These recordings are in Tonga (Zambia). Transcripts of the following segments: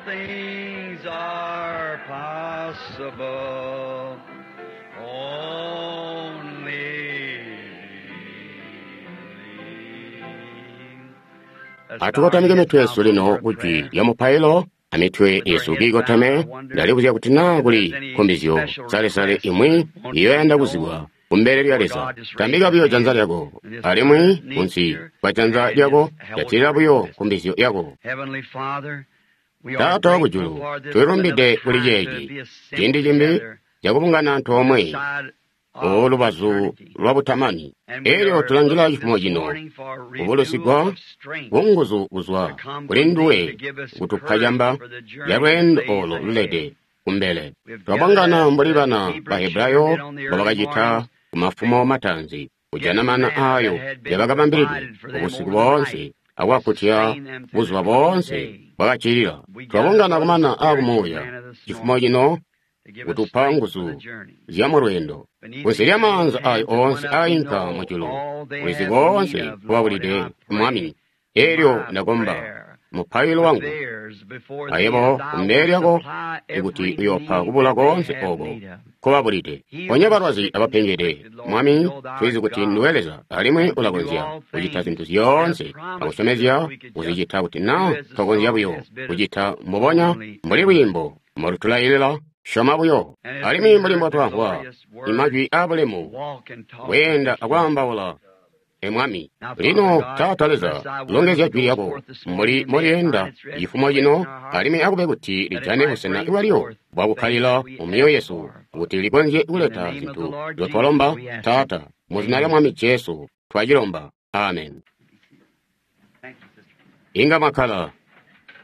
things are possible. Only believe. Atukotamike mitwe yesu lino kujwi lya mupailo amitwe yesu kiikotame. Ndalibuzya kuti naa kuli nkumbizyo salesale imwi iyoyanda kuzibwa kumbele lya Leza. Tambika buyo janza lyako, alimwi kunsi kwa janza lyako jatilila buyo nkumbizyo yako. Heavenly Father, we are Taata grateful wakujulu, for this tulilumbide another kuli time to ceeci be ciindi assembled cimbi together cakubungana antoomwe side of olubazu eternity. lwa butamani. And we Elyo are tulangila looking cifumo this cino morning for renewal kubulusigwa of strength kunguzu kuzwa to come kuli from thee nduwe to give us kutupa courage camba for the lya journey that lweendo lays olo ahead. lulede kumbele. We have gathered Twabungana as mbuli the bana Hebrew ba children did Hebrayo on the early mbobakacita mornings, kumafumo mataanzi kujana getting mana manna that aayo had been yabakabambilidwe provided for them ubusiku over the boonse night to akwakkutya sustain them through the buzuba coming boonse day. bwakacilila. We gather Twabungana for the kumana spiritual aakumuuya manna this cifumo morning cino to give us kutupa strength for the nguzu journey. zya mulweendo. Beneath Kunsi these lya maanza hands ayo that went oonse up, you aayinka know mujulu, all they ulizi have koonse need of, Lord, and kubabulide I pray Mwami. Elyo my ndakomba prayer mupailo with wangu theirs before thee ayebo that thou kumbele wilt lyako supply ikuti every uyoopa need kubula that they koonse have oko need of. nkobabulide. Heal Ponya the balwazi sick and the abapengede. afflicted, Lord. We Mwami, know thou tulizi art kuti God nduwe Leza alimwi and can do ulakonzya all kucita things zintu and have zyoonse promised us akusyomezya if we could just kuzicita kuti do naa as the twakonzya song buyo has bid us, kucita mbubonya only mbuli believe. lwiimbo mbolutulailila syoma buyo. And as we Alimwi mbuli heard the mbotwamvwa glorious words, imajwi aabulemu walk and talk with kweenda the King. akwaambaula e Mwami. Now, Father Lino God, Taata bless Leza, thy word as longezya it jwi goes lyako forth this morning, mbuli and may it find molyeenda its resting cifumo place in cino, our hearts, alimwi akube kuti that it lijane might busena bring bwalyo forth things bwakukkalila that we mu myoyo ask yesu, for. kuti likonzye In the kuleta name of the zintu Lord Jesus, nzotwalomba we ask it. Taata. Mu zina lya Amen. Mwami Jesu twacilomba. Amen. Thank you, sister. Inga mwakkala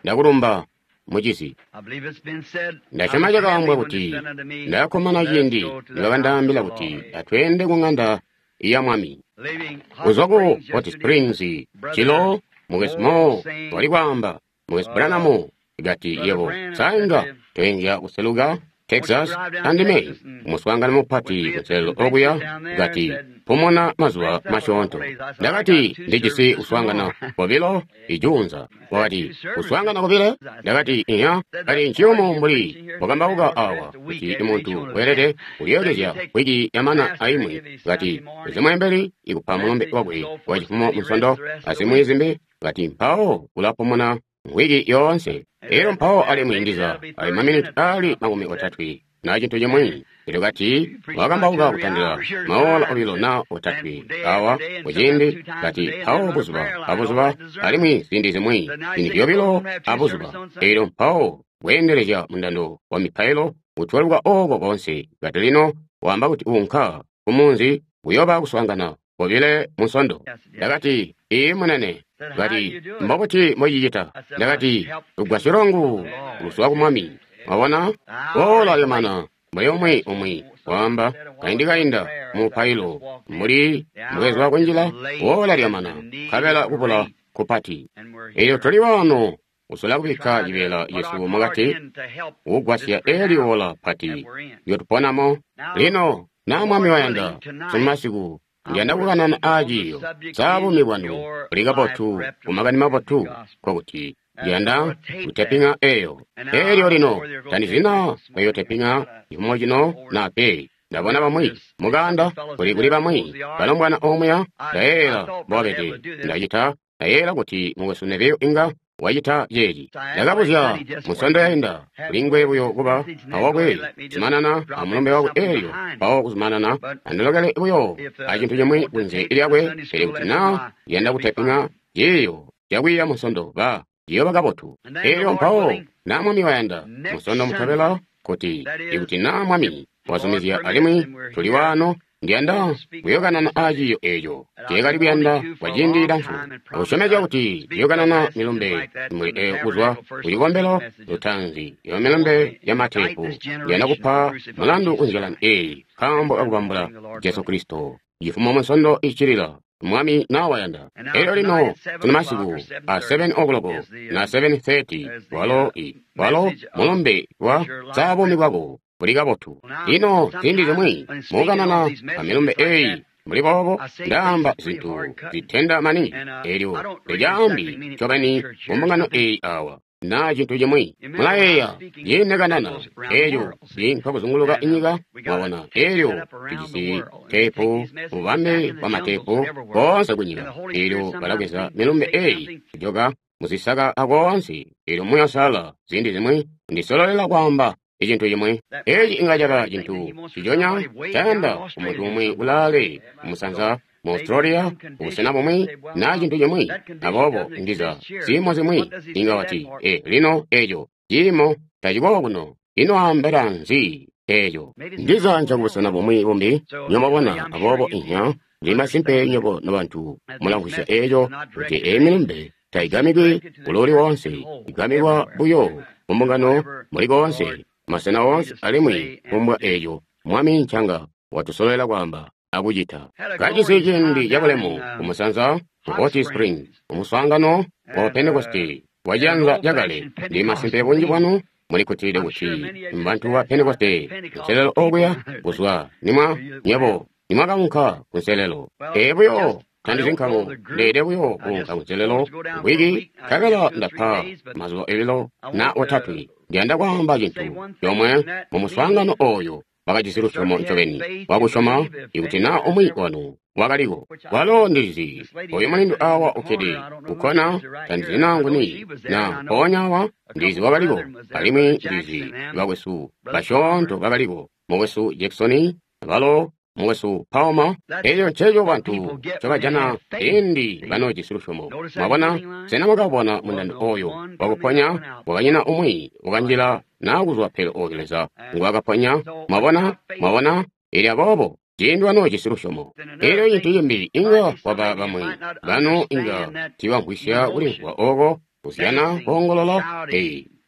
ndakulumba mucizi. I believe it's been said, I Ndasyoma was happy cakaambwa when they kuti said unto me, ndakkomana Let us ciindi go to the house of nibakandaambila the kuti Lord. atweende ku ng'anda ya Mwami. Leaving Hot Kuzwa ku Springs Hot yesterday, Springs Brother cilo mukesi Moore mo was saying, wali kwaamba mukesi Branham kati Brother yebo Branham said sainga to him, toyinja kuseluka Won't you Texas drive down to andime Texas and kumuswaangano with mupati me at kunselelo the convention okuya down there? kati Said, pumuna mazuba rest up a couple masyoonto. days. I said, I got Ndakati two ndijisi services kuswaangana tomorrow. kobilo ijuunza. Said two Wakati services. kuswaangana kobile I said, ndakati iya said kati that's hard nciyumu you're mbuli preaching here at the wakambauka Tabernacle awa rest a week kuti after each muntu one of them. weelede Said you kulyokezya take wiki the yamana pastor aimwi give his kati Sunday morning zimwembeli ikupa mulumbe message and wakwe so wa forth, cifumo and then he rests munsondo the rest of the azimwi week. zimbi kati mpawo ulapumuna wiki yoonse. And Elyo that, mpawo that alimwi maybe ndiza that'll be ali 30 maminiti minutes or ali something, makumi he said. otatwe na chintu chimwe. Elyo kati You preach about 2 wakambauka or 3 kutandila hours here at a maola time, obilo said, na and otatwe day awa after day, and sometimes kuciindi 2 times a kati day, and then mpawo run a buzuba prayer line, all abuzuba that discernment. alimwi ziindi zimwi Said, now you ziindi say you go zyobilo home and have 2 abuzuba. services on Sunday. Elyo mpawo kweendelezya mundando wa mipailo kutweluka oko konse. Kati lino waamba kuti unka kumunzi kuyooba kuswaangana kobile munsondo. I said, yes. Ndakati iyi munene. Said, how do Kati you do it? mbobuti moyicita? I said, my Ndakati help comes lugwasyo from the lwangu Lord. luzwa ku Mwami. Mwabona The hour ola is late. lyamana mbuli umwi As umwi someone waamba said a while kaindi ago in kainda prayer mu as I just mupailo walked in, mbuli the mbwezwa hour is kunjila late ola and the lyamana need nkabela is kubula great, kupati. and we're Elyo here tuli waano kusola to kubikka try to cibeela put cesu our part mukati in to help this kugwasya great eli hour ola that pati we're in. lyotuponamo. Now, Lino the naa Mwami Lord wayanda willing, tonight sumasiku I ndiyanda want to kukanana speak on the aaciiyo subject sa is buumi bwanu your buli life kabotu ku reputable makani as the mabotu gospel. nkokuti That's I'm going ndiyanda to tape that. kuteping'a eyo. And now I Elyo don't know lino whether you're going to tape tandizina this morning or mweyoteping'a not. I cifumo cino over na pe. Ndabona over bamwi this some of the muganda fellows kuli in kuli there bamwi close the ark. balombwana omuya I I ndayeeyela thought Brother Ed mbobabede would do this. ndacita ndayeeyela kuti mukwesu Neville inga wacita ceeci. I asked last Ndakabuzya Sunday just for musondo to yainda have kuli ngwe buyo kuba message and then go ahead awakwe and let me just zumanana drop amulumbe into wakwe something elyo behind it. mpawo kuzumanana But andilokele buyo if acintu they chimwi want to kunze tape the lyakwe Sunday pele school kuti lesson, naa why, ndiyanda it'll be kuteping'a fine. ciiyo cakwiiya munsondo ba ciyooba kabotu. And then the Elyo Lord mpawo willing, naa Mwami wayanda next musondo Sunday, mutobela kuti that is, ikuti naa if Mwami the Lord wazumizya permits, alimwi and we're tuli here, waano I want ndiyanda to speak on kuyokanana the subject aaciiyo eeco that I've ceekali been wanting kuyanda to for kwa a ciindi long cilamfu time and promised akusyomezya I'd kuti speak some ndiyokanana messages milumbe like that imwe from the eyo kuzwa tabernacle ku first on tape cikombelo messages. lutaanzi iyo I want milumbe to ya indict matepu this ndiyanda generation for kupa crucifying mulandu Jesus kunjilani Christ. eyi Next nkaambo Sunday akubambula morning, the Lord Jesu willing. Kristo cifumo munsondo icilila Mwami nawayanda. And now Elyo tonight lino at 7 tuna o'clock masiku or a 7:30 7 o'clock is the na 7:30 is the walo i walo message of mulumbe wa is your life za buumi reputable. bwako buli kabotu. Now, Lino ziindi sometimes zimwi when speaking on mukanana these pa messages milumbe like eyi that, mbuli boobo I say things ndaamba that's pretty zintu hard cutting, zitenda maningi and I elyo don't really exactly tecaambi mean it for the ncobeni church mu here. mbungano Something eyi awa. na cintu cimwi. Mulayeeya ciine kanana eco ciinka kuzunguluka inyika, mwabona, elyo tujisi teepu, bubambe bwa mateepu koonse kunyika. Elyo balabweza milumbe eyi kujoka muzisaka akoonse. Elyo Muuya Uusalala ziindi zimwi ndisololela kwaamba icintu cimwi. Eci inga caba cintu ciconya cayanda kumuntu umwi kulaale kumusanza mu Australia, kubusena bumwi na cintu cimwi. Aboobo ndiza ziimo zimwi inga wati, lino eco ciimo taciko kuno. Ino ambela nzi eco? Ndiza nca kubusena bumwi bumbi, nywebo aboobo inya ndi masimpe nywebo nobantu mulamvwisya eco kuti eyi milumbe taigamikwi kulooli woonse, igamikwa buyo mumbungano muli koonse, masena oonse, alimwi kumbwa eco Mwami ncanga watusololela kwaamba akucita. Kajisi ciindi cabulemu kumusanza ku Hot Spring, kumuswaangano wa Pentekoste wa cianza cakale. Ndi masimpe bunji bwanu mulikutile kuti mbantu ba Pentekoste nselelo okuya kuzwa nimwa nyebo nimwakaunka kunselelo. Buyo tandizi nkamu ndeede buyo kuunka kunselelo wiki nkabela ndapa mazuba ebilo na otatwe. Ndiyanda kwaamba cintu comwe mu muswaangano oyo bakajisi lusyomo ncobeni wakusyoma ikuti na umwi wanu wakaliko. Walo ndilizi oyu mulindu awa ukkede kukkona, tandizi naa nguni na mpoonya awa ndizi wakaliko, alimwi ndizi bakwesu basyoonto bakaliko, mukwesu Jackson balo mukwesu Palmer. Eco nceco bantu ncobajana ciindi banoojisi lusyomo. Mwabona, sena mwakabona mundando oyo wakuponya? Wakanyina umwi wakanjila naa kuzwa pele oyo Leza ngwakaponya. Mwabona, mwabona, ili aboobo ciindi banoojisi lusyomo. Elyo cintu cimbi inga kwaba bamwi banu inga tiibamvwisya kulimvwa oko kuzyana koongolola.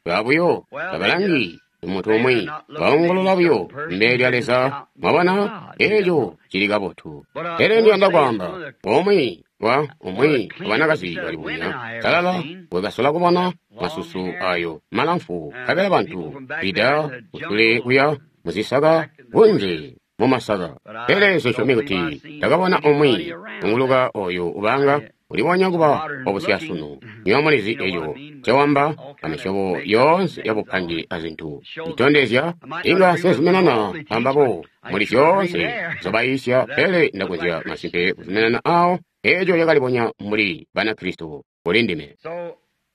Babuyo tabalangi muntu umwi, baongolola buyo mbele lya Leza. Mwabona, eco cili kabotu. Pele ndiyanda kwaamba umwi wa umwi abanakazi balibonya talala wekasola kubona masusu ayo malamfu, nkabela bantu bida kusule kuya muzisaka kunze mumasaka. Pele nsisyomi kuti ndakabona umwi unguluka oyo ubanga ulibonya kuba wabusyasunu. Nywebo mulizi eco ncewamba amisyobo yoonse yabupange azintu itondezya inga nsezuminana ambabo muli zyoonse nzobayiisya, pele ndakonzya masimpe kuzuminana awo eco yakalibonya mbuli Banakristo kuli ndime.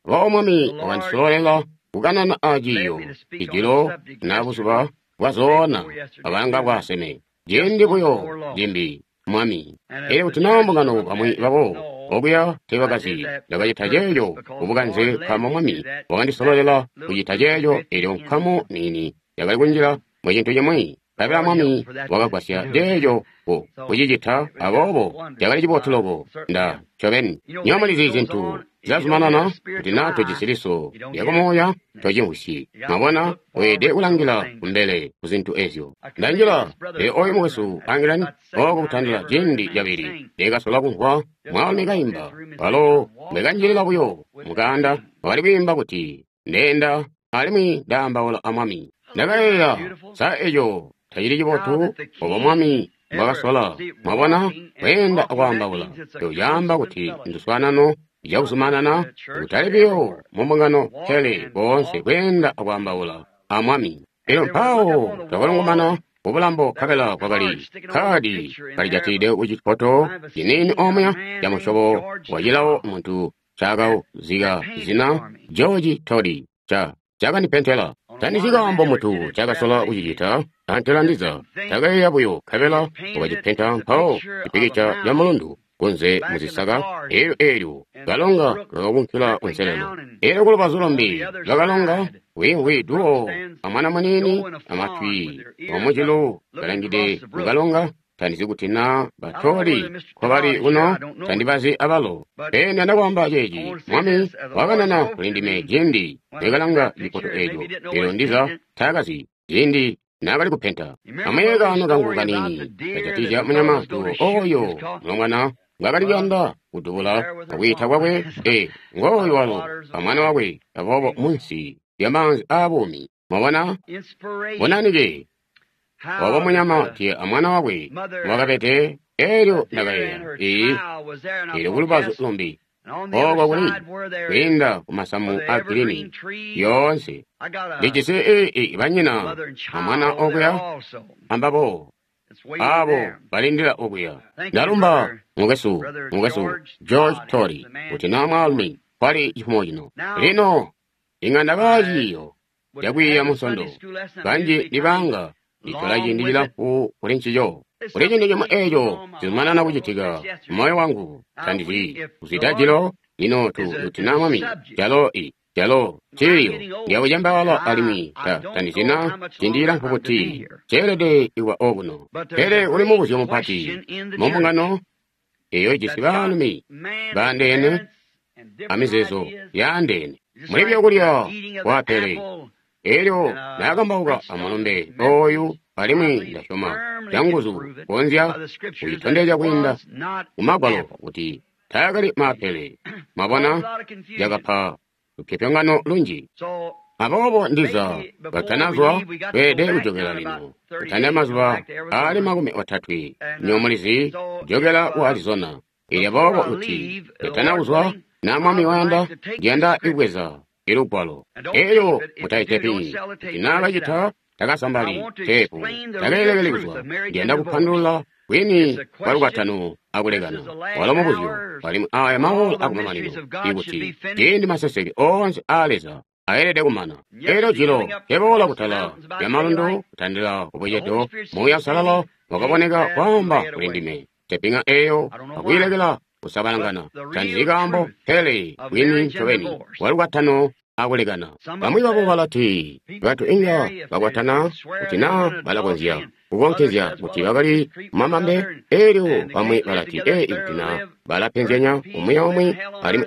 Aboobo Mwami wakandisololela kukanana aciiyo ijilo na buzuba bwazoona abanga bwaseme ciindi buyo cimbi Mwami. Elyo kuti naa mbungano bamwi babo okuya teebakazi, ndakacita ceeco kubukanze nkaambo Mwami wakandisololela kucita ceeco. Elyo nkamu niini yakali kunjila mu cintu cimwi, nkabela Mwami wakagwasya ceeco kucicita. Aboobo cakali cibotu loko nda ncobeni. Nywebo mulizi zintu zyazumanana kuti naa tojisi liso lyakumuuya tocimvwisyi. Mwabona, weelede kulangila kumbele ku zintu ezyo. Ndanjila oyu mukwesu Angilan oko kutandila ciindi cabili ndekasola kumvwa mwaalumi kaimba. Walo mbwekanjilila buyo mukaanda wakali kwiimba kuti ndeenda alimwi ndaambaula a Mwami. Ndakayeeya, sa eco tacili cibotu obo Mwami mbwakasola? Mwabona, kweenda akwaambaula eco caamba kuti nduswaanano cakuzumanana, kutali buyo mumbungano pele boonse kweenda akwaambaula a Mwami. Elyo mpawo twakalungumana kubulambo, nkabela kwakali kkaadi kalijatilide ku cipoto ciniini omuya camusyobo wa cilawo muntu ncaakazika zina George Toddy cakandipentela. Tandizyi kaambo muntu cakasola kucicita, antela ndiza takayeeya buyo, nkabela wakacipenta mpawo cipikica ca mulundu kunze muzisaka. Elyo eelyo kalonga kakakunkila kunselelo. Elyo kulubazu lumbi lwakalonga wiimvwi duwo amwana muniini amatwi omucilu kalangide mukalonga. Tandizi kuti naa batoli nkobali kuno, tandibazi abalo. Pele ndiyanda kwaamba ceeci, Mwami wakanana kuli ndime ciindi nekalanga cipoto eco. Elyo ndiza taakazi ciindi naakali kupenta. Amuyeeye kaano kangu kaniini kajatizya munyama duwo oyo mulongwana ngakali kuyanda kudubula akwiita kwakwe. Ngooyu walo amwana wakwe, aboobo munsi lya maanzi aabuumi. Mwabona, bonanike obo munyama tiye amwana wakwe wakabede. Elyo ndakayeeya, elyo kulubazu lumbi Oko kuli kwiinda ku masamu a girini yoonse. Ndijisi i banyina amwana okuya ambabo abo balindila okuya. Ndalumba mukwesu George Torrey kuti na mwaalumi kwali cifumo cino. Lino inga ndaba ciiyo cakwiiya Munsondo. Kanji ndibanga nditola ciindi cilamfu kuli ncico. Kuli cintu cimwe eco cizumanana kucitika moyo wangu. Tandizi kuzwida jilo lino tu kuti na Mwami calo i calo ciiyo ndyakucembaala alimwi tandizi na ciindi cilamfu kuti ceelede kuba okuno. Pele kuli mubuzyo mupati mu mbungano eyo ijisi baalumi baandeene amizeezo yaandeene. Muli byakulya kwa apele. Elyo ndakambauka amulumbe oyu alimwi ndasyoma canguzu konzya kucitondezya kwiinda mu Magwalo kuti taakali maapele. Mwabona, cakapa lupyopyongano lunji. Aboobo ndiza katanazwa tweelede kujokela lino kutandila mazuba aali 30 nyomulizi kujokela ku Arizona. Elyo aboobo kuti katanakuzwa na Mwami wayanda, ndiyanda kubweza ilugwalo. Elyo mutaitepi kuti naakacita takasambali teepu takeelekeli kuzwa. Ndiyanda kupandulula kwini kwa lukwatano akulekana. Walo mubuzyo alimwi aya maola akumamanino ikuti ciindi maseseke oonse aa Leza aelede kumana. Elyo jilo keboola kutala lya malundu kutandila kubucedo, Muuya Uusalala wakaboneka kwaamba kuli ndime. Tepinga eyo akuyilekela kusabalangana. Tandizi kaambo pele bwini ncobeni walukwatano akulekana. Bamwi babo balati bantu inga bakwatana kuti naa balakonzya kukonkezya kuti bakali mamambe. Elyo bamwi balati ikuti naa balapenzyanya umwi aumwi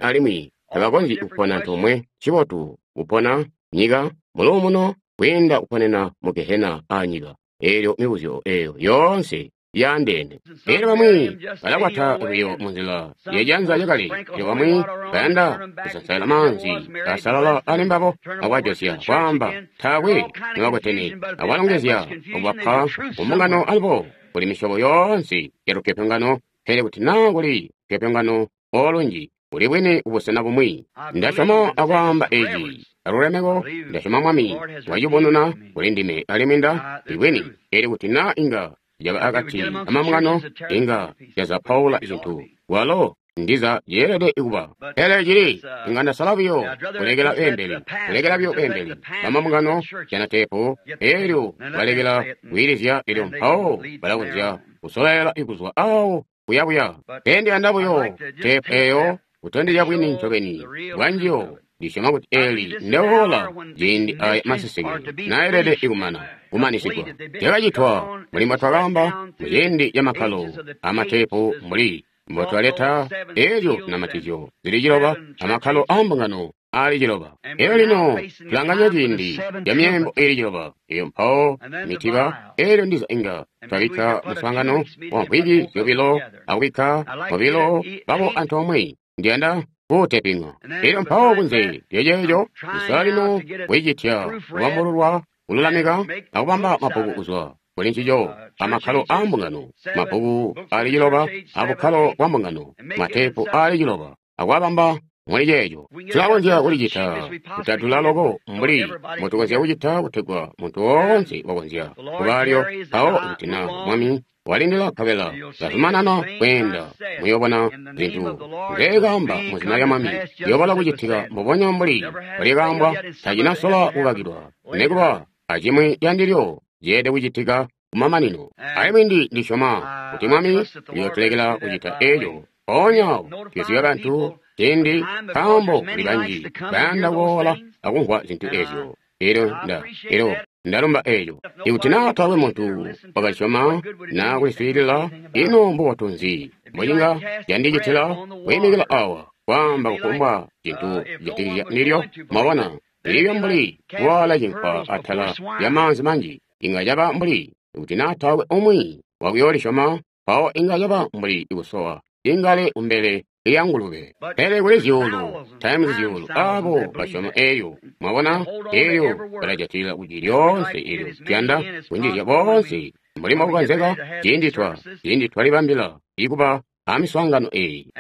alimwi tabakonzyi kupona antoomwe. Ncibotu kupona nyika muluumuno kwiinda kuponena mu gehena aanyika. Elyo mibuzyo eyo yoonse yaandeene. Elyo bamwi balakwata buyo munzila yajanza lyakale. Elyo bamwi bayanda kusansaila maanzi asalala ali mbabo akwajosya kwaamba taakwe nibakwetene akwalongezya akubapa kumbungano alubo. Kuli misyobo yoonse ya lupyopyongano, pele kuti naa kuli lupyopyongano olunji kuli bwini kubusena bumwi. Ndasyoma akwaamba eci alulemeko. Ndasyoma Mwami wacibonuna kuli ndime alimwi nda ibwini. Elyo kuti naa inga yaba akati amambungano inga yazapaula zintu walo ndiza yeelede kuba. Pele cili inga ndasala buyo kulekela beembeli, kulekela buyo beembeli bamambungano jana teepu. Elyo balekela kwiilizya, elyo mpawo balakonzya kusolela kuzwa awo kuyabuya. Pele ndiyanda buyo teepu eyo kutondezya bwini ncobeni bwanjiyo. Ndisyoma kuti eli ndeola ciindi aya maseseke naelede ikumana kumanisigwa. Cakacitwa mbuli mbotwakaamba muciindi camakkalo amateepu mbuli mbotwaleta elyo zinamatizyo zili 9 amakkalo aambungano aali 9. Elyo lino tulanganya ciindi ca myeembo iili 9 eyo mpawo mitiba. Elyo ndiza inga twabikka muswaangano wa mvwiki 2 akubikka 2 babo antoomwe. Ndiyanda kuuteping'a. Elyo mpawo kunze lyaceeco ndisola lino kuicitya kubambululwa, kululamika akubamba mabbuku kuzwa kuli ncico amakkalo aambungano, mabbuku aali 9 abukkalo bwa mbungano, mateepu aali 9 akwabamba muli ceeco. Tulakonzya kulicita kutadula loko mbuli mbotukonzya kucita kutegwa muntu woonse wakonzya kubaalyo. Mpawo kuti na Mwami walindila nkabela kazumanana kweenda, muyobona zintu nzeekaamba muzina lya Mwami ziyoobola kucitika mbubonya mbuli mbwelyakaambwa. Tacinasola kukakilwa nikuba acimwi candilyo ceelede kucitika kumamanino. Alimwi ndisyoma kuti Mwami uyootulekela kucita eco. Mpoonya awo tuyoziba bantu ciindi, nkaambo kuli banji bayanda kuboola akumvwa zintu ezyo. Elyo ndalumba eco. Ikuti naa taakwe muntu wakasyoma naa kuliswiilila, ino mbubotu nzi mbocinga candicitila kwiimikila awa kwaamba kufumbwa cintu cijatikizya ndilyo? Mwabona, lilibyo mbuli kuwaala cinkwa atala lya maanzi manji. Inga caba mbuli kuti naa taakwe umwi wakuyoolisyoma, mpawo inga caba mbuli kusowa ingale kumbele lya ngulube. Pele kuli zyuulu times zyuulu abo basyoma elyo. Mwabona, elyo balajatilila kuti lyoonse. Elyo tuyanda kunjizya boonse mbuli mbokukonzeka ciindi twalibambila ikuba amiswaangano eyi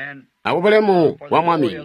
akubulemu bwa Mwami.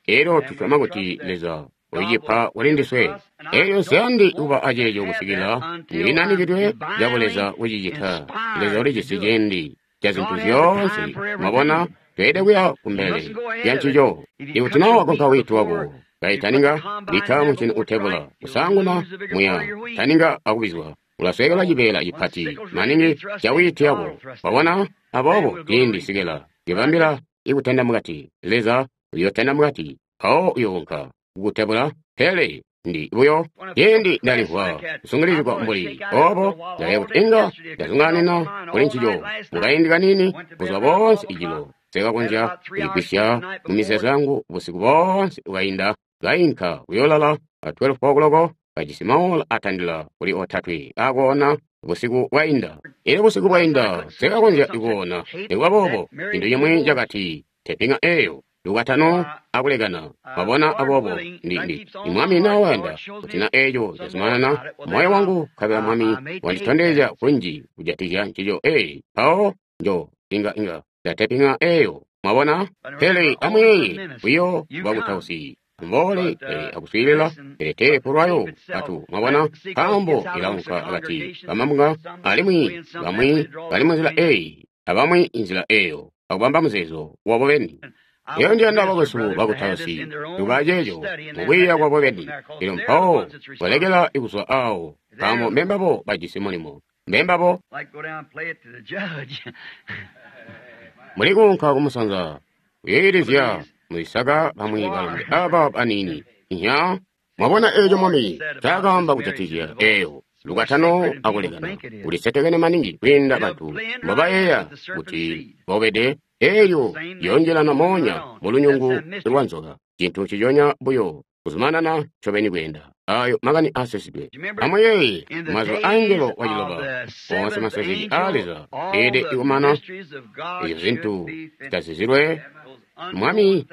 Elyo tusyoma kuti Leza uyicipa kuli ndiswe. Elyo nsiyandi kuba aceeco kusikila ndinanikidwe cabuleza kucicita. Leza ulijisi ciindi ca zintu zyoonse. Mwabona, tweelede kuya kumbele lya ncico. Ikuti na wakonka wiiti wako kaitaninga bikka muncini utebula kusaanguna muya taninga akubizwa, ulasweekelwa cibeela cipati maningi ca wiiti yako. Wabona? Aboobo ciindi sikela libambila ikutenda mukati, Leza uyotenda mukati, mpawo uyounka kukutebula. Pele ndi buyo ciindi ndalimvwa kusungilizigwa mbuli obo, ndaleya kuti inga ndazungaanina kuli ncico mukaindi kanini buzuba boonse ijilo. Sekakonzya kuligwisya mu mizeezo yangu busiku boonse bwainda, kainka kuyolala a 12 o'clock kajisi maola atandila kuli 3 akoona busiku bwainda. Elyo busiku bwainda sekakonzya kuona. Nikuba boobo, cintu cimwi cakati tepinga eyo lukwatano akulekana. Mwabona? Aboobo ndi Mwami nawayanda kuti na eco cazumanana moyo wangu, nkabela Mwami wanditondezya kunji kujatikizya ncico. Mpawo njo inga ndatepinga eyo. Mwabona? Pele amuyeeye buyo bwakutausi mboole pele akuswiilila, pele teepu lwayo atu. Mwabona? Nkaambo ilaunka akati kamabunga, alimwi bamwi bali munzila eyi abamwi inzila eyo, akubamba muzeezo wabo beni. Eyo ndiyanda bakwesu bakutausi kuba ceeco mukwiiya kwabo beni. Elyo mpawo balekela kuzwa awo, nkaambo mbembabo bajisi mulimo, mbembabo muli kuunka kumusanza kuyoyilizya muzisaka bamwi balombe aba baniini. Nya mwabona eco Mwami ncaakaamba kujatikizya eyo lukwatano akulekana, ulisetekene maningi kwiinda bantu mbobayeeya kuti bobede. Elyo yonjelana moonya mulunyungu lwa nzoka, cintu nciconya buyo kuzumanana ncobeni kweenda. Ayo makani aasisidwe. Amuyeeye mazuba angelo waciloba, oonse maseseke aa Leza elede kumana, ezyo zintu zitazizilwe Mwami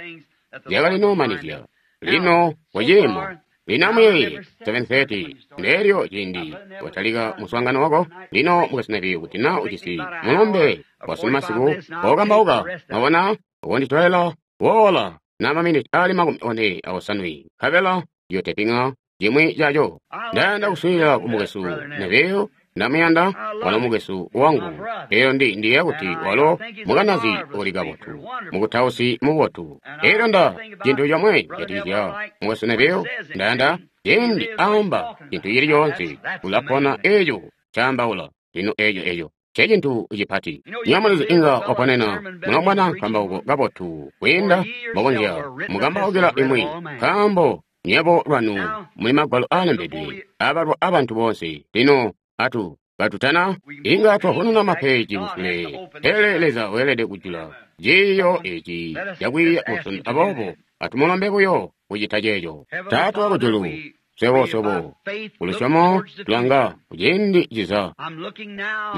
zyakalinomanizya. Lino waciimo. Lino amuyeeye 7:30 ndeelyo ciindi watalika muswaangano wako. Lino mukasinapi kuti na ujisi mulumbe wasunu masiku wokambauka. Mwabona, ukonditolela woola na maminiti ali 48, nkabela yotepinga cimwi caco. Ndayanda kuswiilila ku mukwesu Neville, ndamuyanda, walo mukwesu wangu. Elyo ndiyeeya kuti walo mukanazi uli kabotu, mukutausi mubotu. Elyo nda cintu comwe kujatikizya mukwesu Neville, ndayanda ciindi aamba cintu cili coonse, ulapona eco caambaula. Lino eco ncecintu cipati. Nyamulizi inga waponena mulomwana nkambauko kabotu kwiinda mbokonzya mukambaukila imwi, nkaambo nywebo lwanu muli magwalo aalembedwe abalwa abantu boonse. Lino atu katutana inga twavununa mapeji kusule, pele Leza weelede kujula ciiyo eci cakwiiya musondo. Aboobo atumulombe buyo kucita ceeco. Taata wakujulu, swebo kulusyomo tulanga kuciindi ciza.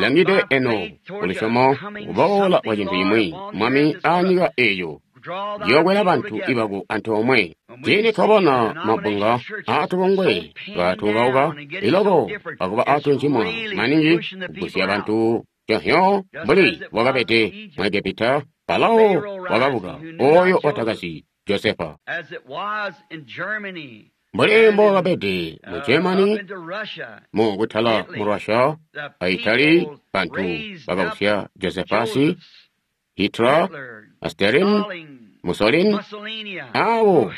Langide eno kulusyomo kuboola kwa cintu cimwi, Mwami, aanyika eyo yokwela bantu ibako antoomwe. Ciindi twabona mabunga aatubungwe katuukauka iloko akuba aatuncimwa maningi kugusya bantu conhyo mbuli bwakabede mu Egepita, Farao wakabuka oyo watakazi Josefa. Mbuli mbokabede mu Germany, mu kutala mu Russia, a Italy, bantu bakabusya Josephasi, Hitler, Stalin, Mussolini, abo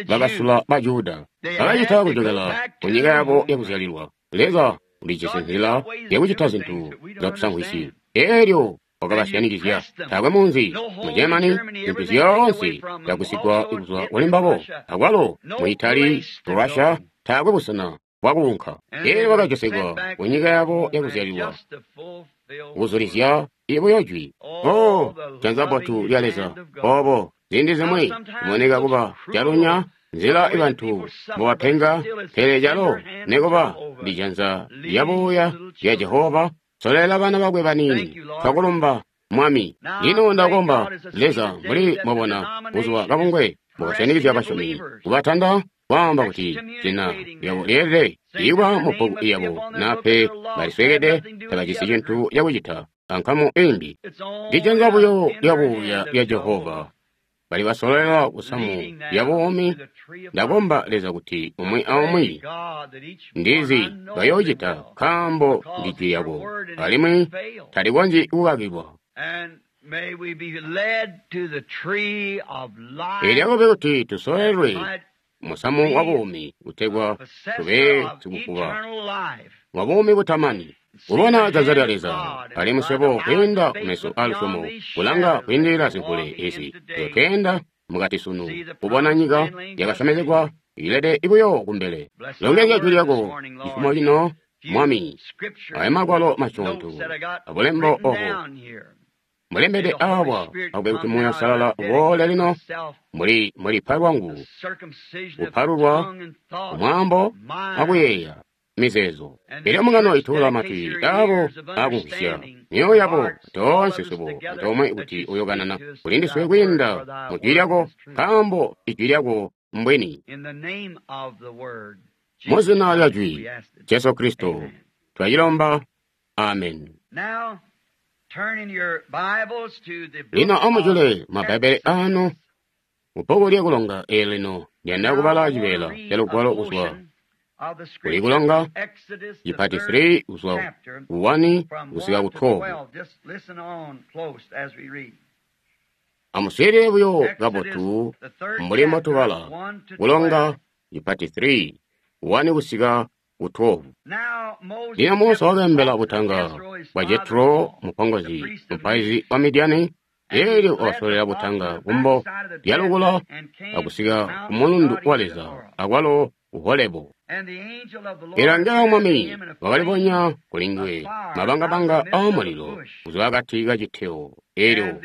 bakasula ba Juda, bakacita kujokela ku nyika yabo yakuzyalilwa. Leza ulijisi nzila yakucita zintu zakusamvwisyi. Elyo wakabasyanikizya taakwe munzi mu Germany, zintu zyoonse zyagusigwa kuzwa kuli mbabo. Akwalo mu Italy, mu Russia, taakwe busena bwakuunka. Elyo bakajosekwa ku nyika yabo yakuzyalilwa kuzulizya ibuyo jwi. Oh, janza bbotu lya Leza. Obo ziindi zimwi kuboneka kuba calunya nzila ibantu mbobapenga, pele calo nikuba ndi janza lyabuya lya Jehova solela bana bakwe baniini. Twakulumba Mwami. Lino ndakomba Leza, mbuli mwabona buzuba kabungwe mbokasyanikizya basyomi, kubatanda kwaamba kuti zina lyabo lyeelede ikuba mu bbuku yabo, nape baliswekede tabajisi cintu cakucita. ankamu imbi. Ndijanza buyo lyabuuya lya Jehova bali basololela kusamu lya buumi. Ndakomba Leza kuti umwi aumwi ndizi bayoocita, nkaambo ndi jwi lyako alimwi talikonzyi kukakilwa. Elyakobe kuti tusololelwe musamu wa buumi kutegwa tube sikukuba wa buumi butamani. Kubona janza lya Leza alimwi swebo kwiinda kumeso alusyomo kulanga kwiindilila zimvule ezi tweenda mukati sunu kubona nyika yakasyomezegwa ilede buyo kumbele. Longezya jwi lyako cifumo cino, Mwami, aya magwalo masyoonto abulembo obo mulembede awa, akube kuti Muuya Uusalala uboole lino muli mulipa lwangu kupalulwa kumwaambo akuyeeya mizeezo. Elyo mbungano ituula matwi abo akumvwisya myoyo yabo toonse swebo antoomwe kuti uyokanana kuli ndiswe kwiinda mu jwi lyako, nkaambo ijwi lyako mbwini. Mu zina lya jwi Jesu Kristo twacilomba, amen. Lino amujule mabbaibele anu mubbuku lyakulonga eli lino ndiyanda kubala cibeela ca lugwalo kuzwa kuli kulonga chipati 3 kuzwa ku 1 kusika ku 12. Amuswiilile buyo kabotu mbuli mbotubala kulonga chipati 3 1 kusika ku 12. Lino Musa wakaembela butanga bwa Jetro mupongozi mupaizi wa Midiani, eelyo wakasolela butanga kumbo lyalukula akusika ku mulundu wa Leza akwalo ku Holebu. Eelyo angelo wa Mwami wakalibonya kuli nguwe mabangabanga aamulilo kuzwa akati kacitewo. Eelyo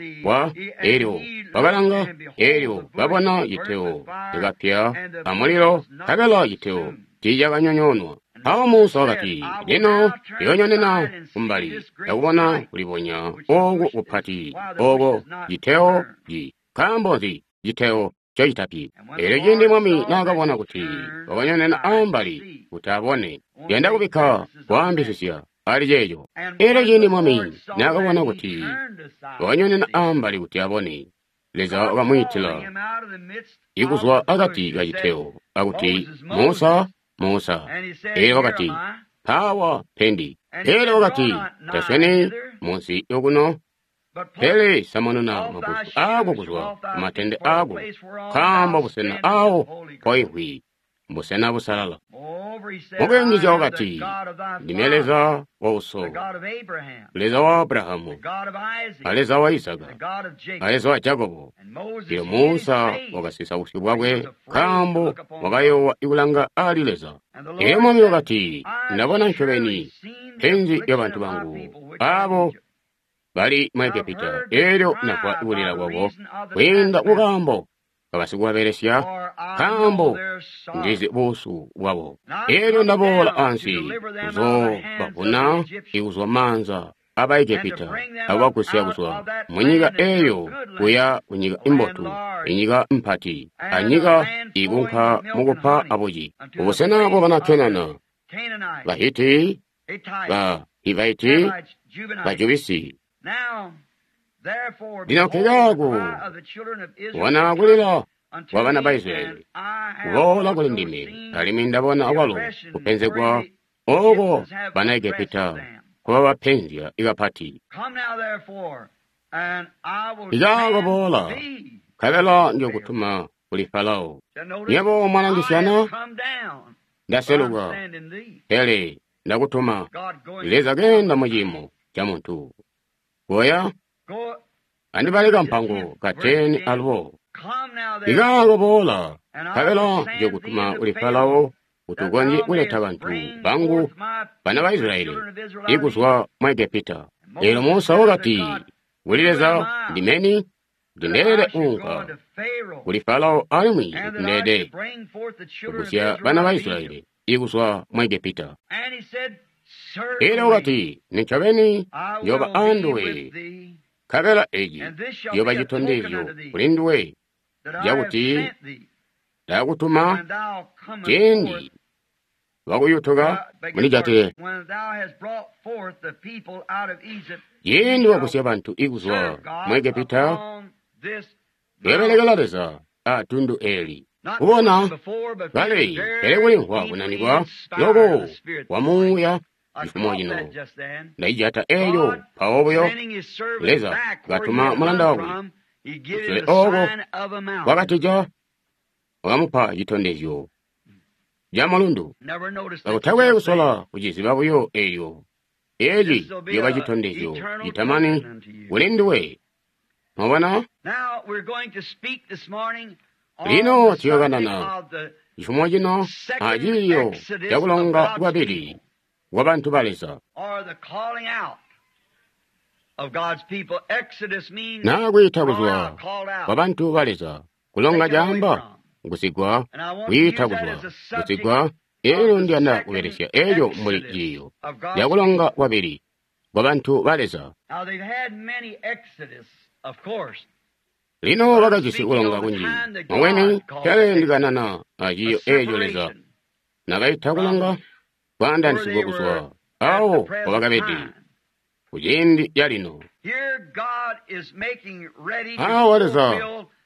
eelyo wakalanga, eelyo babona citewo cakapya amulilo, nkabela citewo tiicakanyonyoonwa. Mpawo Musa wakati, lino ndiyoonyonena kumbali ndakubona kulibonya ooku kupati ooko citewo ci. Nkaambo nzi citewo ncocitapyi? Eelyo ciindi Mwami naakabona kuti wakanyonena ambali kuti abone, yanda kubikka kwaambisisya ali ceeco. Eelyo ciindi Mwami naakabona kuti wakanyonena ambali kuti abone, Leza wakamwiitila ikuzwa akati kacitewo akuti, Musa, Musa. Eelyo wakati, mpaawa mpendi. Eelyo wakati, tasweni munsi okuno, pele samununa maguzu aako kuzwa kumatende aako, nkaambo busena awo mpoimvwi mbusena busalala. Mukuyungizya wakati, ndime Leza wa uso, Leza wa Abrahamu, a Leza wa Isaka, a Leza wa Jakobo. Lino Musa wakasisa busyu bwakwe nkaambo wakayoowa ikulanga ali Leza. Elyo Mwami wakati, ndabona ncobeni penzi lyabantu bangu abo bali mu Egepita, eelyo ndamvwa kulila kwabo kwiinda kukaambo kabasikubabelesya, nkaambo ndizi buusu bwabo. Eelyo ndaboola ansi kuzoobavuna ikuzwa maanza aba Egepita akubagusya kuzwa munyika eeyo kuya kunyika imbotu, inyika mpati, anyika ikunka mukupa abuci, ubusena bwabana Kenana, Bahiti, ba Hivaiti, Bajubisi. Lino nkekaako kubona kulila kwa bana ba Israyeli kuboola kuli ndime, alimwi ndabona akwalo kupenzegwa ooko bana Egepita kubabapenzya ikapati. Ikaako boola, nkabela njokutuma kuli Farao. Yebo mwalangisyana, ndaseluka, pele ndakutuma. Leza keenda muciimo ca muntu. Goya andibale kampango ka 10 alubo. Ikaako boola, nkabela njokutuma kuli Farao kuti ukonzye kuleta bantu bangu bana ba Israyeli ikuzwa mu Egepita. Eelyo Musa wakati kuli Leza, ndimeni ndindeele kuunka kuli Farao alimwi ndindeede kugusya bana ba Israyeli ikuzwa mu Egepita. Eelyo wakati, nincobeni njooba anduwe, nkabela eci ciyooba citondezyo kuli nduwe cakuti ndakutuma ciindi lwakuyutuka, mundijatile. Ciindi wagusya bantu ikuzwa mu Egepita, uyobelekela Leza a tundu eli. Kubona kale, pele kulimvwa kunanikwa loko kwa Muuya cifumo cino. Ndaijata eyo mpawo buyo Leza katuma mulanda wakwe kusule oko wakatija, wakamupa citondezyo ca mulundu. Kakutakwe kusola kuciziba buyo eyo, eci ciyoba citondezyo citamani kuli nduwe. Mwabona? Lino tuyokanana cifumo cino aciiyo cakulonga kwabili kwa bantu ba Leza. Naa kwiita kuzwa kwa bantu ba Leza. Kulonga caamba kusigwa, kwiita kuzwa, kusigwa. Elyo ndiyanda kubelesya eco mbuli ciiyo cakulonga kwabili kwa bantu ba Leza. Lino bakajisi kulonga kunji mumweni, pele ndikanana aciiyo eco Leza nakaita kulonga kwaandanisigwa kuzwa awo wabakabede kuciindi calino. Awa Leza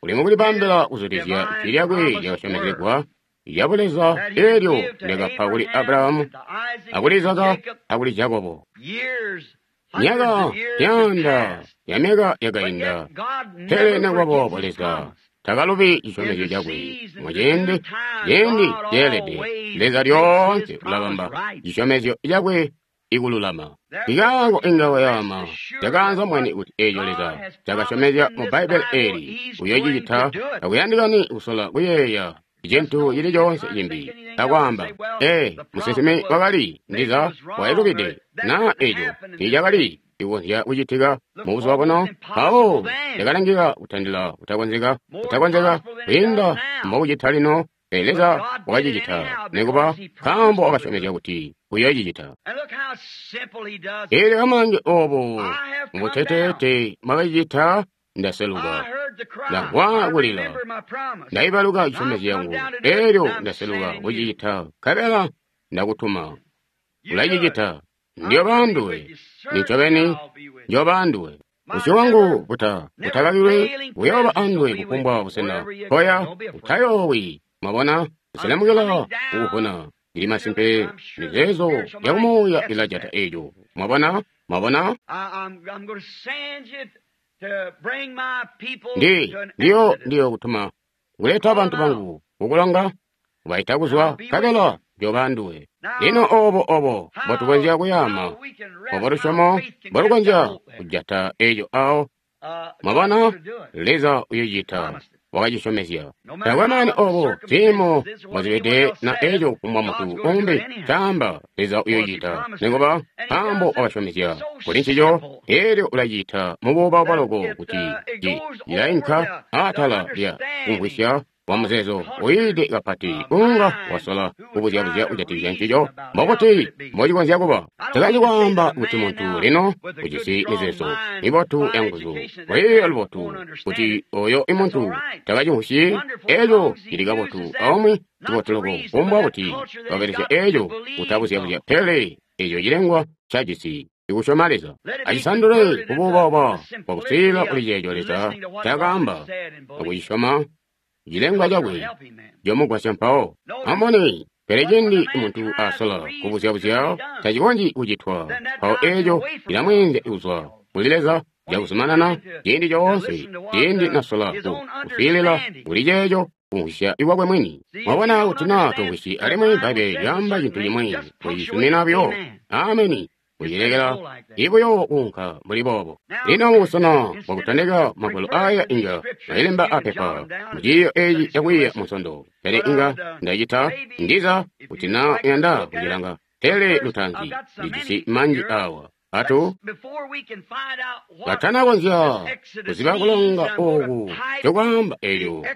uli mukulibambila kuzulizya ijwi lyakwe lyakasyomezegwa lya buleza elyo lyakapa kuli Abrahamu akuli Izaka akuli Jakobo. Myaka myaanda ya myaka yakainda, pele nekuba boobo Leza takalubi cisyomezyo cakwe. Muciindi ciindi ceelede, Leza lyoonse ulabamba cisyomezyo cakwe ikululama. Ikaako inga wayama cakaanza mwene kuti eco Leza cakasyomezya mu Bbaibbele eli uyoocicita, takuyandikani kusola kuyeeya cintu cili coonse cimbi akwaamba, ee, musinsimi wakali ndiza wailubide, naa eco tiicakali kukonzya kucitika mubuzuba buno, mpawo cakalangika kutandila kutakonzeka, kutakonzeka kwiinda mbokucita lino. Pele Leza wakacicita nikuba nkaambo wakasyomezya kuti uyoocicita. Eelyo amulange oobo mubuteteete mwakacicita, ndaseluka, ndamvwa kulila, ndaibaluka cisyomezyo yangu, eelyo ndaseluka kucicita, nkabela ndakutuma. Ulacicita, ndiyooba anduwe, nincobeni ndiyooba anduwe. Busyu bwangu butakakilwi buyooba anduwe kufumbwa busena koya, utayoowi. Mwabona, nselemukila kukuvuna. Ndili masimpe mizeezo ya kumuuya ilajata eco. Mwabona, mwabona? Ndiyo kutuma kuleta bantu bangu kukulonga, kubaita kuzwa, nkabela ndiyooba anduwe. Lino obo mbotukonzya kuyaama, obo lusyomo mbolukonzya kujata eco awo. Mwabona, Leza uyocita, wakacisyomezya. Taakwe makani obo ziimo mbozibede na eco kufumbwa muntu umbi caamba, Leza uyocita nikuba nkaambo wakasyomezya kuli ncico, eelyo ulacita mubuubauba loko kuti cilainka atala lya kumvwisya wa muzeezo uyiide kapati unga wasola kubuzyabuzya kujatikizya ncico, mbokuti mbocikonzya kuba. Takanji kwaamba kuti muntu lino ujisi mizeezo mibotu yanguzu, lwiiyo lubotu, kuti oyo imuntu takacimvwisyi eco cili kabotu aumwi cibotu loko, kufumbwa kuti wabelesya eco kutabuzyabuzya, pele eco cilengwa cajisi ikusyoma Leza. Acisandule kubuubauba bwakuswiilila kuli ceeco Leza cakaamba akucisyoma cilengwa cakwe comugwasya mpawo. Amubone, pele cindi muntu asola kubuzyabuzya tacikonzyi kucitwa, mpawo eco cilamweenzya kuzwa kuli Leza cakuzumanana ciindi coonse, ciindi nasola kuswiilila kuli ceeco kumvwisya iwakwe mwini. Mwabona kuti naa tumvwisyi alimwi Bbaibbele lyaamba cintu cimwi, kucisumina buyo ameni, kucilekela ibuyo kuunka mbuli boobo. Lino mubusena bwakutondeka magwalo aya inga mwayilemba apepa muciiyo eci cakwiiya munsondo, pele inga ndacita ndiza kuti naa uyanda kucilanga, pele lutaanzi ndijisi manji awa. Atu katanakonzya kuziba kulonga oku cokwaamba elyo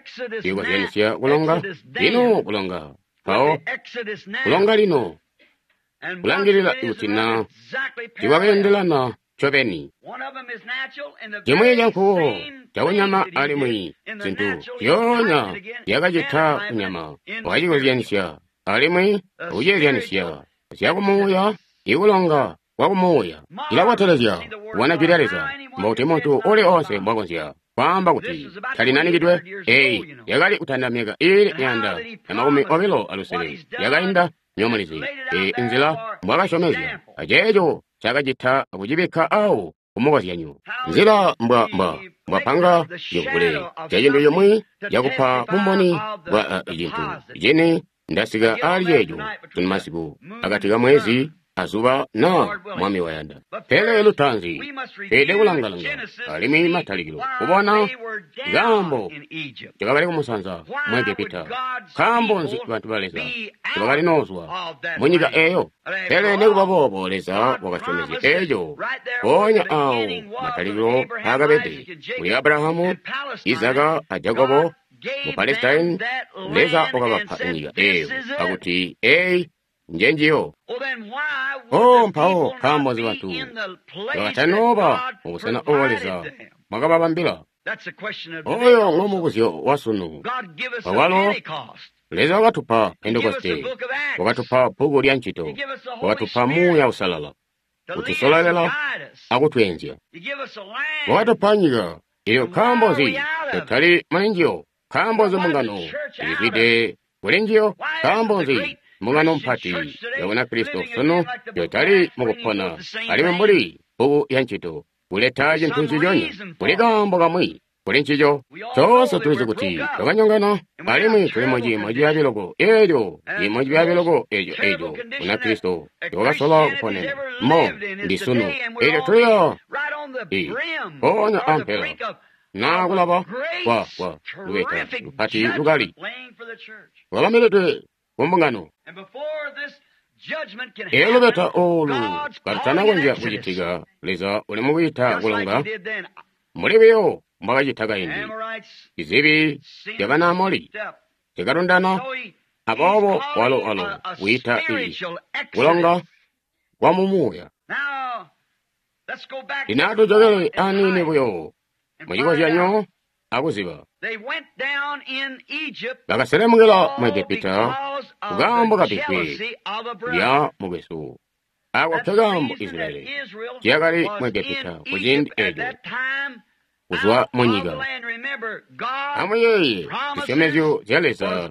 likozyanisya kulonga lino, kulonga mpawo kulonga lino, kulangilila kuti naa tikwakeendelana ncobeni. Cimwi cankuwo cakunyama alimwi zintu zyoonya zyakacita kunyama wakacikozyanisya Alimwi kuceezyanisya zyakumuuya, ikulonga kwa kumuuya cilabotelezya kubona jwi lya Leza. Mbokuti muntu uli onse mbwakonzya kwaamba kuti talinanikidwe. Eyi yakali kutanda myaka iili 125 yakainda nyomulizi. Eyi nzila mbwakasyomezya aceeco cakacita kucibikka awo kumukozyanyo. Nzila mbwapanga cimvule ca cintu cimwi cakupa bumboni bwa cintu cini. Ndasika ali ceeco sunu masiku akati ka mwezi azuba na Mwami wayanda. Pele lutaanzi tweelede kulangalanga alimwi matalikilo kubona kaambo ncobakali kumusanza mu Egepita. Nkaambo nzi bantu ba Leza ncobakali noozwa munyika eeyo? Pele nikuba boobo Leza wakasyomezya eeco mpoonya aawo matalikilo aakabede kuli Abrahamu, Izaka a Jakobo mu Palestine. Leza wakabapa nyika eeyo akuti eyi njenjiyo. Oh, mpawo nkaambo nzi bantu bakatanooba mubusena obo Leza mwakababambila? Oyo ngomubuzyo wasunu. Awalo Leza wakatupa Pentekoste, wakatupa bbuku lya Ncito, wakatupa Muuya Usalala kutusololela akutweenzya, wakatupa nyika. Eyo nkaambo nzi tutali muli njiyo? Nkaambo nzi mbungano ilizwide kuli njiyo? Nkaambo nzi mbungano mpati ya Bunakristo sunu yotali mukupona alimwi mbuli bbuku ya Ncito kuleta cintu nciconya? Kuli kaambo kamwi kuli ncico. Toonse tulizi kuti twakanyongana alimwi tuli muciimo cibyaabi loko. Eelyo ciimo cibyaabi loko eco Bunakristo lwakasola kuponena mo ndi sunu. Eelyo tuliya mpoonya ampela na kulaba kwa lubeta lupati lukali lwabambilidwe kumbungano. Eelyo lubeta oolu kalutanakonzya kucitika, Leza uli mukwiita kulonga mbuli buyo mbwakacita kaindi. Izibi zya bana Amori zyakalundana, aboobo walo wiita ii kulonga kwa mumuuya. Lino atujokele aniini buyo mucikozyanyo akuziba. Bakaselemukila mu Egepita kukaambo kabbivwe lya mukwesu. Ako nkekaambo Israyeli ciyakali mu Egepita kuciindi eeco kuzwa munyika. Amuyeeye zisyomezyo zya Leza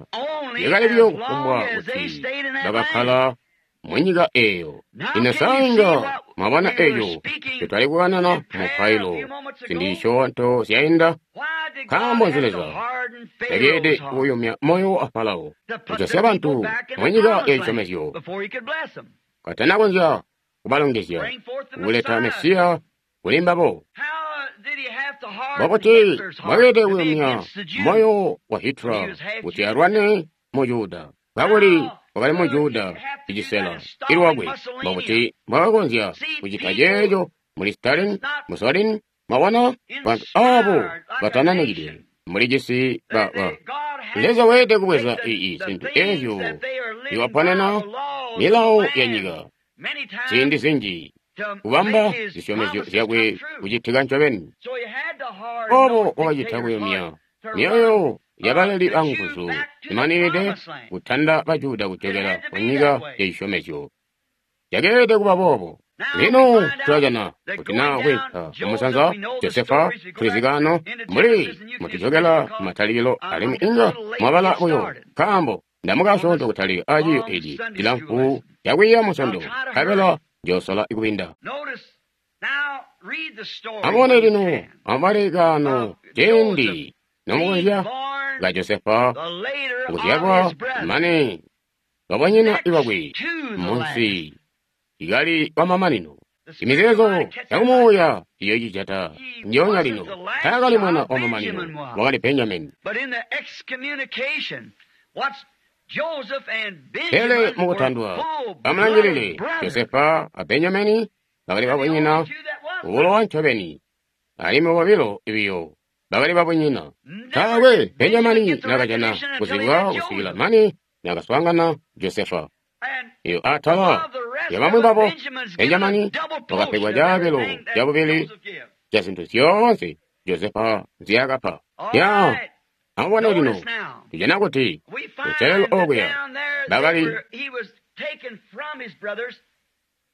zyakali buyo kufumbwa kuti bakakkala munyika eeyo. Lino sainga mwabona eeco ncotwali kukanana mupailo ziindi zisyoonto zyainda. Nkaambo nzi Leza takeelede kuyumya moyo wa Farao kujosya bantu munyika yacisyomezyo katanakonzya kubalongezya kuleta Mesiya kuli mbabo? Mbobuti bwakeelede kuyumya moyo wa Hitler kuti alwane mu Juda kakuli wakali mu Juda icisela ilwakwe? Mbobuti mbwakakonzya kucita ceeco muli Stalin, Mussolini? Mwabona bantu aabo batananikidwe muli cisi ba Leza weelede kubweza ii zintu eezyo iwaponena milawo ya nyika ziindi zinji kubamba zisyomezyo zyakwe kucitika ncobeni. Obo wakacita kuyumya myoyo yabaleli banguzu imaninide kutanda Bajuda kujokela kunyika yacisyomezyo. Cakeelede kuba boobo. Lino tulajana kuti naa kwiinka kumusanza Josefa tulizikano mbuli mutujokela matalikilo alimwi inga mwabala buyo nkaambo ndamukasyoonto kutalika aciiyo eci cilamfu cakwiiya musondo nkabela njoosola kubinda. Amubone lino amubale kaano ciindi nomukonzya ka Josefa kuzyalwa mane babanyina ibakwe munsi ikali wamamanino. Imizeezo yakumuuya iyo icijata ndyoonya lino. Taakali mwana wamamanino, wakali Benjamini. Pele mukutandwa bamulangilile Josefa a Benjamini bakali babunyina ubulowa ncobeni, alimwi bobilo biyo bakali babunyina. Taakwe Benjamini nakajana kuzibwa kusikila mane nakaswaangana Josefa. Iyo atala yabamwi babo Benjamini wakapegwa caabilo cabubili ca zintu zyoonse Josefa nzyaakapa. Ya amubone lino tujana kuti kucelelo okuya Bakali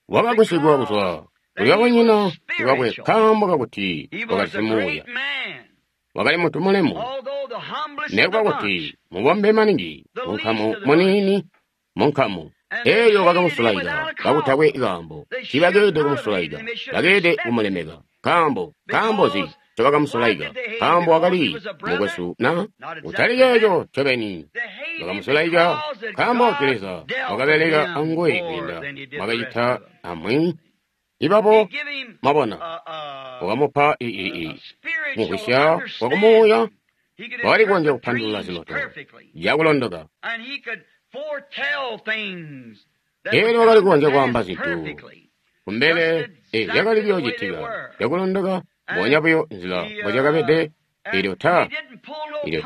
wakagusigwa kuzwa kuli babunyina bakwe nkaambo kakuti wakali simuuya. Wakali muntu mulemu, nekuba kuti mubombe maningi munkamu muniini munkamu eyo bakamusulaika kakutakwe kaambo. Tiibakeelede kumusulaika, bakeelede kumulemeka. Nkaambo nkaambo nzi ncobakamusulaika? Nkaambo wakali mukwesu na? Kutali ceeco ncobeni. Bakamusulaika nkaambo kuti Leza wakabeleka anguwe kwiinda mwakacita amwi ibabo. Mwabona, wakamupa kumvwisya kwakumuuya, wakali kukonzya kupandulula ziloto cakulondoka. Elyo wakali kukonzya kwaamba zintu kumbele zyakali kuyoocitika cakulondoka, mbubonya buyo nzila mbozyakabede. Elyo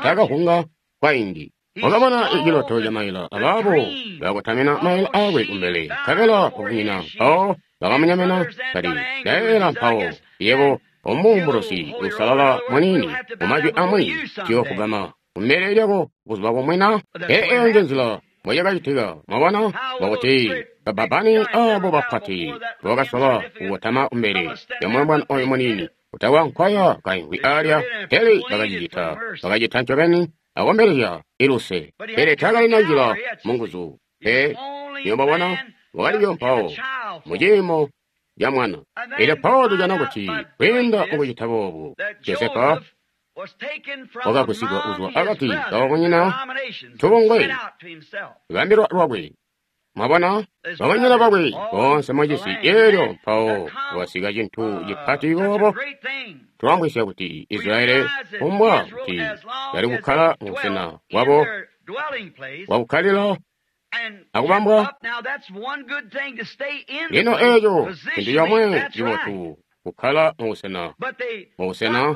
taakahunga kwaindi. Wakabona ciloto ca maila, abaabo bakakotamina maila aakwe kumbele, nkabela babunyina mpawo bakamunyemena kati, "Ndayeeyela mpawo, yebo omuumbulusi uusalala muniini, mumajwi amwi tuyoofugama kumbele lyako buzuba bumwi na?" Pele eyo nje nzila mbocakacitika. Mwabona, mwakuti babbabbani aabo bapati bakasola kukotama kumbele lya mulombwana oyo muniini utakwe nkwaya kaimvwi alya, pele bakacicita, bakacita ncobeni akombelezya iluse. Pele taakalina njila munguzu pe. Nywebo mwabona, wakali buyo mpawo muciimo ca mwana. Elyo mpawo tujana kuti kwiinda mukucita boobu, Josefa wakagusigwa kuzwa akati kababunyina tubungwe bambilwa lwakwe. Mwabona, babunyina bakwe boonse mucisi. Elyo mpawo wasika cintu cipati boobo, twamvwisya kuti Israyeli kumbwa kuti bali kukkala mubusena bwabo bwakukkalila akubambwa. Lino eeco cintu comwe cibotu, kukkala mubusena mubusena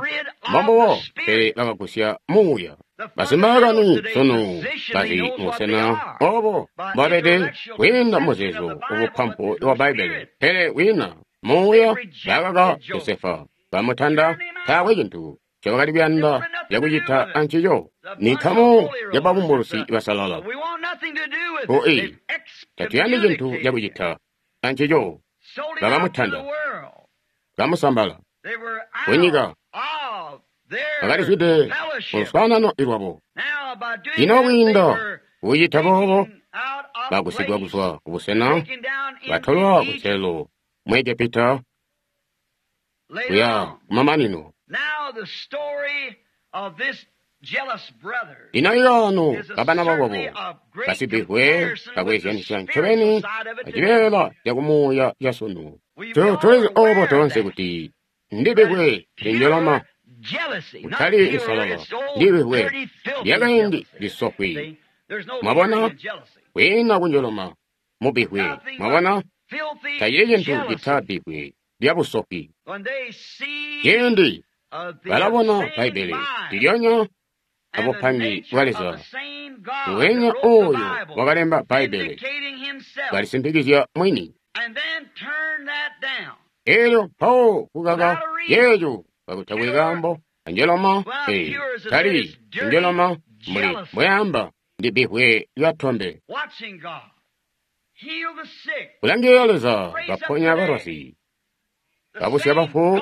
mbombubo, pele bakagusya muuya. Basimbaakani sunu bali mubusena obo mbobabede kwiinda muzeezo ubupampu wa Bbaibbele, pele kwiina muuya. Bakaka Josefa, bamutanda, taakwe cintu ncobakali kuyanda cakucita ancico. Ni nkamu ya babumbulusi basalala. Oi, tatuyandi cintu cakucita ancico. Bakamutanda, bamusambala kunyika, bakalizwide muluswaanano lwabo. Ino kwiinda kucita boobo, bagusigwa kuzwa kubusena, batolwa kunselelo mu Egepita kuya kumamanino. Lino ikaano kabana bakwabo basibihwe kakweezyanisya ncobeni acibeela cakumuuya casunu. Tulizi oobo toonse kuti ndibihwe linjoloma, kutali lisalala, ndibihwe lyakaindi lisofwi. Mwabona, kwiina kunjoloma mubihwe. Mwabona, tacili cintu cita bihwe lyabusofwi. Ciindi balabona Bbaibbele ndilyonya abupangi bwa Leza, nguwenya ooyo wakalemba Bbaibbele kalisimpikizya mwini. Elyo mpawo kukaka yeeco kakutakwe kaambo, anjoloma tali njoloma mbuli mbweamba, ndi bihwe lyatombe. Kulangilila Leza kaponya balwazi, kabusya bafu,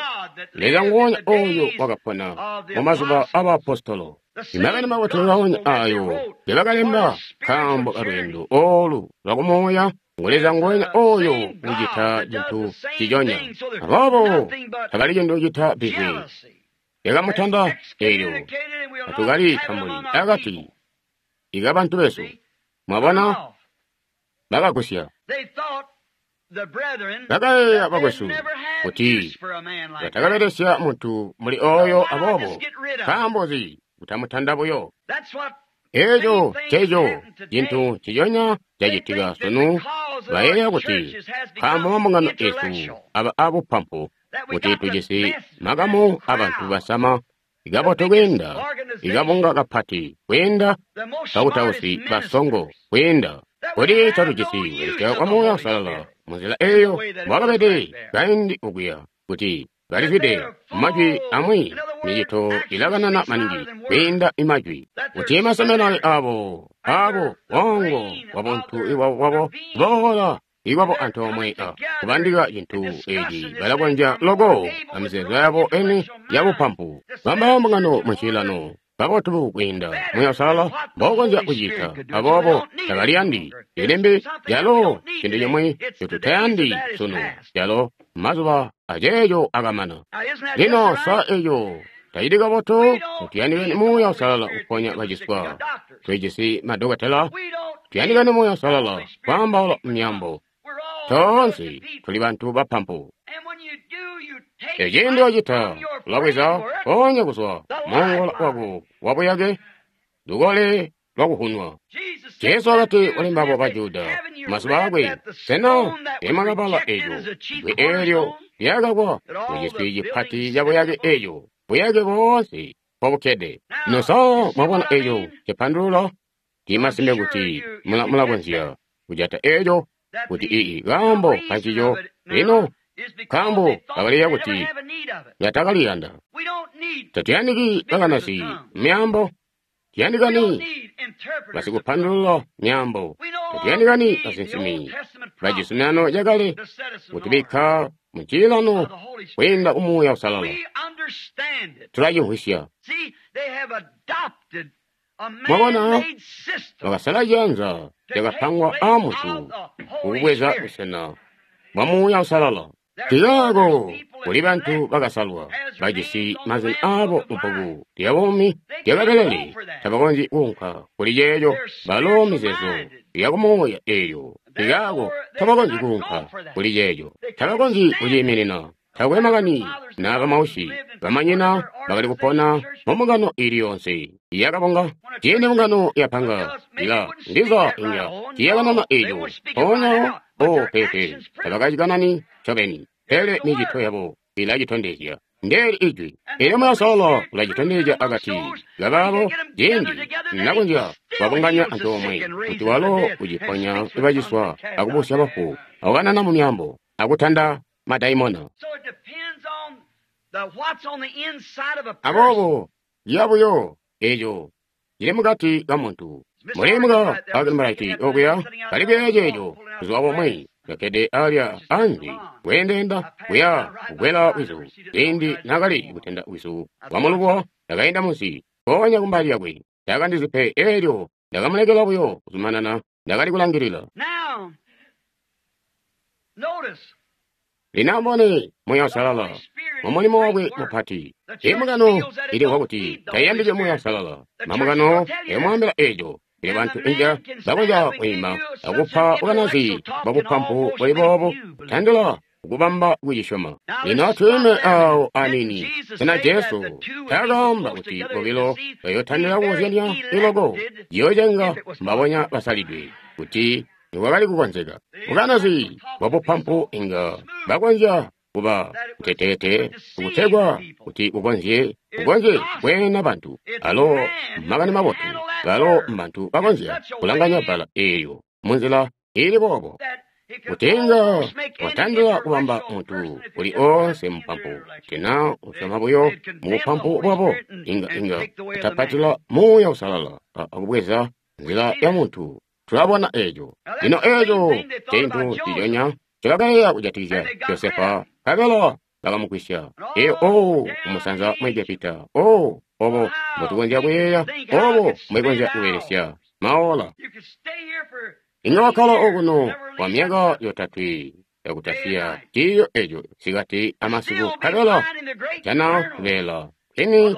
Leza nguwonya ooyo wakapona mumazuba abaapostolo. Imakani mabotu ngaonya aayo ngebakalemba nkaambo kalweendo oolu lwakumuuya, ngu Leza nguwenya ooyo ucita cintu ciconya. Aboobo tabali cintu cita bihwe lyakamutanda eelyo tatukali tambuli akati ikabantu besu. Mwabona, bakagusya. Bakayeeya bakwesu kuti batakabelesya muntu muli ooyo, aboobo nkaambo nzi kutamutanda buyo? Eeco nceco cintu nciconya cacitika sunu. Bayeeya kuti nkaambo mambungano esu aba abupampu, kuti tujisi makamu abantu basama ikabotu kwiinda, ikabunga kapati kwiinda, bakutausi basongo kwiinda, kuti tatujisi kubelesya kwa Muuya Uusalala munzila eeyo mbwakabede kaindi okuya, kuti balizwide majwi amwi, micito ilakanana maningi kwiinda imajwi. Kuti maseminari abo, abo bongo bwabuntu wabo boola iwabo antoomwe a kubandika cintu eci balakonzya loko amizeezo yabo eni yabupampu. Bamba mbungano mucilano kabotu kwiinda Muuya Uusalala mbokonzya kucita, aboobo tabaliyandi ilimbi lyalo cintu cimwi ncotutayandi sunu, lyalo mazuba aceeco akamana. Lino sa eco tacili kabotu? Tuyandikani Muuya Uusalala kuponya baciswa, twijisi madokotela. Tuyandikani Muuya Uusalala kwaambaula myaambo. Toonse tuli bantu bapampu. Eciindi wacita, ulabweza ponya kuzwa mongola wako wabuyake lukole lwakuhunwa. Jesu wakati kuli mbabo ba Juda mazuba akwe, sena teemwakabala eco bbwe eelyo lyakakwa muciswi cipati cabuyake eco, buyake boonse mpobukkede? Lino sa mwabona eco cipandulula? Ndimasimpe kuti mulakonzya kujata eco kuti ii kaambo kancico. Lino nkaambo bakaliya kuti yatakaliyanda. Tatuyandiki bakanasi myaambo, tuyandikani basikupandulula myaambo, tatuyandikani basinsimi bacizuminano cakale kutubikka mucilano kwiinda ku Muuya Uusalala. Tulacimvwisya. Mwabona, bakasala ciyanza cakapangwa aamuntu kukubweza busena bwa Muuya Uusalala. Tiyaako kuli bantu bakasalwa bajisi mazina aabo mubbuku lya buumi lyakabelele, tabakonzyi kuunka kuli ceeco, balo mizeezo yakumuuya eeyo. Tiyaako tabakonzyi kuunka kuli ceeco, tabakonzyi kuciiminina. Takwe makani naa bamausyi bamanyina bakali kupona mumbungano ili yonse yakabunga. Ciindi mbungano yapanga ila ndiza inga tiyakanana eeco, mpoonya o pepe tabakacikanani ncobeni, pele micito yabo ilacitondezya. Ndeeli ijwi elyo Muuya Uusalala ulacitondezya akati kabaabo ciindi nakonzya kubabunganya antoomwe kuti walo uciponya baciswa akubusya bafu akukanana mu myaambo akutanda madaimona. Aboobo yabuyo eco cili mukati ka muntu. Mulimuka akimbalati okuya kali kuyeeya ceeco buzuba bumwi kakkede alya anze kweendeenda kuya kukwela wizu. Ciindi naakali kutenda wizu wamulubuwa, ndakainda munsi mpoonya kumbali yakwe. Taakandizi pe eelyo ndakamulekela buyo kuzumanana, ndakali kulangilila. Lino amubone Muuya Uusalala mumulimo wakwe mupati. Imbungano ilimvwa kuti taiyandiki Muuya Uusalala. Mambungano ayomwaambila eeco. Pele bantu inga bakonzya kwiima akupa bukanazi bwabupampu buli boobo kutandila kukubamba kucisyoma. Lino atwiime aawo aniini. Sena Jesu taakaamba kuti bobilo bayootandila kukozyanya iloko ciyoocenga mbabonya basalidwe kuti nikwakali kukonzeka? Bukanazi bwabupampu inga bakonzya kuba kuteteete kutegwa kuti kukonzye kweena bantu. Alo makani mabotu, balo mbantu bakonzya kulanganya bbala eelyo munzila iili boobo. Kuti inga watandila kubamba muntu uli oonse mupampu, tena usyoma buyo mubupampu bwabo, inga utapatila Muuya Uusalala akubweza nzila ya muntu. Tulabona eeco. Lino eeco cintu nciconya ncobakayeeya kujatikizya Josefa, nkabela bakamugwisya. Eyo o kumusanza mu Egepita. O obo mbotukonzya kuyeeya, obo mbwekonzya kubelesya maola. Inga wakkala okuno kwa myaka yotatwe yakutasiya ciiyo eco sikati amasiku, nkabela jana kubeela kwini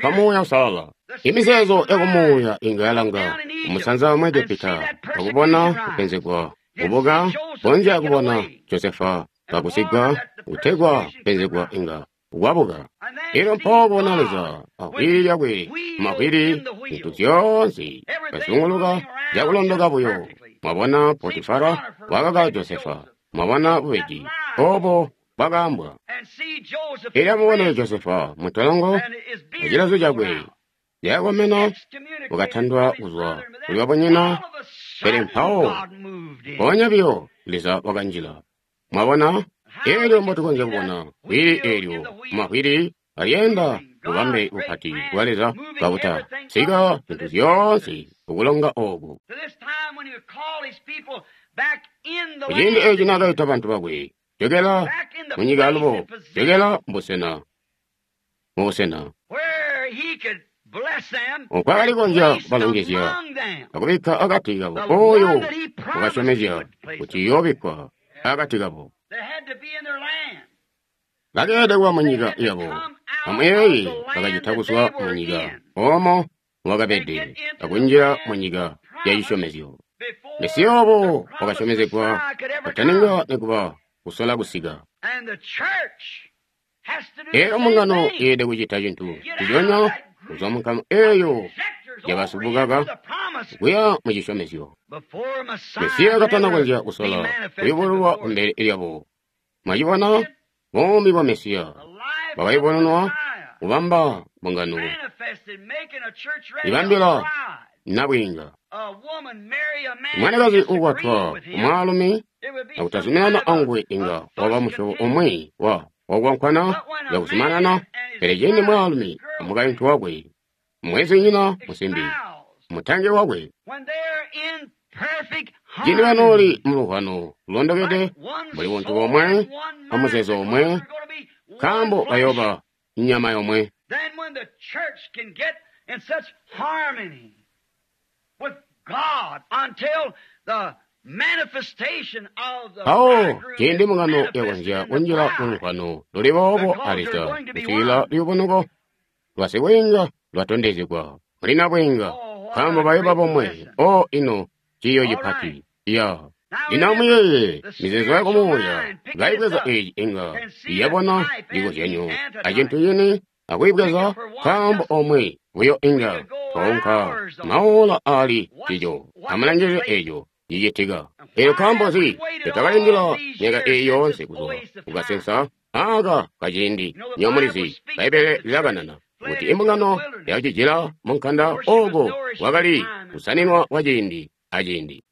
kwa Muuya Uusalala. Imizeezo yakumuuya inga yalanga kumusanza mu Egepita akubona kupenzegwa kubuka, konzya kubona Josefa kagusigwa kutegwa kupenzegwa inga kwabuka. Elyo mpawo kubona Leza ahwili lyakwe mumahwili, zintu zyoonse kazunguluka cakulondoka buyo. Mwabona Potifara wakaka Josefa, mwabona bubeji obo bwakaambwa. Elyo amubone Josefa muntolongo mucilazo cakwe yakomena, wakatandwa kuzwa kuli babunyina, pele mpawo mpoonya biyo Leza wakanjila. Mwabona? Elyo mbotukonzya kubona hwili eelyo mumahwili alyeenda bubambe bupati bwa Leza kabuta sika zintu zyoonse kukulonga oku. Kuciindi eci naakaita bantu bakwe, jokela munyika alubo, jokela mubusena, mubusena okwakali konzya kubalongezya akubikka akati kabo oyo wakasyomezya kuti iyoobikkwa akati kabo. Bakeelede kuba munyika yabo. Amuyeeye bakacita kuzwa munyika oomo mwakabede akunjila munyika ya cisyomezyo. Mesiya wabo wakasyomezegwa kataninga nikuba kusola kusika. Eyo mbungano yeelede kucita cintu nciconya kuzwa munkamu eeyo yabasubukaka kuya mu cisyomezyo. Mesiya katana konzya kusola kuyubululwa kumbele lyabo. Mwacibona? Buumi bwa Mesiya bwakayubununwa kubamba mbungano ibambila nabwiinga. Mwanakazi uukwatwa kumwaalumi akutazuminana anguwe inga waba musyobo umwi wa wakwankwana yakuzumanana, pele ciindi mwaalumi amukaintu wakwe, mwezinyina musimbi, mutangi wakwe, ciindi banooli muluvwano lulondokede mbuli buntu bomwe amuzeezo omwe, nkaambo bayooba nyama yomwe. Mpawo ciindi mbungano yakonzya kunjila muluvwano luli boobo a Leza kusikila luyubunuko lwa sibwiinga lwatondezegwa muli nabwiinga, nkaambo bayooba bomwe. O ino ciiyo cipati ya lino amuyeeye mizeezo yakumuuya kaibweza eeci inga yabona cikozyanyo acintu cini akuyibweza nkaambo omwe buyo inga twaunka maola aali cico. Amulangilile eeco cicitika. Eelyo nkaambo nzi tutakalindila myaka eeyi yoonse kuzwa kukasensa aaka kaciindi? Nywebo mulizi, Bbaibbele lilakanana kuti imbungano yakacijila munkanda ooko kwakali kusaninwa kwaciindi aciindi.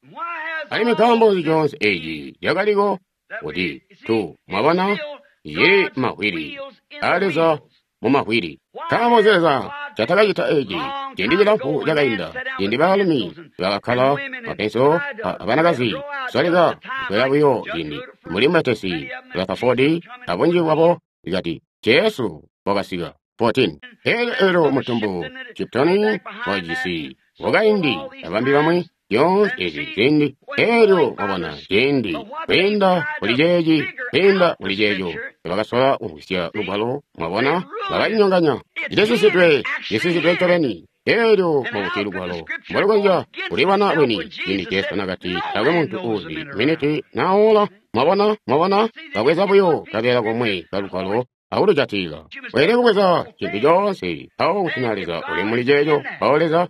Alimwi nkaambo nzi coonse eeci cakaliko kuti tu mwabona cili mumahwili aa Leza mumahwili. Nkaambo nzi Leza ncatakacita eeci ciindi cilamfu cakainda, ciindi baalumi bakakkala mapenso abanakazi kusoleka kukwela buyo ciindi mbuli Mutesi Rutherford abunji bwabo ikati Jesu wakasika 14. Eelyo eelyo mutumbu Chiptoni wajisi wakaindi abambi bamwi zyoonse ezi ziindi. Eelyo wabona ciindi kwiinda kuli ceeci kwiinda kuli ceeco bakasola kumvwisya lugwalo, mwabona bakacinyonganya. Cisisisidwe, cisisisidwe ncobeni. Eelyo mwakuti lugwalo mbolukonzya kulibona lwini ciindi Jesu nakati taakwe muntu uuzi miniti na ola. Mwabona, mwabona babweza buyo kabeela komwe kalugwalo akulujatilila. Weelede kubweza cintu coonse mpawo kuti na Leza uli muli ceeco, mpawo Leza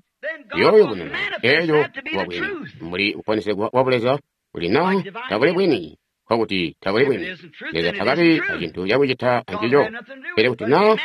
uyooyubununa eeco kuba bwini. Mbuli kuponesegwa kwa Buleza kuli na tabuli bwini, nkokuti tabuli bwini. Leza takabi acintu cakucita ancico. Pele kuti na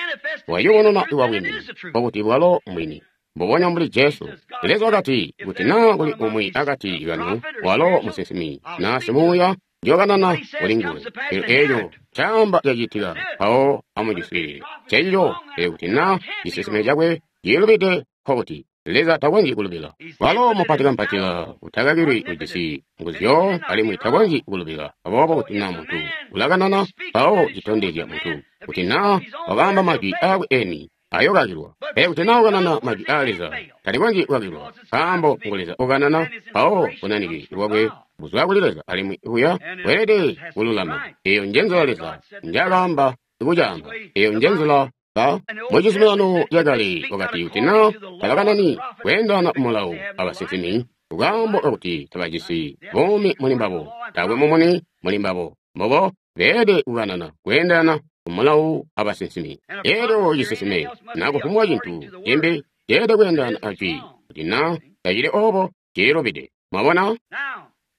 wayubununa kuba bwini, nkokuti bwalo mbwini. Mbubonya mbuli Jesu. Leza wakati, kuti naa kuli umwi akati kanu, walo musinsimi na simuuya, njookanana kuli nguwe. Pele eeco caamba cacitika, mpawo amuciswiilile. Ncencico, pele kuti naa cisinsime cakwe cilubide, nkokuti Leza takonzyi kulubila. Walo mupatikampatila utakakilwi ujisi nguzu alimwi takonzyi kulubila. Aboobo kuti naa muntu ulakanana, mpawo citondezya muntu kuti naa wakaamba majwi aakwe eni ayookakilwa. Pele kuti naa ukanana majwi aa Leza, talikonzyi kukakilwa, nkaambo ngu Leza ukanana, mpawo bunanike bwakwe buzwa kuli Leza alimwi buya bweelede kululama. Eeyo njenzila Leza njaakaamba kucaamba. Eeyo njenzila ba mucizuminano cakale wakati kuti naa tabakanani kweendana mulawo abasinsimi nkaambo kakuti tabajisi buumi muli mbabo, taakwe mumuni muli mbabo. Mbobo beelede kukanana kweendana kumulawo abasinsimi. Eelyo cisinsime naa kufumbwa cintu cimbi ceelede kweendana ajwi, kuti naa tacili oobo cililubide. Mwabona?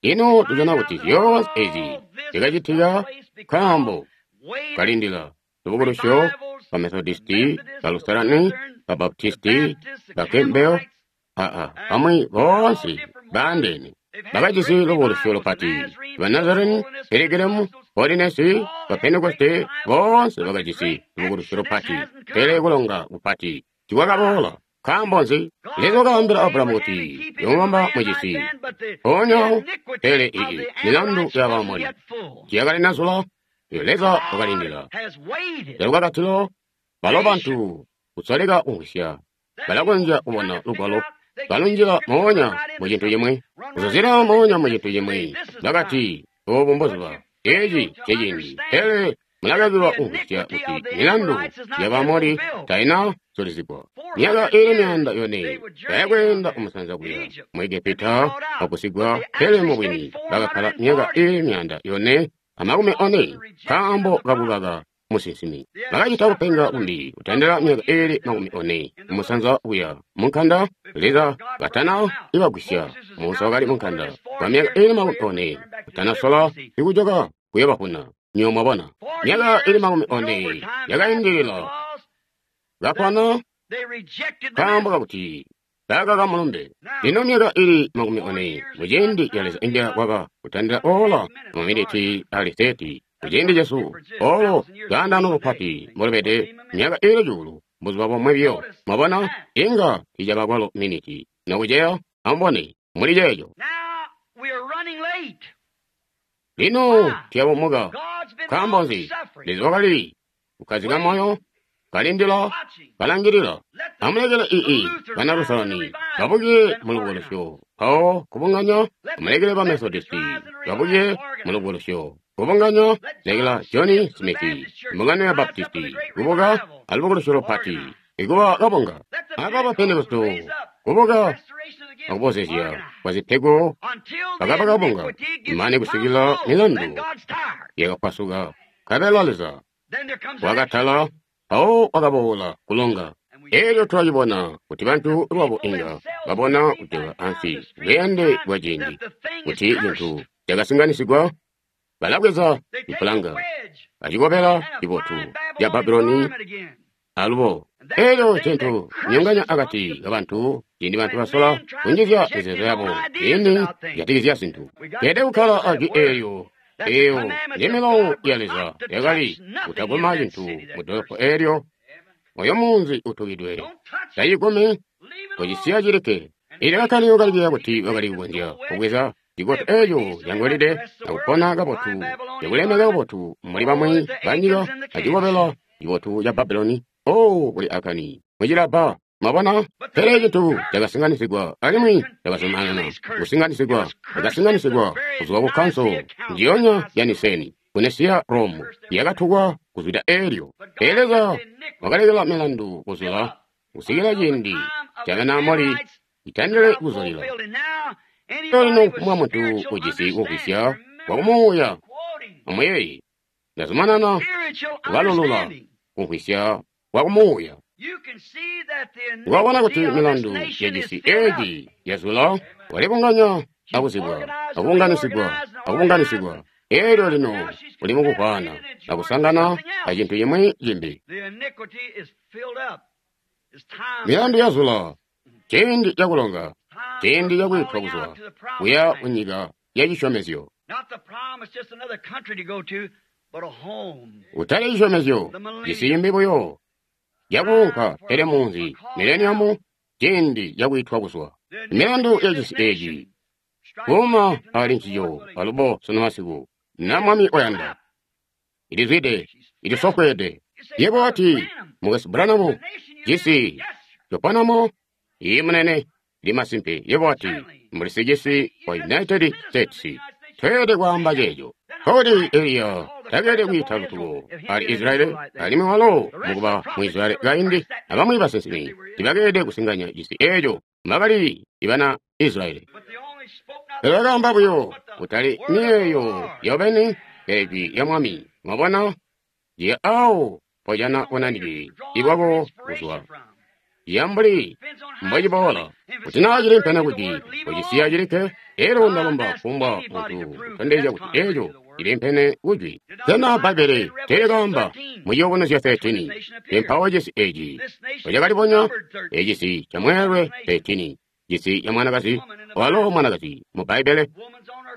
Lino tujana kuti zyoonse ezi zikacitika nkaambo kalindila lubukulusyo ba Methodisti, ba Lutherani, ba Baptisti, ba Campbell, bamwi boonse baandeene bakajisi lubukulusyo lupati, ba Nazarene, Pilgrim. Holinesi, ba Pentekoste, boonse bakajisi lubukulusyo lupati, pele kulonga kupati tiikwakaboola. Nkaambo nzi? Leza wakaambila Abrahamu kuti yoomubamba mucisi mpoonya, pele iyi milandu ya Baamori tiyakalinazula. Leza wakalindila calukakatilo. Balo bantu kusoleka kumvwisya balakonzya kubona lugwalo balunjila moonya mu cintu cimwi, kuzuzila moonya mu cintu cimwi. Bakati, obu mbuzuba, eci nceciindi. Pele mulakakilwa kumvwisya kuti milandu ya Baamori taina zulizigwa. Myaka iili 400 bayakweenda kumusanza kuya mu Egepita bagusigwa, pele mubwini bakakkala myaka iili 440 nkaambo kakukaka musinsimi. Bakacita kupenga kumbi kutandila myaka iili 40 kumusanza kuya munkanda. Leza katana ibagwisya. Musa wakali munkanda kwa myaka iili 40 kutanasola ikujoka kuyobavuna. Nywebo mwabona, myaka iili 40 yakaindilila kakwana nkaambo kakuti bakaka mulumbe. Lino myaka iili 40 muciindi ca Leza inga kwaba kutandila ola maminiti ali 30 muciindi cesu, olo lwaandaano lupati mbolubede myaka iili 1000 buzuba bomwe biyo. Mwabona, inga ticaba kwalo miniti nokuceya. Amubone muli ceeco. Lino tuyabumuka. Nkaambo nzi? Leza wakali kukkazika moyo, kalindila, kalangilila. Amulekele ii bana Lusalani babuke mulubukulusyo, mpawo kubunganya. Amulekele ba Methodisti babuke mulubukulusyo, kubunganya. Lekela John Smith, mbungano ya Baptisti, kubuka alubukulusyo lupati, ikuba kabunga. Aba ba Pentekoste kubuka akubozezya kwa zipego, bakaba kabunga mane kusikila milandu yakapwasuka. Nkabela Leza wakatala, mpawo wakaboola kulonga. Elyo twacibona kuti bantu lwabo inga babona kujoka ansi bweende bwa ciindi kuti cintu cakasinganisigwa. Balabweza ipulanga acikobela cibotu ca Babuloni alubo. Elyo cintu nyonganya akati kabantu ciindi bantu basola kunjizya mizeezo yabo ciindi kujatikizya zintu. Tweelede kukkala ajwi eelyo. Eyo ndi milawo ya Leza yakali kutaguma cintu mu dolopo eelyo. Oyo munzi utukidwe, tacigumi, kocisiya cilikke. Elyo bakali kukalipila kuti bakali kukonzya kubweza cikoto eeco cangolide akupona kabotu, cakulemeka kabotu muli bamwi banyika acikobela cibotu ca Babuloni. Oh, kuli Akani mucilabba. Mwabona? Pele cintu cakasinganisigwa alimwi cakazumanana kusinganisigwa, cakasinganisigwa kuzwa ku kanso njiyonya ya Niseni ku Nesiya Rome yakatukwa kuzwida eelyo. Pele Leza wakalekela milandu kuzula kusikila ciindi ca Banaamori itandile kuzulila. Lino mwa muntu ujisi kumvwisya kwa kumuuya, amuyeeye, ndazumanana kubalulula kumvwisya kwa kumuuya. Wabona kuti milandu yacisi eeci yazula, walibunganya akuzibwa, akubunganisigwa, akubunganisigwa. Elyo lino uli mukuvwaana akusangana acintu cimwi cimbi. Milandu yazula, ciindi cakulonga, ciindi cakwitwa kuzwa kuya kunyika ya cisyomezyo. Utali cisyomezyo, cisi cimbi buyo cakuunka, pele munzi, mileniamu, ciindi cakwitwa kuzwa. Milandu yacisi eeci kuuma ali ncico alubo sunu masiku, na Mwami oyanda. Ilizwide, ilisofweede. Yebo wati, Mukwesu Branham, cisi coponamo, iyi munene, ndi masimpe. Yebo wati, mbuli sicisi wa United States, tweelede kwaamba ceeco. Kodi Eliya takeelede kwiita lutuko ali Israeli, alimwi walo mukuba mu Israeli kaindi, abamwi basinsimi tibakeelede kusinganya cisi eeco mbakali ibana Israeli. Pele bakaamba buyo kutali miyeeyo yobeni, pele jwi lya Mwami. Mwabona? Ndiye awo pojana bunanike ibwabo kuzwa. Yambuli mbociboola kuti naa cili mpena kuti kocisiya cilikke, elyo ndalomba kufumbwa muntu kutondezya kuti eeco cili mpene kujwi. Sena Bbaibbele teelikaamba mu Ciyubunuzyo 13 mpawo cisi eeci mbocakalibonya? Ecisi ca mweelwe 13, cisi ca mwanakazi, walo mwanakazi mu Bbaibbele,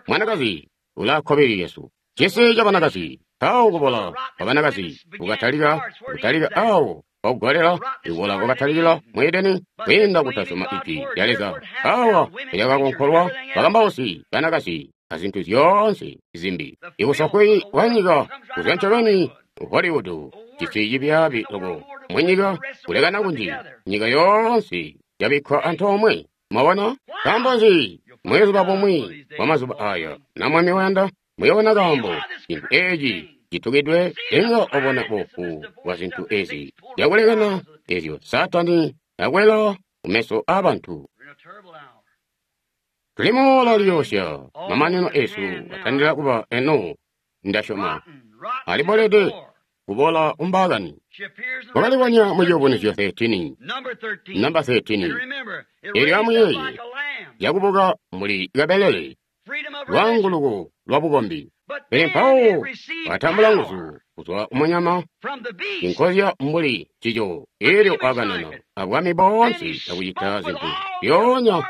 mwanakazi ulaa kkobili lyesu. Cisi ca banakazi, mpawo kubola kwa banakazi kukatalika, kutalika awo kwakugolela, ikubola kwakatalikila mu Edeni kwiinda kutasyoma Ijwi lya Leza. Awa lyakakonkolwa bakambausi banakazi azintu zyoonse zimbi. Ikusakwe kwa nyika kuzwa ncobeni Hollywood, cisi cibyaabi loko munyika, kulekana kunji, nyika yoonse yabikkwa antoomwe. Mwabona? Nkaambo nzi? Mubuzuba bumwi bwa mazuba aya, na Mwami wayanda, muyoona kaambo cintu eci citukidwe inga obona bofu bwa zintu ezi zyakulekana ezyo Saatani akwela kumeso aabantu. Tuli muola liyoosya, mamanino esu atandila kuba eno, ndasyoma. Alibolede kubola kumbaakani. Wakalibonya mu Ciyubunuzyo 13, namba 13. Elyo amuyeeye, yakubuka muli kabelele, lwaanguluko lwa bukombi. Pele mpawo watambula nguzu kuzwa kumunyama, inkozya mbuli cico, elyo wakanana abwami boonse akucita zintu zyoonya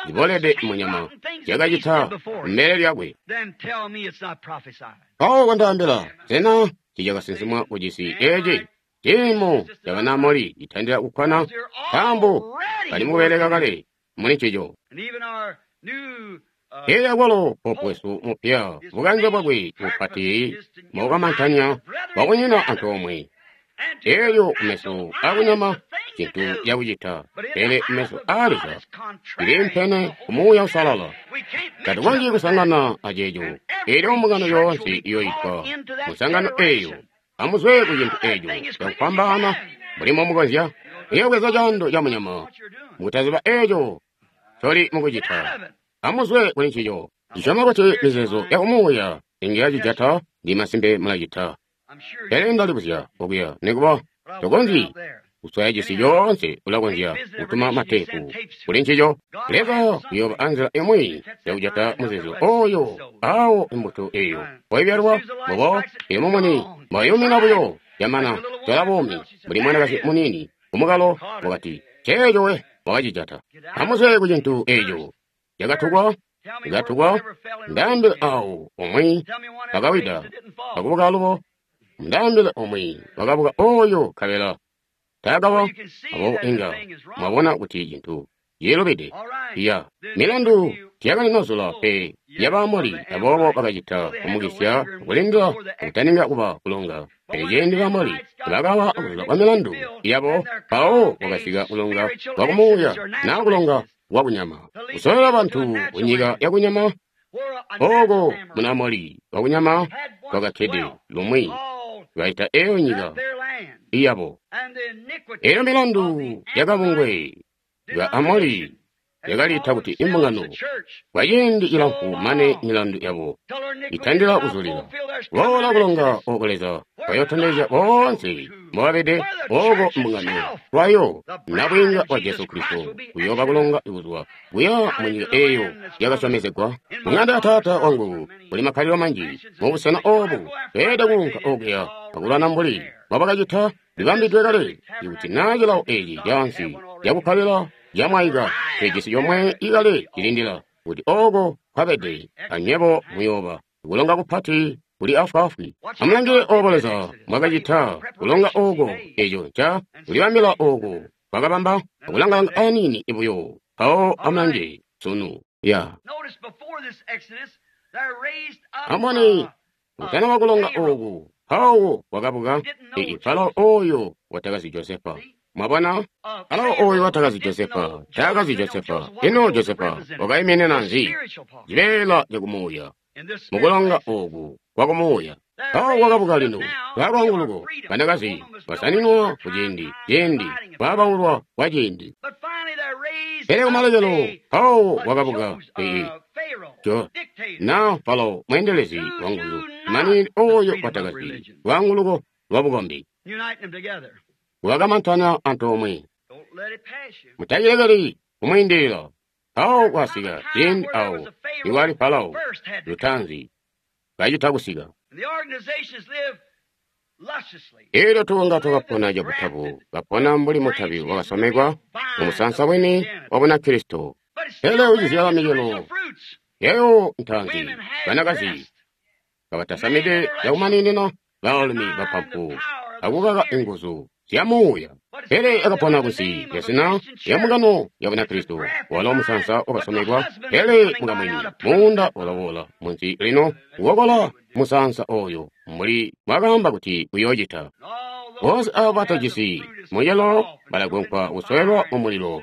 zibolede munyama zyakacita mbele lyakwe. Mpawo kondaambila, sena ticakasinsimwa kucisi eci? Ciimo ca Banamoli citandila kukkwana, nkaambo bali mukubeleka kale muli ncico. Elyo akwalo popu wesu mupya, bukanze bwakwe bupati mukukamantanya bwakunyina antoomwe. Elyo kumeso akunyama cintu cakucita, pele kumeso aa Leza ciliimpene ku Muuya Uusalala. Tatukonzyi kusangana aceeco. Elyo mbungano yoonse iyoitwa musangano eeyo. Amuzwe ku cintu eeco cakufwambaana mbuli mbomukonzya. Muyobweza caando ca munyama mukutaziba eeco ncoli mukucita. Amuzwe kuli ncico. Ndisyoma kuti mizeezo ya kumuuya inga yacijata, ndi masimpe mulacita. Pele ndalibuzya okuya, nikuba tokonzyi kuswaya cisi coonse, ulakonzya kutuma mateepu kuli ncico. Leza uyooba anzila imwi yakujata muzeezo oyo awo imbuto eyo mpoibyalwa mbubo iyo mumuni mbwayumina buyo yamana zyala buumi mbuli mwanakazi muniini kumukalo wakati ceeco we wakacijata. Amuzwe ku cintu eco cakatukwa cikatukwa, ndaambile awo umwi wakawida akubuka alubo, ndaambile umwi wakabuka oyo nkabela taakawa. Aboobo inga mwabona kuti cintu cilubide. Ya milandu tiyakalinozula pe ya Baamoli, aboobo bakacita kumukisya kulindila kutaninga kuba kulonga. Pele ciindi Baamoli bakawa kuzula kwa milandu yabo, mpawo kwakasika kulonga kwa kumuuya naa kulonga kwa kunyama, kusololela bantu kunyika yakunyama. Ooko Munaamoli wakunyama kwakakkede lumwi baita eyo nyika iyabo. Eyo milandu yakabungwe ka Amoli yakaliita kuti imbungano kwa ciindi cilamfu mane milandu yabo itandila kuzulila. Boola kulonga oko Leza kwayotondezya boonse mbobabede oko mbungano lwayo nabwiinga wa Jesu Kristo kuyooba kulonga kuzwa kuya munyika eyo yakasyomezegwa. Mung'anda ya Taata wangu kuli makkalilo manji. Mubusena obu tweelede kuunka okuya akulwana mbuli mbobakacita libambidwe kale. Ikuti naa cilawo eci caansi cakukkalila camwaika, tulijisi comwe ikale cilindila kuti oko kwabede, anywebo muyooba. Kulonga kupati kuli afwaafwi. Amulangile obo Leza mbwakacita kulonga oko, eco nca kulibambila oko kwakabamba akulangalanga aniini buyo. Mpawo amulange sunu ya amubone mutana wa kulonga oku. Mpawo wakabuka Farao oyo watakazi Josefa. Mwabona, Farao oyo watakazi Josefa, taakazi Josefa. Ino Josefa wakaiminina nzi? Cibeela cakumuuya mukulonga oku kwakumuuya. Mpawo wakabuka lino lwalwaanguluko, banakazi basaninwa kuciindi ciindi kwabaulwa kwa ciindi. Pele kumalekelo mpawo wakabuka na Farao mweendelezi wanguzu mani oyo watakazi lwaanguluko lwa bukombi wakamantana antoomwe. Mutacilekeli kumwiindilila. Mpawo kwasika ciindi awo iwali Farao lutaanzi kacita kusika. Elyo tubunga twakapona cabutabu, kapona mbuli mutabi wakasomekwa mumusansa wini wa Bunakristo. Pele ucizyala micelo yayo ntaanzi, banakazi kabatasamide cakumaninina, baalumi bapampu, akukaka inguzu zya muuya. Pele akapona kunsi lya zina lya mbungano ya Bunakristo, walo musansa wakasomekwa, pele mukamwini muunda walawola munsi lino kukokola musansa oyo mbuli mwakaamba kuti uyoocita. Boonse abo batajisi mucelo balagonkwa kusowelwa mumulilo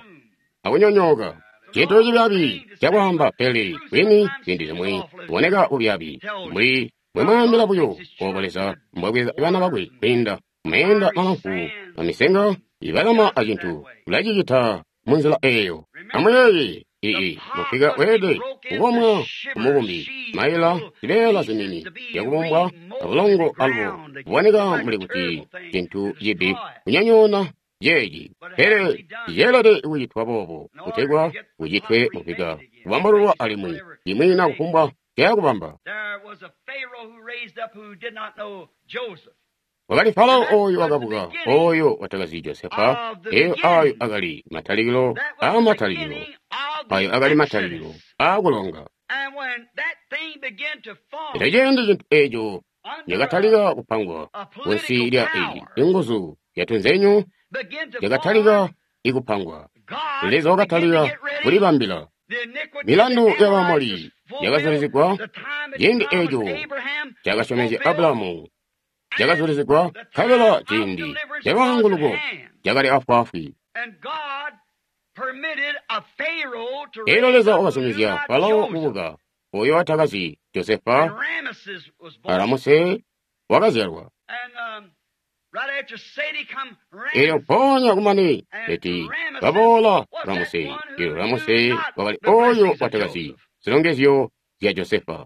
akunyonyooka. Cintu cibyaabi cakwaamba, pele kwini ziindi zimwi kuboneka bubyaabi mbuli mbwemwaambila buyo obo Leza mbwabweza bana bakwe kwiinda mumeenda malamfu amisenga ibalama acintu ulacicita munzila eeyo. Amuyeeye, ii mupika weelede kukomwa kumubumbi, maila zibeela zinini zyakubumbwa abulongo alubo kuboneka mbuli kuti cintu cibi kunyonyoona ceeci, pele ceelede kucitwa boobo kutegwa kucitwe mupika kubambululwa alimwi imwi na kufumbwa cayakubamba. Wakali Farao oyo wakabuka, oyo watakazi Josefa. Eyo ayo akali matalikilo aamatalikilo, ayo akali matalikilo aakulonga. Elyo ciindi cintu eeco cakatalika kupangwa kunsi lya iyi inguzu zyatunzenyu cakatalika ikupangwa. Leza wakatalika kulibambila. Milandu ya Baamoli yakazulizigwa ciindi eeco cakasyomezya Abulahamu cakazulizigwa, nkabela ciindi calwaanguluko cakali afwaafwi. Elyo Leza wakazumizya Farao kubuka, oyo watakazi Josefa, a Ramuse wakazyalwa. Elyo mpoonya kumane leti baboola Ramuse. Elyo Ramuse wakali oyo watakazi zilongezyo zya Josefa.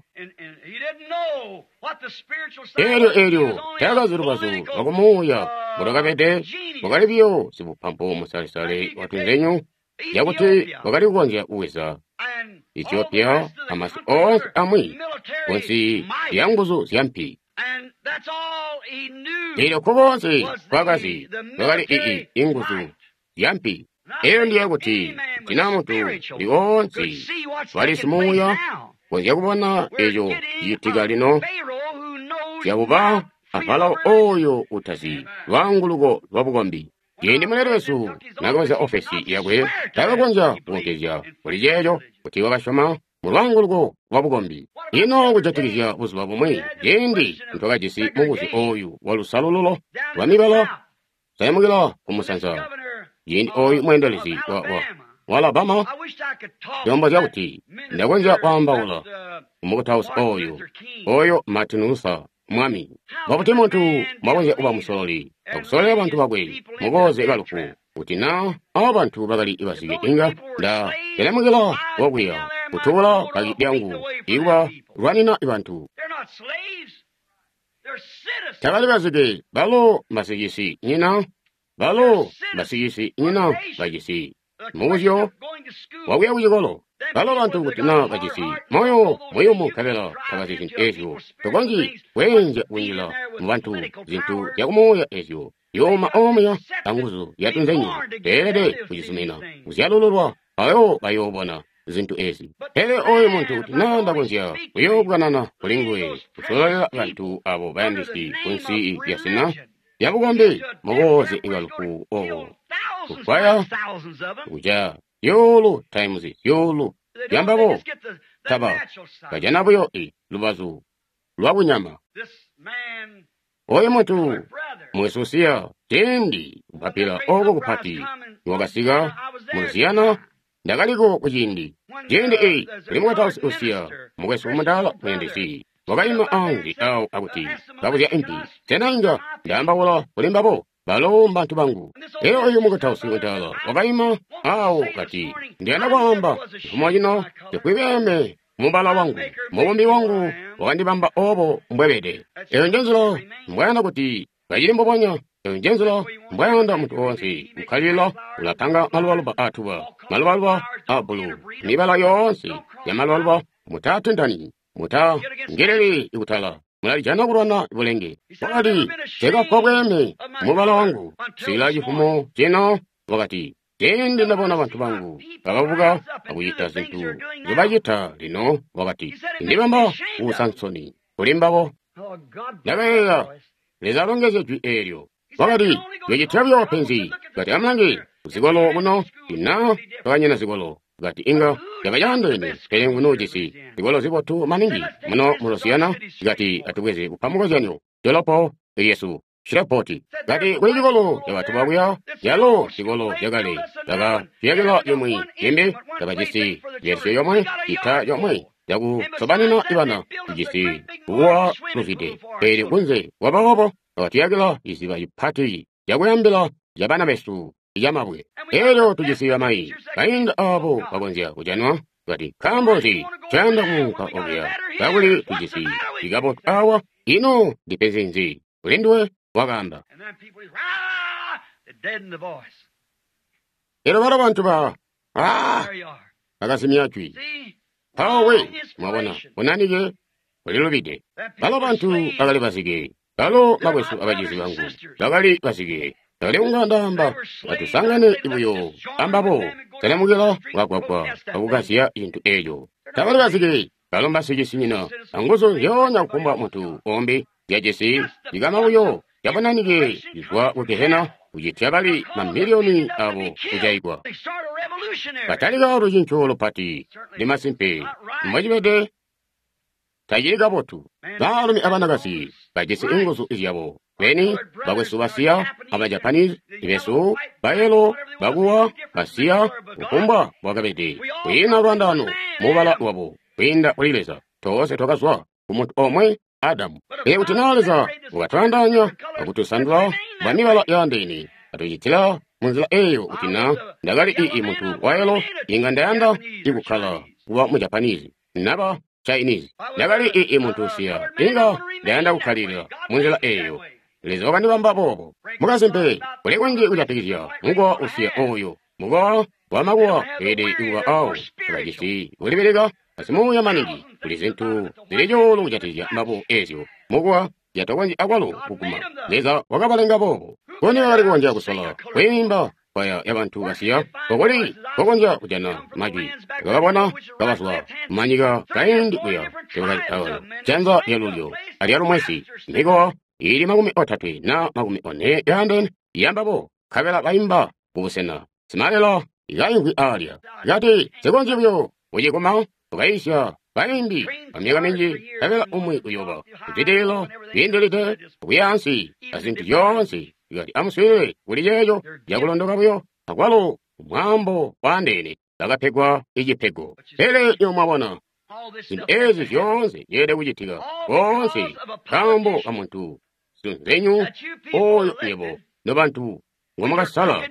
Elyo elyo taakazi lubazu lwakumuuya mbulwakabede, wakali biyo sibupampu musalesale watunzenyu yakuti wakali kukonzya kuweza Ethiopia amasi oonse amwi kunsi lya nguzu zya mpi. Elyo koonse kwakazi kwakali ii inguzu zya mpi. Eyo ndiye kuti tina muntu uli oonse wali simuuya konzya kubona eco cicitika lino zyakuba a Farao oyo utazi lwaanguluko lwa bukombi. Ciindi muleli wesu naakabweza ofesi yakwe, taakakonzya kukonkezya kuli ceeco kuti wakasyoma mu lwaanguluko lwa bukombi. Ino kujatikizya buzuba bumwi ciindi ntwakajisi mubuzyo oyu wa lusalululo lwa mibala sayamukila kumusanza, ciindi oyu mweendelezi wa Alabama ndombozya kuti ndakonzya kwaambaula kumukutausi oyu, oyo Martin Luther mwami. Mbobuti muntu mbwakonzya kuba musololi akusololela bantu bakwe mukooze kalufu, kuti na abo bantu bakali bazike inga nda telemukila wokuya kutuula kaki lyangu ikuba lwanina bantu. Tabali bazike, balo mbasicisi nyina, balo mbasicisi nyina bacisi mubuzyo wakuya kucikolo. Balo bantu kuti na bacisi moyo muyumu nkabela tabazi zintu ezyo, tokonzyi kweenzya kunjila mu bantu zintu zyakumuuya ezyo yooma omuya anguzu zyatunzenyu teelede kucizumina kuzyalululwa ayo bayoobona zintu ezi. Pele oyo muntu kuti na ndakonzya kuyoobwanana kuli nguwe kusololela bantu abo bayandisi kunsi lya zina lya bukombi mukooze ikalufu obo kufwaya kuja zyuulu times zyuulu zyambabo taba bajana buyo i lubazu lwa bunyama. Oyo muntu mwesusiya ciindi kupapila oko kupati niwakasika mu Lusiyana, ndakaliko kuciindi ciindi eyi kuli mukatausi usiya mukwesu mudaala muyandisi wakaima anze awo akuti kabuzya impi, sena inga ndaambaula kuli mbabo? Balo mbantu bangu. Elyo oyu mukutausi mudaala wakaima awo kati, ndiyanda kwaamba cifumo cino sikwibeme mubala wangu, mubumbi wangu wakandibamba obo mbwebede. Eyo njenzila mbwayanda kuti kacili mbubonya. Eyo njenzila mbwayanda muntu woonse kukkalila ulapanga malubaluba aatuba, malubaluba a bbulu, mibala yoonse ya malubaluba. Mutatentani, mutangeleli ikutala, mulalijana kulwana bulenge. Wakati, nsekafwa bweeme mubala wangu sila cifumo cino. Wakati, ciindi ndabona bantu bangu bakabuka akucita zintu nzobacita lino, wakati, ndibamba kuusa nsoni. kuli mbabo. Ndakayeeya, Leza alongezye jwi eelyo. Wakati, "Yocitya buyo penzi." Kati, "Amulange kuzikolo kuno, ina twakanyina zikolo." Kati, "Inga yaba yaandeene, pele nguno ujisi zikolo zibotu maningi muno mu Louisiana." Kati, "Atubweze kupa mukozyanyo dolopo lyesu Shreveport." Kati, "Kuli cikolo cabantu bakuya, yalo cikolo cakale baka ciyakila yomwe imbi, tabajisi version yomwe ita yomwe yakusobanina ibana, tujisi kuwa luzwide, pele kunze kwaboobo bakatuyakila iziba ipati yakuyambila yabana besu yamabwe. Elyo tujisi bamayi bainda abo bakonzya kujanwa." Kati, "Nkaambo nzi ncayanda kuunka okuya kakuli tujisi ikabotu awa? Ino ndipenzi nzi kuli nduwe?" Wakaamba. Elyo balo bantu ba bakazimya jwi. Mpawo we, mwabona, bunanike bulilubide. Balo bantu bakali bazike. Balo bakwesu abacizi bangu bakali bazike. Ndakali kunga ndaamba, atusangane buyo ambabo, talamukila kagwagwa akukazya cintu eeco. Tabali bazike, balo mbasicisinyina anguzu nzyoonya kufumbwa muntu umbi zyajisi cikama buyo cabunanike cizwa ku gehena kucitya bali mamiliyoni abo kujaigwa. Batalika lucinco lupati, ndi masimpe mbocibede tacili kabotu. Baalumi abanakazi bajisi inguzu zyabo beni, bakwesu basiya, aba Japanese besu, bayelo, bakuwa, basiya, kufumbwa bwakabede, kwiina lwandaano mubala wabo kwiinda kuli Leza. Toonse twakazwa ku muntu omwe Adamu. Pele kuti naa Leza wakatwaandaanya akutusandula bwa mibala yaandeene, atucitila munzila eeyo, kuti naa ndakali ii muntu wayelo, inga ndayanda ikukkala kuba mu Japanese naba Chinese. Ndakali ii muntu usiya, inga ndayanda kukkalilila munzila eeyo. Leza wakandibamba boobo. Mukasimpe, kuli kunji kujatikizya mukowa usiya ooyo. Mukowa wamakuwa weelede kuba awo tabajisi kulibilika asimuuya maningi. Kuli zintu zili cuulu kujatikizya mbabo eezyo mukuwa zyatakonzyi akwalo kuguma. Leza wakabalenga boobo. Kuni bakali kukonzya kusola kwiimba kwaya yabantu basiya, kokuli kokonzya kujana majwi. Bakabona kabazwa manyika kaindi kuya janza lyalulyo alyalumwesi, mikowa ili 30 na 40 yaandeene yambabo, nkabela baimba kubusena simalela ikaimvwi alya. Kati, "Sikonzyi buyo kuciguma." Ukayisya baimbi bamyaka minji, nkabela umwi uyoba kuzwidilila kwiindilide kuyaansi azintu zyoonse. Kati, "Amuswiilile kuli ceeco cakulondoka buyo akwalo mwaambo waandeene." Bakapegwa icipego. Pele nyo mwabona zintu ezi zyoonse zyeelede kucitika koonse nkaambo ka muntu sunzenyu oyo nywebo nobantu ngomwakasala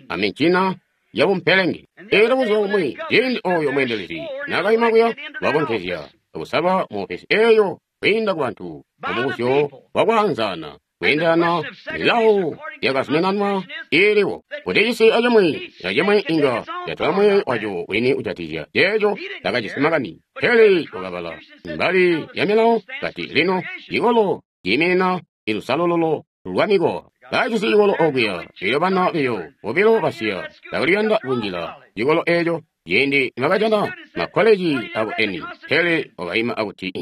amincina yabumpelenge. Eelyo buzuba bumwi ciindi oyo mweendelezi naakaima kuya wakonkezya akusalwa mu ofesi eeyo kwiinda ku bantu mumubuzyo wakwaanzaana kweendelana milawo yakazuminanwa iiliwo, kuti cisi acimwi acimwi inga yatola mweeyo waco wini kujatikizya ceeco takajisi makani. Pele wakabala mbali ya milawo kati, lino cikolo ciiminina ilusalululo lwa mikowa. Bajisi cikolo okuya, elyo bana biyo bobilo basiya takuliyanda kunjila cikolo eeco ciindi nibakajana makkoleji abo eni. Pele wakaima akuti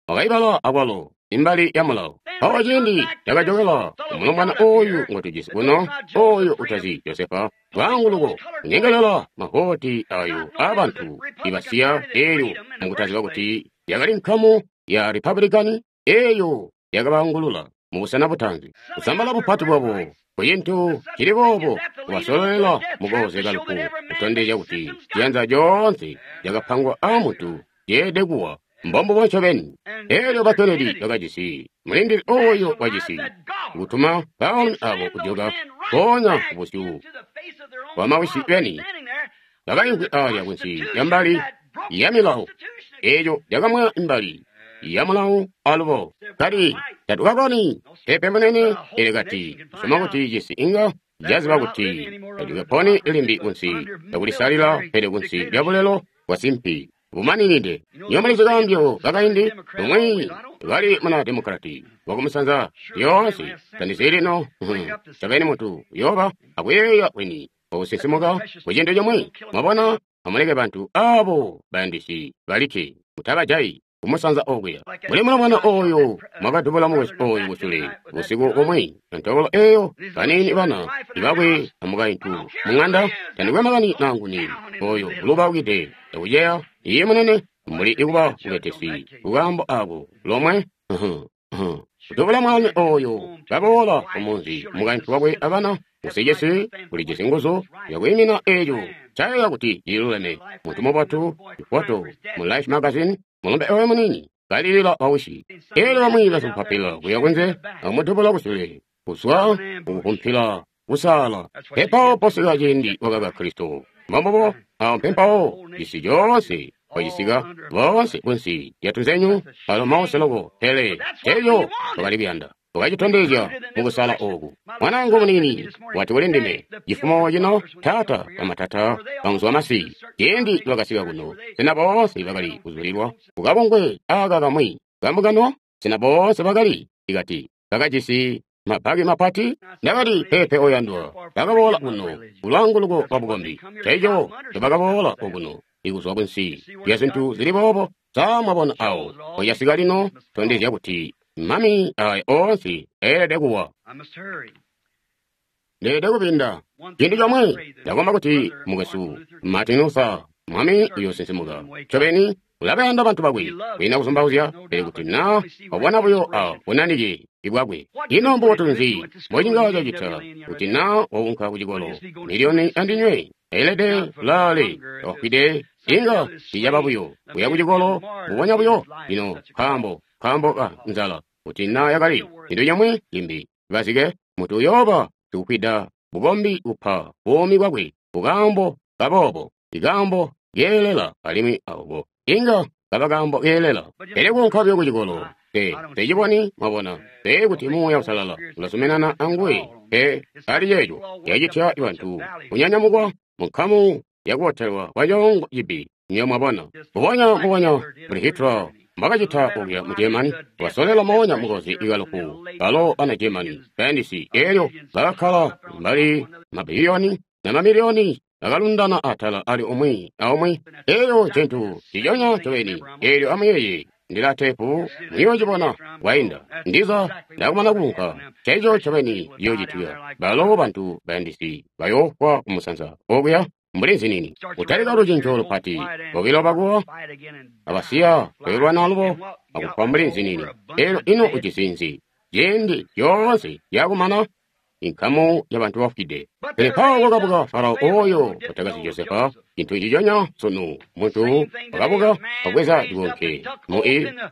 wakaibala akwalo imbali ya mulawo. Mpawo ciindi cakajokela umulombwana oyu ngotujisi kuno, oyo utazi Josefa, lwaanguluko kunyengelela mavoti ayo aabantu ibasiya eelyo mukutaziba kuti yakali nkamu ya Republican eeyo yakabaangulula mubusena butaanzi. Kusambala bupati bwabo kucintu cili boobo kubasololela mukooze kalufu, kutondezya kuti ciyanza coonse cakapangwa aamuntu ceelede kuwa. Mbombubo ncobeni. Eelyo ba Kennedy bakajisi mulindili oyo wajisi kutuma baalumi abo kujoka mpoonya kubusyu bwa mawisi beni bakaimvwi alya kunsi ya mbali ya milawo eeyo yakamwa imbali ya mulawo alubo. Kati, "Tatukakoni pepe munene." Elyo kati, "Soma kuti cisi inga caziba kuti tatukaponi limbi kunsi lyakulisalila, pele kunsi lya bulelo bwa simpi bumaninide." Nywebo mulizi kaambyo kakaindi, umwi kali muna demokrati wakumusanza lyoonse tandizi lino ncobeni muntu uyooba akuyeeya kwini okusinsimuka ku cintu cimwi. Mwabona, amuleke bantu abo bayandisi balikke, mutabajayi. kumusanza okuya. Mbuli mulombwana oyo mwakadubula mukwesu oyu kusule busiku bumwi, ntobolo eyo, baniini bana ibakwe amukaintu mung'anda, tandikwe makani nanguni oyo ulubaukide akuceya. Iye munene, mbuli ikuba mubetesi kukaambo ako lomwe. Kudubula mwaalumi oyo kaboola kumunzi, mukaintu wakwe abana, usijisi ulijisi nguzu yakwiimina eeco ncayeeya kuti cililuleme. Muntu mubotu, ifoto mu Life magazine, mulombe oyo muniini kalilila bawishi. Eelyo bamwi basimpapila kuya kunze akumudubula kusule kuzwa kukukumpila kusaala. Mpempawo posika ciindi wakaka Kristo. Mbombubo awo mpempawo cisi coonse kwacisika boonse kunsi lya tunzenyu alo mause loko, pele eco twakali kuyanda wakacitondezya mukusala oku. Mwanaangu muniini wati kuli ndime cifumo cino, taata bamatata bamuzwa masi, ciindi bakasika kuno, sena boonse bakali kuzulilwa kukabungwe aka kamwi kambungano? Sena boonse bakali ikati bakajisi mabaki mapati? Ndakati, peepe oyandwa, bakaboola kuno kulwaanguluko lwa bukombi. Ceeco ncobakaboola okuno ikuzwa kunsi lya zintu zili boobo. Sa mwabona awo pocasika lino? Tondezya kuti mami aya oonse eelede kuwa. Ndeelede kupinda cintu comwe. Ndakomba kuti mukwesu Martin Luther, mwami uyosinsimuka ncobeni, ulabayanda bantu bakwe kwiina kuzumbauzya, pele kuti na wabona buyo a bunanike bwakwe. Ino mbubotu nzi mbocinga cacita kuti na waunka kucikolo miliyoni andinywe elede laale wafwide? Inga ticaba buyo kuya kucikolo mbubonya buyo lino, nkaambo ka nzala. Kuti na yakali cintu cimwi cimbi, bazike mutu uyooba sikufwida bukombi kupa buumi bwakwe kukaambo kaboobo, ikaambo keelela, alimwi aoko inga kaba kaambo keelela. Pele kuunka buyo kucikolo, te teciboni, mwabona, pe kuti Muuya Uusalala ulazuminana anguwe pe ali ceeco yacitya bantu kunyanyamukwa munkamu yakubotelwa kwacoongo cibi. Nyo mwabona, mbubonya mbubonya mbuli Hitler mbakacita okuya mu Germany, wasolela moonya mukozi ikalufu balo bana Germany bayandisi, eelyo bakakkala mbali mabiliyoni na mamiliyoni bakalundana atala ali umwi aumwi. Eeyo ncintu ciconya ncobeni. Eelyo amuyeeye, ndila teepu muyoocibona kwainda ndiza ndakumana kuunka. Ceeco ncobeni ciyoocitika. Balo bantu bayandisi bayoofwa kumusanza okuya mbuli nzinini. Kutalika lucinco lupati, bobilo bakuwa abasiya bayoolwana alubo akufwa mbuli nzinini. Eelyo ino ujisi nzi? Ciindi coonse yakumana inkamu yabantu bafwide. Pele mpawo kwakabuka Farao oyo watakazi Josefa, cintu ciconya sunu. Muntu wakabuka wabweza cikonke mu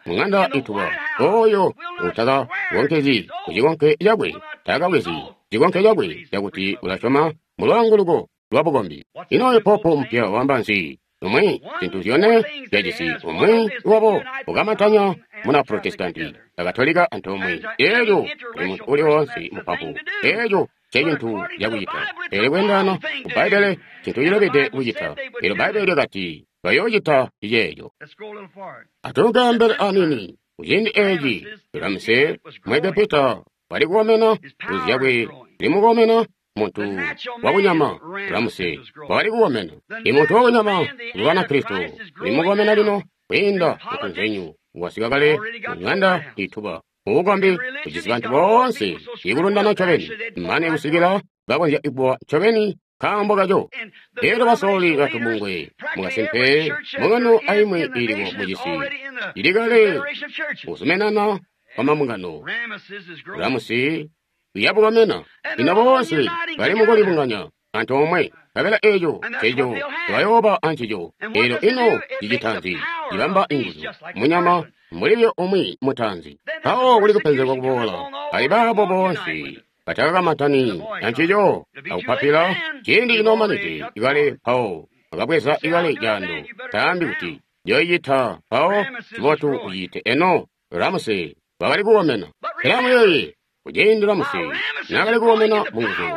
mung'anda ituba, oyo utakakonkezi kucikonke cakwe, takabwezi cikonke cakwe cakuti ulasyoma mulwaanguluko lwa bukombi. Ino oyo popo mpya wamba nzi? Umwi zintu zyone zyajisi umwi wabo ukamantanya muna Protestanti akatolika antoomwe. Eelyo kuli muntu uli woonse mupapu, eeco ncecintu cakucita. Pele kweendana ku Bbaibbele cintu cilubide kucita. Eelyo Bbaibbele lyakati bayoocita ceeco. Atunke ambele aniini. Kuciindi eeci Ramse Muegepita wali kukomena, nguzu zyakwe zilimukomena. Muntu wakunyama Ramuse wakali kukomena. Imuntu wakunyama ulwana Kristo ulimukomena lino kwiinda mutunzenyu. Wasika kale mung'anda ituba. Ubukombi bujisi bantu boonse ikulundana ncobeni mane kusikila bakonzya kuwa ncobeni nkaambo kaco. Eelyo basololi batubungwe mukasimpe mbungano aimwi iiliko mucisi ili kale kuzuminana kwamambungano. Ramusi uyabukomena. Lino boonse bali mukulibunganya antoomwe, nkabela eeco nceco bayooba ancico. Eelyo ino cicita nzi? Cibamba inguzu munyama mbuli buyo umwi mutaanzi. Mpawo kuli kupenzegwa kuboola ali baabo boonse batakakamantani ancico akupapila ciindi cinomanide ikale. Mpawo akabweza ikale caando, taambi kuti njoyicita, mpawo cibotu uciite. Eno Ramuse wakali kukomena. Pele amuyeeye, kuciindi Ramuse naakali kukomena munguzu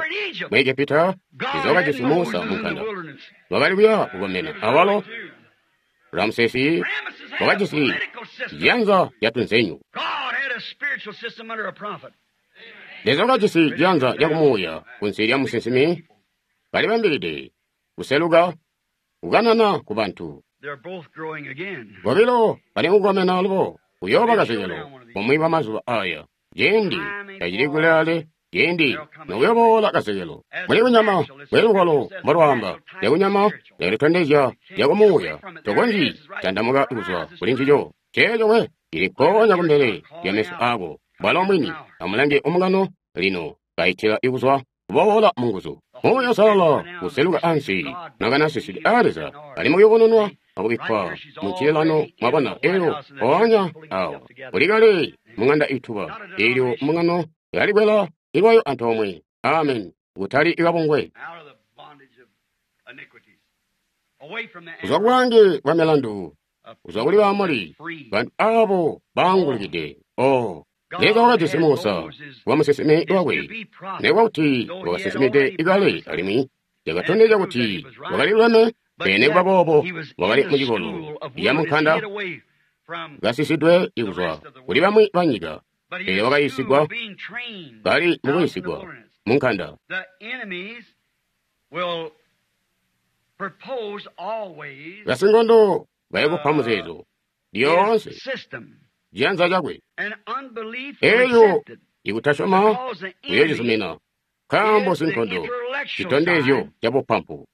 mu Egepita, Leza wakajisi Musa munkanda wakali kuya kukomena. Awalo Ramsesi wakajisi ciyanza catunzenyu. Leza wakajisi ciyanza cakumuuya kunsi lya musinsimi, balibambilide kuseluka kukanana ku bantu. Bobilo bali kukomena alubo kuyooba kazekelo bumwi bwa mazuba aya. Ciindi tacili kulaale, ciindi nokuyoboola kazekelo. Muli kunyama mbuli lugwalo mbolwaamba, lyakunyama lyakalitondezya lyakumuuya, tokonzyi tandamuka kuzwa kuli ncico. Ceeco we cili mpoonya kumbele lya meso aako. Bwalo mwini, amulange omungano lino kaitila ikuzwa kuboola munguzu. Muuya Uusalala kuseluka ansi, nakanasisili aa Leza, ali mukuyubununwa akubikkwa mu ncililano, mwabona, elyo mpoonya awo kuli kale mung'anda ituba, elyo mbungano yalikwela ilwayo antoomwe. Amen. Kutali ikabungwe. Kuzwa kubwaange bwa milandu, kuzwa kuli Baamoli, bantu abo baangulukide. Oh, Leza wakajisi Musa kuba musinsimi wakwe, nekuba kuti wakasinsimide ikale alimwi yakatondezya kuti wakali luleme, pele nekuba boobo wakali mucikolo ya munkanda kasisidwe kuzwa kuli bamwi banyika, pele wakayiisigwa kali mukuyiisigwa munkanda. Basinkondo bayakupa muzeezo lyoonse ciyanza cakwe, elyo ikutasyoma kuyoocizumina, nkaambo sinkondo citondezyo ca bupampu.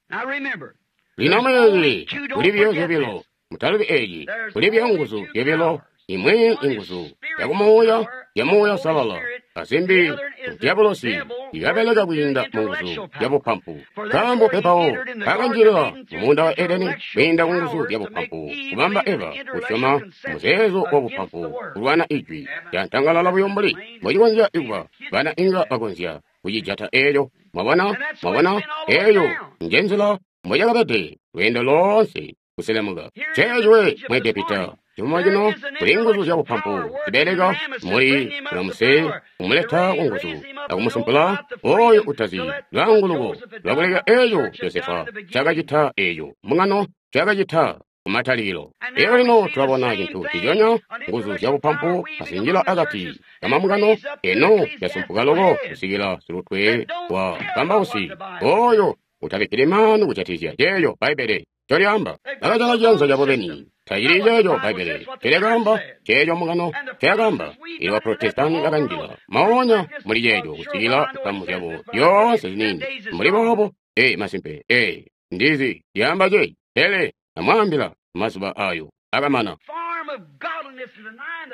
Lino amuyeeye, kuli buyo zyobilo, mutalubi eeci, kuli buyo nguzu zyobilo, imwi inguzu yakumuuya ya Muuya Uusalala, azimbi dyabulosi ikabeleka kwiinda munguzu zyabupampu. Nkaambo pepawo kakanjilila mumuunda wa Edeni kwiinda kunguzu zyabupampu, kubamba Eva kusyoma muzeezo wabupampu kulwana ijwi lyantangalala buyo mbuli mbocikonzya kuba bana inga bakonzya kucijata eeco. Mwabona, mwabona, eeyo njenzila mbocakabede lweendo loonse kuselemuka. Ceeci we mu Egepita. Cimo cino kuli nguzu zyabupampu zibeleka muli Ramuse kumuleta kunguzu akumusumpula oyo utazi lwaanguluko lwakuleka eeco Josefa cakacita eeco mbungano cakacita kumatalikilo. Elyo lino tulabona cintu ciconya nguzu zyabupampu kazinjila akati kamambungano eno yasumpuka loko kusikila silutwe wa kambausi oyo utabikkili maanu kujatikizya ceeco Bbaibbele ncolyaamba. Bakajala ciyanza cabo beni. Tacili ceeco Bbaibbele ncolyaamba, ceeco mbungano ncoyakaamba. Elyo ba Protestanti bakanjila moonya muli ceeco kusikila nkamu zyabo zyoonse ziniini mbuli boobo. Ee, masimpe, ee, ndizi lyaamba ceeci, pele amwaambila mazuba ayo akamana.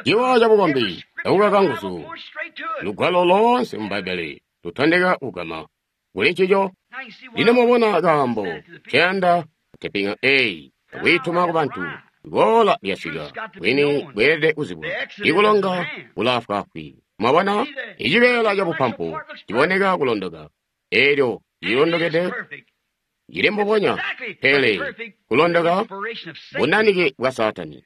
Ciwa cabukombi akukaka nguzu, lugwalo loonse mu Bbaibbele lutondeka kugama kuli ncico. Lino mubona kaambo nceyanda kutepinga eyi akwiituma kubantu. Iboola lyasika, bwini bweelede kuzibwa. Ikulonga kulaafwaafwi. Mwabona, icibeela cabupampu ciboneka kulondoka, elyo cilondokede cili mbubonya, pele kulondoka bunanike bwa Saatani.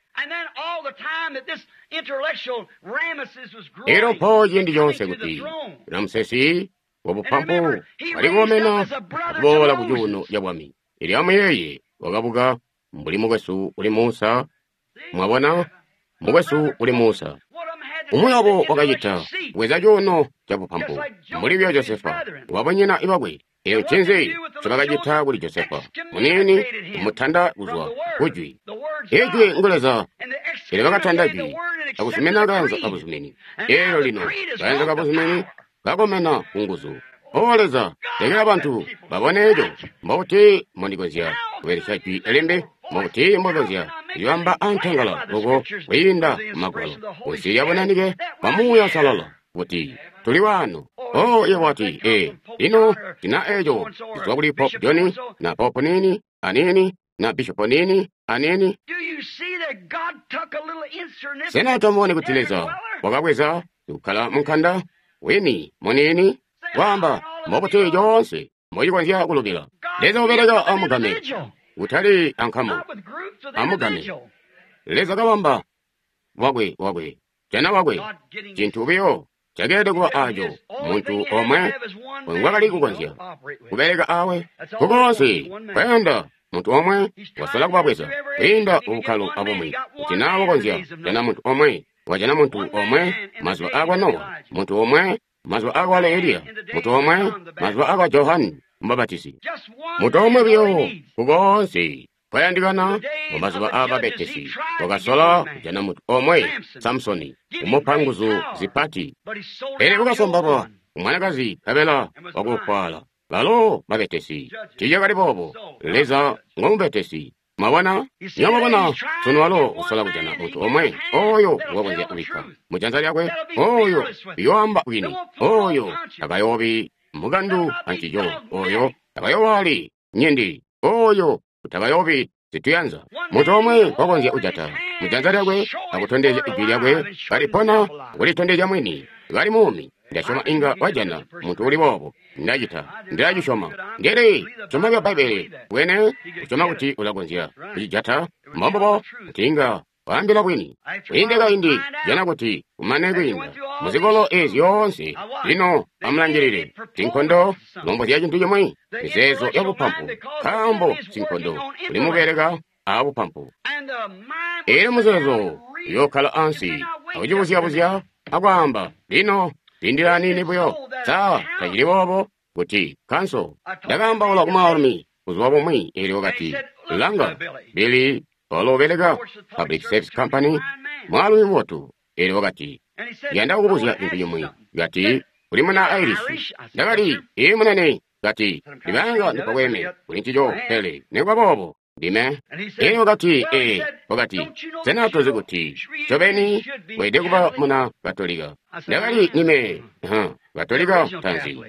Elyo mpo ciindi coonse kuti Ramsesi wabupampu wali kukomena akuboola ku cuuno ca bwami. Elyo amuyeeye, wakabuka mbuli mukwesu uli Musa. Mwabona, mukwesu uli Musa. Umwi wabo wakacita kubweza cuuno ca bupampu mbuli buyo Josefa wabanyina bakwe. Eyo ncinzi ncobakacita kuli Josefa muniini, kumutanda kuzwa kujwi. Ijwi ngu Leza. Elyo bakatanda jwi akuzumina kaanza kabuzumini. Elyo lino kaanza kabuzumini kakomena kunguzu. O Leza, lekela bantu babone eco. Mbokuti mbondikonzya kubelesya jwi limbi, mbokuti mbokonzya kulibamba antangala loko kwiinda mumagwalo, kunsi lya bunanike bwa Muuya Uusalala, kuti tuli waano. Oh, iye wati, ee, lino tina eco kuzwa kuli Pope John na Pope nini anini na Bishop nini anini. Sena tomubone kuti Leza wakabweza kukkala munkanda wini muniini kwaamba mbokuti coonse mbocikonzya kulubila. Leza ubeleka amugame, kutali ankamu, amugame. Leza kabamba wakwe wakwe, jana wakwe, cintu buyo cakeelede kuba aco muntu omwe ngwakali kukonzya kubeleka awe kukoonse kwayanda muntu omwe wasola kubabweza kwiinda ubukkalo abumwi kuti naa wakonzya jana muntu omwe wajana muntu omwe mazuba akwa Nowa, muntu omwe mazuba akwa Eliya, muntu omwe mazuba akwa Johani Mubapatizi, muntu omwe buyo kukoonse Kwayandikana mu mazuba aababetesi, wakasola kujana muntu omwe, Samsoni, kumupa nguzu zipati. Pele wakasombalwa umwanakazi nkabela wakufwala. Balo babetesi. Tiicakali boobo. Leza ngomubetesi. Mwabona? Nywebo mwabona, sunu walo usola kujana muntu omwe oyo wakonzya kubikka mu janza lyakwe, oyo uyoamba bwini, oyo takayoobi mukandu ancico, oyo takayoowaali nyindi, oyo utakayoobi zituyanza. Muntu omwe wakonzya kujata mu janza lyakwe akutondezya ijwi lyakwe kalipona, kulitondezya mwini kali muumi. Ndasyoma inga wajana muntu uli boobo. Ndacita, ndilacisyoma. Ndili syoma lya Bbaibbele bwene, kusyoma kuti ulakonzya kucijata mbombubo kuti inga waambila bwini. Kwiinde kaindi, jana kuti kumane kwiinda muzikolo ezi zyoonse. Lino amulangilile sinkondo lombozya cintu cimwi, mizeezo ya bupampu, nkaambo sinkondo uli mubeleka a bupampu. Eelyo muzeezo uyookkala ansi akucibuzya-buzya akwaamba, lino lindila aniini buyo. Sa tacili boobo kuti kanso? Ndakaambaula ku mwaalumi buzuba bumwi, eelyo wakati, langa, Billy, walo ubeleka Public Service Company, mwaalumi mubotu. Eelyo wakati, yanda kukubuzya cintu cimwi. Kati, uli muna Irish. Ndakati, ii munene. Kati, ndibanga ndipabweme kuli ncico, pele nikuba boobo ndime. Eelyo wakati, ee, wakati, sena tozi kuti ncobeni weelede kuba muna Katolika? Ndakati, nime, Katolika ntaanzi.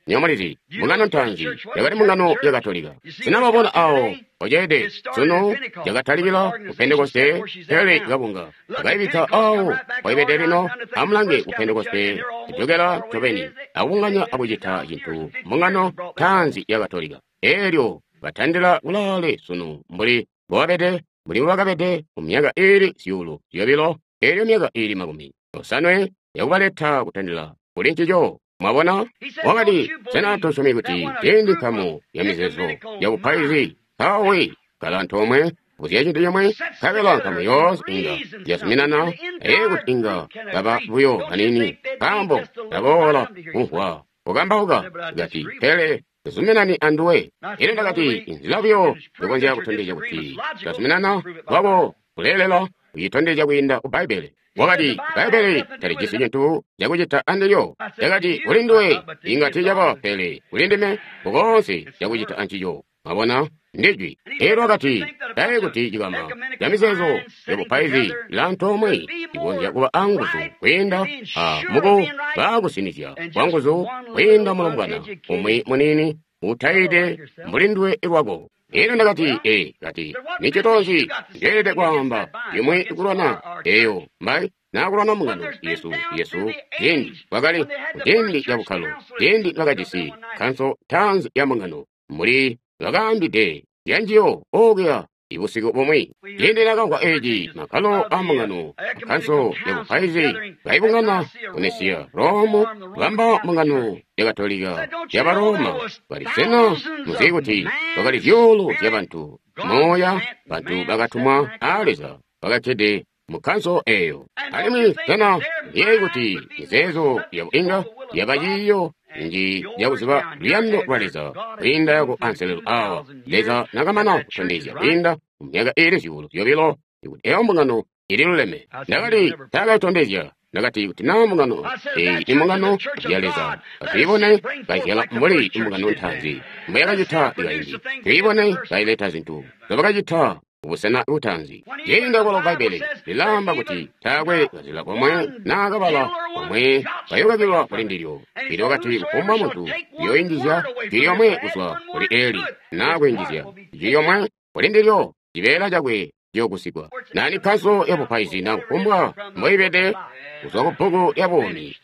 Nywebo mulizi, mbungano ntaanzi yakali mbungano ya Katolika. Sena mwabona awo oceede sunu yakatalikila ku Pentekoste, pele kabunga akaibikka awo waibede lino. Amulange ku Pentekoste ijokela ncobeni akubunganya akucita cintu mbungano ntaanzi ya Katolika. Eelyo batandila kulaale sunu mbuli mbobabede, mbuli mbobakabede mu myaka iili 200, eelyo myaka iili 50 yakubaleta kutandila kuli ncico. Mwabona? Wakati, sena tosyomi kuti ciindi nkamu ya mizeezo ya bupaizi mpawe kala antoomwe kuzya cintu cimwe, nkabela nkamu yoonse inga yazuminana, ee kuti inga baba buyo baniini, nkaambo ndaboola kumvwa kukambauka. Kati, pele tazuminani anduwe. Ine ndakati, inzila buyo yokonzya kutondezya kuti tazuminana kwako kuleelela kucitondezya kwiinda ku Bbaibbele. Wakati, Bbaibbele talijisi cintu cakucita andilyo. Ndakati, kuli nduwe inga tiicaba, pele kuli ndime nkukoonse cakucita ancico. Mwabona? Ndijwi. Eelyo wakati, taye kuti cikama ca mizeezo ya bupaizi ilaantoomwe ikonzya kuba anguzu kwiinda a muku baakusinizya kwa nguzu kwiinda mulombwana umwi muniini utaide mbuli nduwe lwako. Eelyo ndakati, ee, kati, nicito nzi njeelede kwaamba imwi kulwana eyo mbai naakulwana mbungano yesu yesu ciindi kwakali ciindi ca bukkalo, ciindi bakajisi kanso ntaanzi ya mbungano mbuli bakaambide zyanjiyo okuya ibusiku bumwi. Ciindi nakamvwa eci, makkalo a mbungano akanso ya bupaizi kaibungana ku Nesiya, Rome, bamba mbungano ya Katolika ya Baroma. Bali sena muzi kuti kwakali zyuulu zya bantu moya, bantu bakatumwa a Leza bakakkede mu kanso eyo. Alimwi sena muyeeyi kuti mizeezo yabo inga yaba ciiyo nji yakuziba luyando lwa Leza kwiinda yako anselelo awa Leza nakamana kutondezya kwiinda mu myaka iili 200 ikuti eyo mbungano ililuleme. Ndakati taakaitondezya. Ndakati kuti naa mbungano eyi imbungano ya Leza, atwiibone kazyala mbuli imbungano ntaanzi mbuyakacita ikaindi, twiibone kaileta zintu zobakacita kubusena butaanzi. Ciindi akwalo Bbaibbele lilaamba kuti taakwe kazila komwe naa kabala komwe kayokakilwa kuli ndilyo. Elyo wakati kufumbwa muntu uyooinjizya jwi lyomwe kuzwa kuli Eli naa kwiinjizya jwi lyomwe kuli ndilyo, cibeela cakwe ciyoogusigwa. Nani kanso ya bupaizi na kufumbwa mboibede kuzwa ku bbuku lya buumi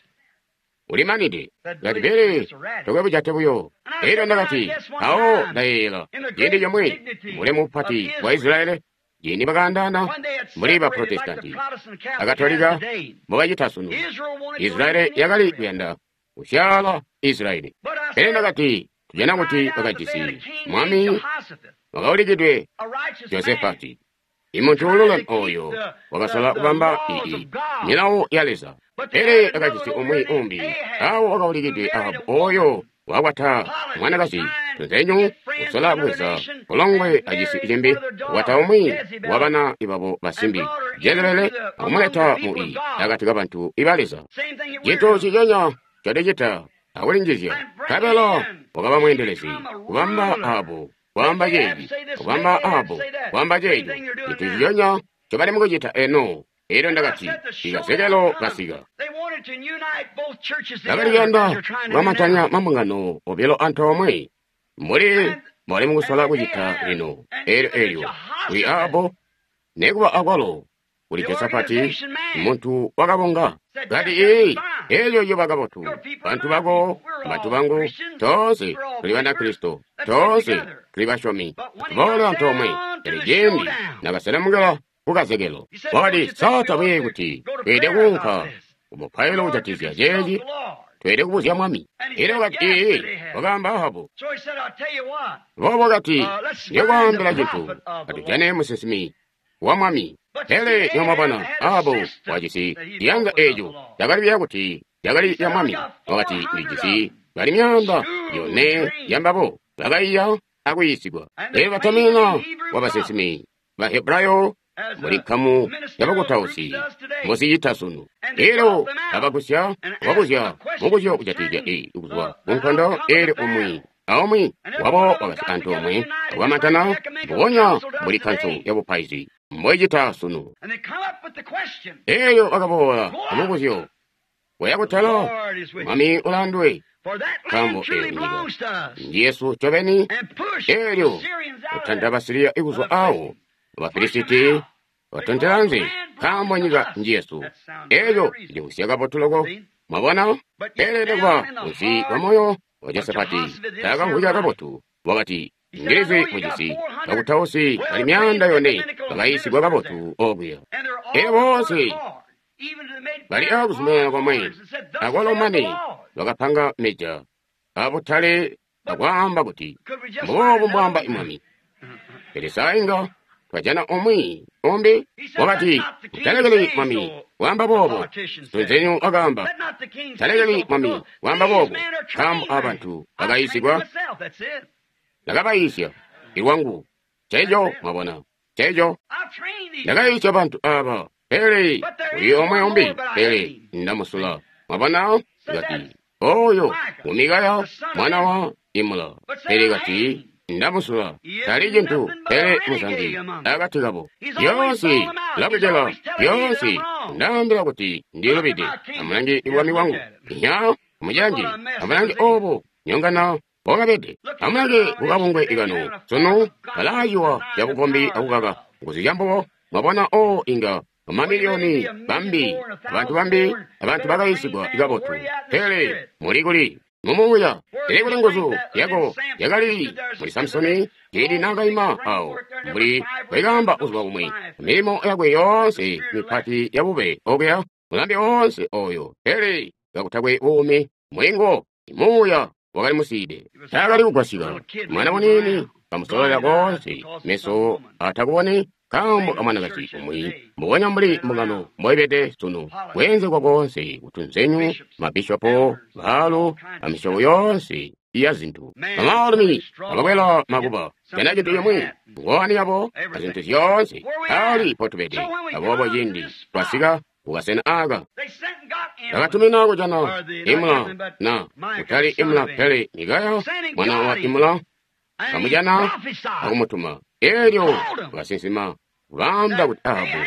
ulimanide. Kati pele tokwe bujate buyo. Elyo ndakati, mpawo ndayeeyela ciindi comwe mulemu mupati wa Israeli ciindi bakaandaana mbuli ba Protestanti Akatolika mbobacita sunu. Israeli yakali kuyanda kusyaala Israeli. Pele ndakati, tujana kuti bakajisi mwami wakaulikidwe Josefati, imuntu ululeme oyo wakasola kubamba ii milawo ya Leza. Pele akajisi umwi umbi awo wakaulikidwe Ahabu oyo Wakwata mwanakazi tunzenyu, kusola kubweza bulongwe acisi cimbi, kukwata umwi wa bana babo basimbi Jezebele, akumuleta mu i akati kabantu iba Leza. Cintu ciconya codicita akulinjizya, nkabela wakaba mweendelezi, kubamba abo, kwaamba ceeci, kubamba abo, kwaamba ceeco, cintu ciconya ncobali mukucita eno. Elyo ndakati, ikazekelo kasika. Bakali kuyanda kukamantanya mambungano obilo antoomwe, mbuli mbwali mukusola kucita lino. Elyo elyo kuli abo, nekuba akwalo kuli Josafati, muntu wakabunga. Kati, ii, elyo yoba kabotu. Bantu bako, bantu bangu, toonse tuli Banakristo, toonse tuli basyomi. Tuboole antoomwe. Pele cindi nakaselemukila kukazekelo, wakati, sa tabuyeeyi kuti tweelede kuunka kumupailo kujatizya ceeci? Tweelede kubuzya Mwami. Elyo wakati, ii, wakaamba Ahabu. Boobo wakati, ndikwaambila cintu, atujane musinsimi wa Mwami. Pele nyomwabona, Ahabu wajisi ciyanza eeco cakali biya kuti cakali ya Mwami. Wakati, ndijisi bali 400 yambabo bakaiya akuyiisigwa. Elyo batamina wa basinsimi ba Hebrayo muli nkamu yabakutausi mbozicita sunu. Elyo abagusya wabuzya mubuzyo kujatizya i kuzwa kunkondo. Elyo umwi aumwi wabo wakasi antoomwe akukamantana mbubonya mbuli kanso yabupaizi mboicita sunu. Elyo bakaboola amubuzyo waya kutala, Mwami ulandwe, nkaambo eyo nyika ndi yesu ncobeni. Elyo kutanda Basiriya ikuzwa awo, Bafilisiti batontelanze, nkaambo nyika nji yesu. Elyo limvwisya kabotu loko, mwabona. Pele nekuba munsi wa moyo wa Josafati taakamvwika kabotu. Wakati, ngilizi mujisi bakutausi bali 400 bakayiisigwa kabotu okuya. Elyo boonse bali akuzumanana komwe, akwalo mane bakapanga meja abutale akwaamba kuti, mboobu mbwaamba Mwami. Pele sainga twajana umwi umbi. Wakati, talekeli Mwami waamba boobo. Tunzenyu wakaamba, talekeli Mwami waamba boobo, nkaambo abantu bakayiisigwa, ndakabayiisya ilwangu. Ceeco mwabona, ceeco ndakayiisya bantu aba, pele kuli omwe umbi, pele ndamusula. Mwabona, kati oyo ngumikaya mwana wa Imula, pele kati ndamusula, tali cintu pele muzangi akati kabo. Yoonse lakucela, yoonse ndaambila kuti ndilubide. Amulange bwami bwangu, nya amujanji, amulange obo nyongana wakabede. Amulange kukabungwe ikano sunu, balaayiwa cabukombi akukaka nguzu cambubo. Mwabona, o inga mamiliyoni bambi, abantu bambi, abantu bakayiisigwa kabotu, pele muli kuli mumuuya. Pele kuli nguzu yako yakali muli Samusoni ciindi naakaima awo, mbuli bwekaamba buzuba bumwi, milimo yakwe yoonse mipati yabube okuya, mulambi woonse oyo, pele kakutakwe buumi mulinguwo, muuya wakali musiide, taakali kugwasyika. Mwana muniini kamusololela koonse, meso atakuboni nkaambo kamwanakazi umwi, mbubonya mbuli mbungano mboibede sunu, kweenzekwa koonse kutunzenyu, mabishopo, baalu, amisyobo yoonse ya zintu. Bamaalumi abakwela makuba, jana cintu cimwi, ngowani yabo, azintu zyoonse, ali potubede. Aboobo cindi twasika kukasena aka, bakatumina kujana Imula, na kutali Imula pele Mikaya mwana wa Imula, kamujana akumutuma. Elyo wakasinsima baamba kuti Ahabu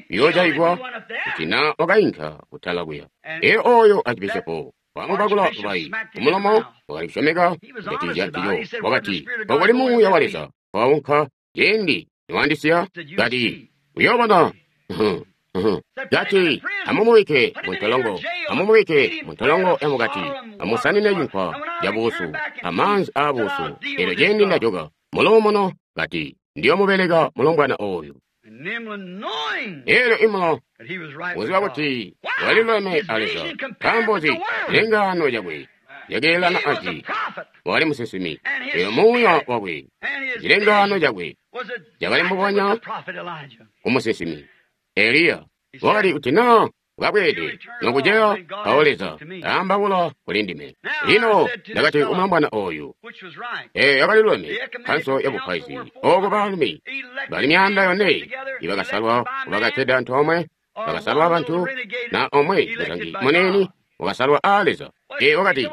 yoojayigwa kuti na wakainka kutala kuya. Elyo oyo archibishopo wamubakula lubayi kumulomo, wakali kusyomeka kujatikizya ncico. Wakati, okuli muuya wa Leza waunka ciindi niwandisiya, kati uyoobona. Kati, amumubike muntolongo, amumubike muntolongo yamukati, amusanine cinkwa cabuusu amaanzi aabuusu. Elyo ciindi ndajoka muluumuno, kati ndiyomubeleka mulombwana oyu. Elyo Imula uziba kuti waliluleme a Leza, nkaambo nzi cilengaano cakwe cakeelana aci. Wakali musinsimi, elyo muuya wakwe, cilengaano cakwe cakali mbubonya kumusinsimi Eliya. Wakali kuti naa Ukabweede nokuceya mpawo Leza aambaula kuli ndime. Lino ndakati kumulambwana oyu, yakali luleme kkanso ya bupaizi, oko baalumi bali 400 ibakasalwa bakakkede antoomwe, bakasalwa abantu, na omwe muzangi muniini wakasalwa aa Leza. Wakati,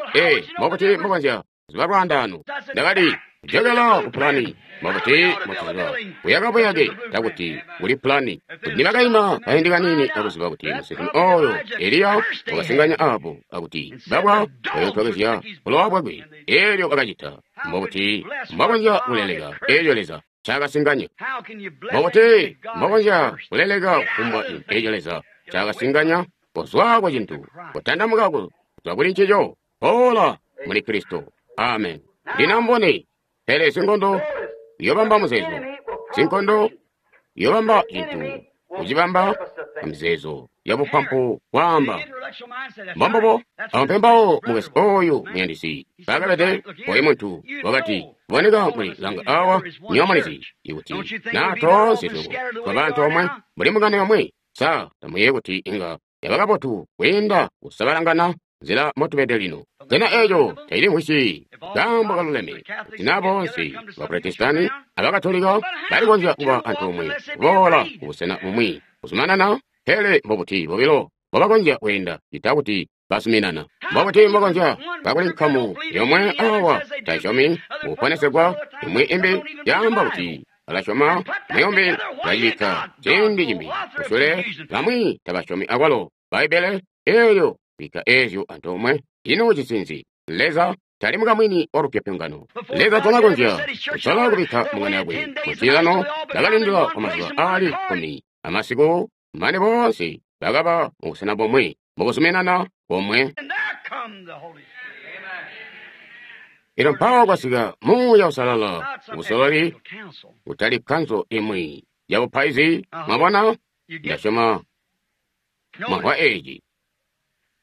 mbokuti mbokonzya kuziba lwaandaano. Ndakati, jokela ku pulani, mbokuti mbotuziba kuyaka buyake takuti kuli pulani. Kuti nibakaima kaindi kaniini akuziba kuti musinsimi oyo Eliya wakasinganya apo akuti babwa bayootwakezya bulowa bwakwe, eelyo bakacita. Mbokuti mbokonzya kuleleka eelyo Leza ncaakasinganya. Mbokuti mbokonzya kuleleka kufumbwa eelyo Leza ncaakasinganya kuzwa ku cintu, kutandamuka kuzwa kuli ncico, boola muli Kristo. Amen. Lino mbone, pele sinkondo uyobamba muzeezo, sinkondo uyobamba cintu, kucibamba amizeezo ya bupampu bwaamba. Mbombobo, apo mpawo mukesi oyu muyandisi bakabede oyu muntu wakati, boneka muli langa awa nyomulizi ikuti na toonse twebo twaba antoomwe muli mungano yomwe, sa tamuyeeyi kuti inga yaba kabotu kwiinda kusabalangana nzila motubede lino. Sena eeco tacilimvwisyi kaambo kaluleme kuti na boonse Baprotestanti Abakatolika balikonzya kuba antoomwe kuboola kubusena bumwi kuzumanana, pele mbobuti bobilo mbobakonzya kweenda cita kuti basuminana? Mbobuti mbokonzya kakuli nkamu yomwe awa taisyomi kuponesegwa, imwi imbi yaamba kuti balasyoma, muyombi balacibikka ciindi cimbi kusule, bamwi tabasyomi akwalo Bbaibbele eelyo bikka eezyo antoomwe. Ino cisinzi? Leza tali mukamwini wa lupyopyongano. Leza tanakonzya kusola kubikka mungano yakwe mucilano. Bakalindila kwa mazuba aali 10 amasiku mane boonse bakaba mubusena bomwe, mukuzuminana bomwe. Ino mpawo kwasika Muuya Uusalala, ubusololi kutali kkanso imwi ya bupaizi. Mwabona, ndasyoma mwamvwa eeci.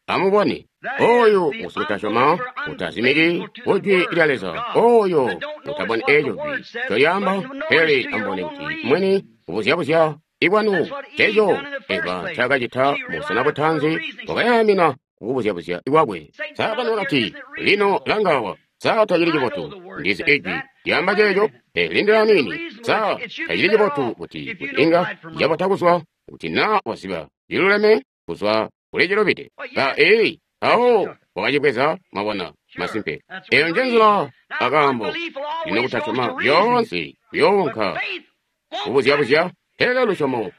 Amubone, oyo usikutasyoma utazimiki kujwi lya Leza, oyo utaboni eeco jwi ncolyaamba, pele amubone kuti mwini kubuzyabuzya ikwanu. Ceeco Eva ncaakacita mubusena butaanzi, wakayaamina kukubuzyabuzya kwakwe. Saatani wakati, lino langawa, sa tacili cibotu? Ndizi ijwi lyaamba ceeco, pele lindila niini. Sa tacili cibotu kuti inga cabota kuzwa kuti na waziba ciluleme kuzwa kuli cilubide? Ba awo wakacibweza. Mwabona, masimpe eyo nje nzila akaambo. Lino kutasyoma lyoonse kuyoonka kubuzyabuzya, pele lusyomo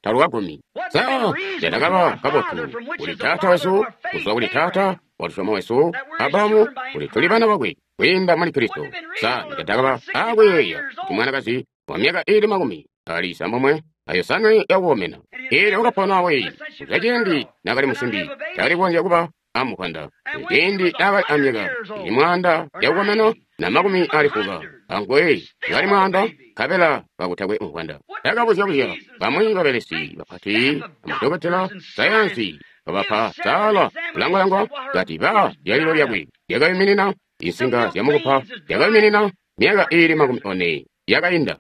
talukagumi. Sa candakaba kabotu kuli taata wesu, kuzwa kuli taata wa lusyomo wesu Abrahamu, kuti tuli bana bakwe kwiinda muli Kristo. Sa nicandakaba akuyeeya kuti mwanakazi wa myaka iili 95 yakukomena, eelyo wakapona we kuzwa ciindi naakali musimbi, takali kukonzya kuba amukwanda. Ciindi naakali amyaka ili 100 yakukomena na 90, angwe kali 100, nkabela kakutakwe mukwanda. Takabuzyabuzya bamwi babelesi bapati amadokotela sayansi babapa sala kulangwalangwa kati ba lyalilo lyakwe lyakayuminina, insinga zyamukupa zyakayuminina myaka iili 40 yakainda.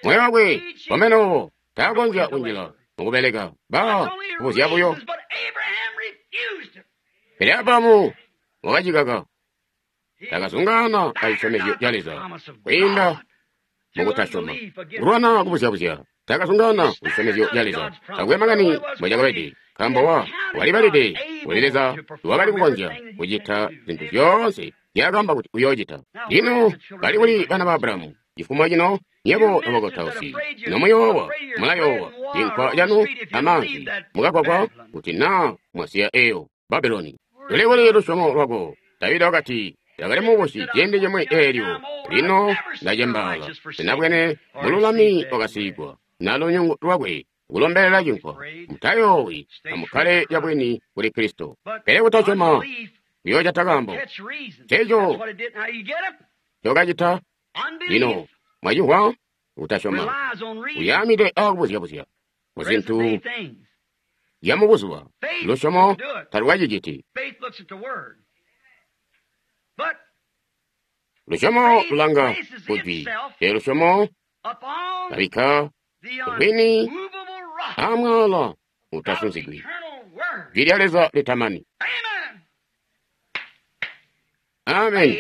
Moyo wakwe wamenowo taakonzya kunjila mukubeleka ba kubuzya buyo. Pele Abrahamu wakacikaka, takazungaana acisyomezyo ca Leza kwiinda mukutasyoma. Kulwana kubuzyabuzya, takazungaana kucisyomezyo ca Leza, takwe makani mbwacakabede, nkaambo walibalide kuli Leza wakali kukonzya kucita zintu zyoonse nzyaakaamba kuti uyoocita. Lino bali kuli bana ba Abrahamu cifumo cino, nyebo nobakutausi, nomuyoowa, mulayoowa cinkwa canu amaanzi mukagwagwa kuti naa mwasiya eyo Babuloni. Luli kuli lusyomo lwako? Davida wakati, ndakali mubusi ciindi cimwi eelyo, lino ndacembaala, sinabwene mululami wakasiigwa, na lunyungu lwakwe kulombelela cinkwa. Mutayoowi, amukkale cabwini kuli Kristo. Pele kutasyoma kuyoocata kaambo. Nceeco ncokacita lino. Mwacimvwa? Kutasyoma uyaamide akubuzyabuzya kuzintu zyamubuzuba. Lusyomo talukaciciti. Lusyomo lulanga kujwi, pele lusyomo labikka bwini amwaala utasunzigwi. Jwi lya Leza litamani. Amen.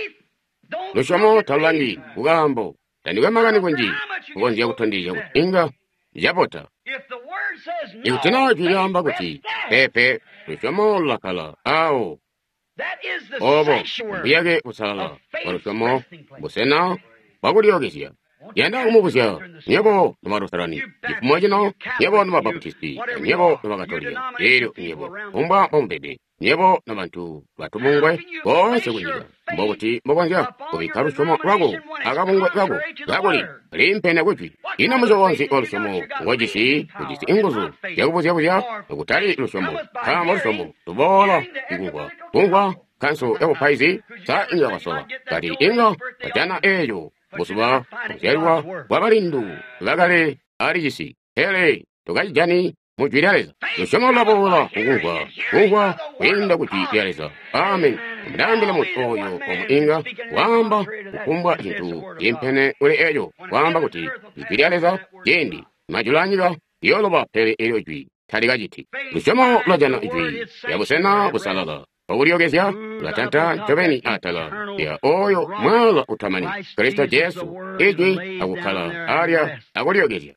Lusyomo talulangi kukaambo. Tandikwe makani kunji kukonzya kutondezya kuti inga cabota. Ikuti naa jwi lyaamba kuti peepe, lusyomo lulakkala awo. Obo mbuyake busalala bwa lusyomo, busena bwakulyookezya. Yanda kumubuzya nywebo nobalusalani, cifumo cino nywebo nobabaputisti, nywebo nobakatolika, elyo nywebo kumbwa mbomubede, nywebo nobantu batubungwe boonse kunyika, mbokuti mbokonzya kubikka lusyomo lwako akabungwe kako kakuli liimpene kujwi. Ino musyobo nzi wa lusyomo ngojisi? Ujisi inguzu zyakubuzya-buzya kutali lusyomo, nkaambo lusyomo luboola ikumvwa, kumvwa nkanso yabupaizi sa inga kwasola kati inga kwajana eeyo buzuba kuzyalwa bwa balindu bakale ali cisi, pele tukacijani mu jwi lya Leza. Lusyomo lulaboola kukumvwa, kumvwa kwiinda ku jwi lya Leza. Amen. Ndaambila muntu oyo omwe inga waamba kufumbwa cintu ciimpene kuli eco, waamba kuti ijwi lya Leza ciindi majulu anyika liyooloba, pele elyo jwi talikaciti. Lusyomo lulajana ijwi lya busena busalala bwakulyookezya, lulatanta ncobeni atala lya oyo mwala utamani, Kristo Jesu, ijwi akukkala alya akulyookezya.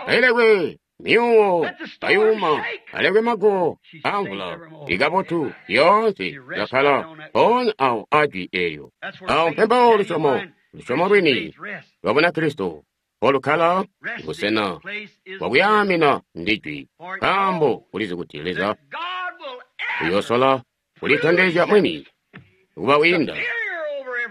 Alekwe myuwo ayuma, alekwe mago amvula ikabotu yoonse lakkala mpoonya awo ajwi eelyo. Awo mpembawo lusyomo, lusyomo lwini lwa Bunakristo mpolukkala busena bwakuyaamina ndi jwi, nkaambo ulizi kuti Leza uyoosola kulitondezya mwini kuba wiinda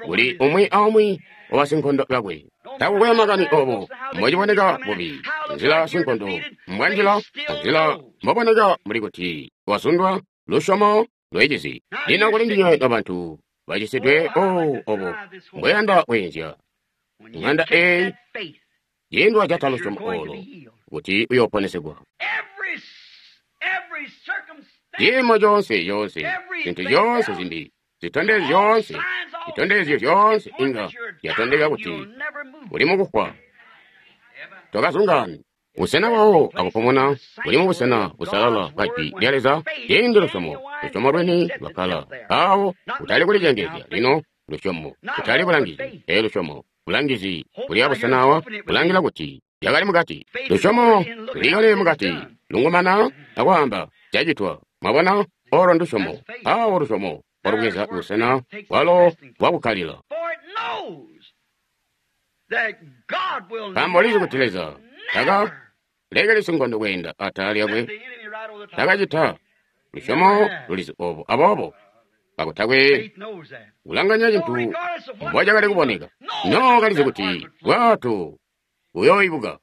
kuli umwi aumwi wabasinkondo bakwe. Takukwe makani obo mbociboneka bubi, nzila sinkondo mbwanjila, nzila mboboneka mbuli kuti wasundwa, lusyomo lwecizi. Lino kuli ndinywe nobantu bacisidwe, obo mbweyanda kweenzya ŋanda eeyi ciindi wajata lusyomo olo kuti uyooponesegwa. Ciimo coonse coonse, zintu zyoonse zimbi, zitondezyo zyoonse, zitondezyo zyoonse inga zyatondeka kuti uli mukufwa. Tokazungaani. Busena bwawo akupumuna buli mubusena busalala bwa jwi lya Leza. Ciindi lusyomo, lusyomo lwini lwakkala awo, kutali kulicengezya lino lusyomo, kutali bulangizi, pele lusyomo. Bulangizi buli abusena awa bulangila kuti yakali mukati. Lusyomo lulikale mukati, lungumana akwaamba cacitwa. Mwabona, olo ndusyomo. Awo lusyomo walubweza busena bwalo bwakukkalila. Nkaambo lizi kuti Leza taka lekeli sinkondo kweenda atala lyakwe, takacita. Lusyomo lulizi obo, aboobo kakutakwe kulanganya cintu mbocakali kuboneka, no kalizi kuti bwato buyooibuka.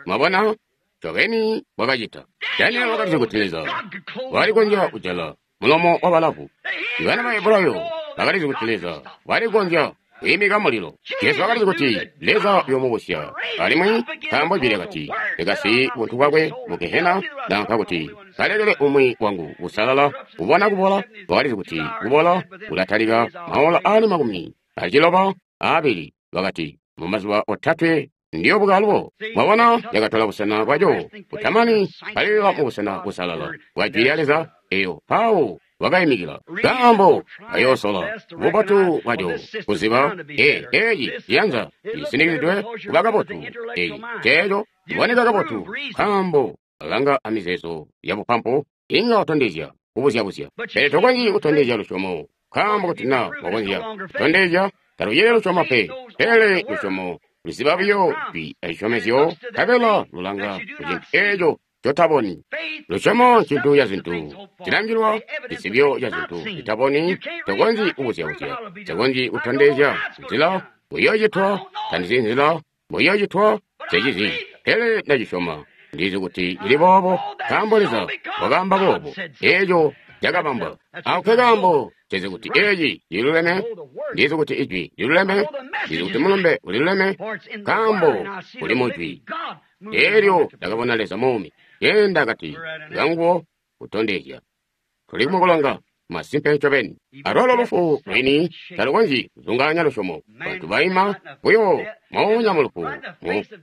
Mwabona, ncobeni bwakacita. Daniel wakalizi kuti Leza walikonzya kujala mulomo wa balavu. Ibana ba Hebrayo bakalizi kuti Leza walikonzya kwiimika mulilo. Jesu wakalizi kuti Leza uyoomubusya alimwi, nkaambo jwi lyakati likasi buntu bwakwe mu Gehena, nanka kuti kalekele umwi wangu busalala kubona kubola. Wakalizi kuti kubola kulatalika maola aali 92. Wakati mumazuba 3 ndiyobuka alubo. Mwabona, yakatola busena bwaco butamani, kalilila mubusena busalala bwa jwi lya Leza eyo mpawo wakaimikila. Nkaambo kayoosola bubotu bwaco kuziba eeci ciyanza cisindikizidwe kuba kabotu, eeci ceeco ciboneka kabotu, nkaambo alanga amizeezo yabupampu inga watondezya kubuzyabuzya. Pele tokonzyi kutondezya lusyomo, nkaambo kuti naa wakonzya kutondezya talucili lusyomo pe, pele lusyomo luziba buyo jwi acisyomezyo, nkabela lulanga kucintu eeco cotaboni. Lusyomo ncintu ca zintu cilangilwa, cisibyo ca zintu citaboni. Tokonzyi kubuzyabuzya, tokonzyi kutondezya nzila mbuyoocitwa, tandizi nzila mbuyoocitwa, nsecizi, pele ndacisyoma. Ndizi kuti cili boobo, nkaambo Leza wakaamba boobo. Eeco cakabambwa. Ako nkekaambo nsizi kuti eeci cililuleme, ndizi kuti ijwi liluleme, ndizi kuti mulumbe uliluleme, nkaambo uli mujwi. Elyo ndakabona Leza muumi, yenda akati kanguwo kutondezya. Tuli kumukulonga. Masimpe ncobeni. Alwalo lufu lwini talukonzyi kuzungaanya lusyomo. Bantu baima buyo moonya mu lufu,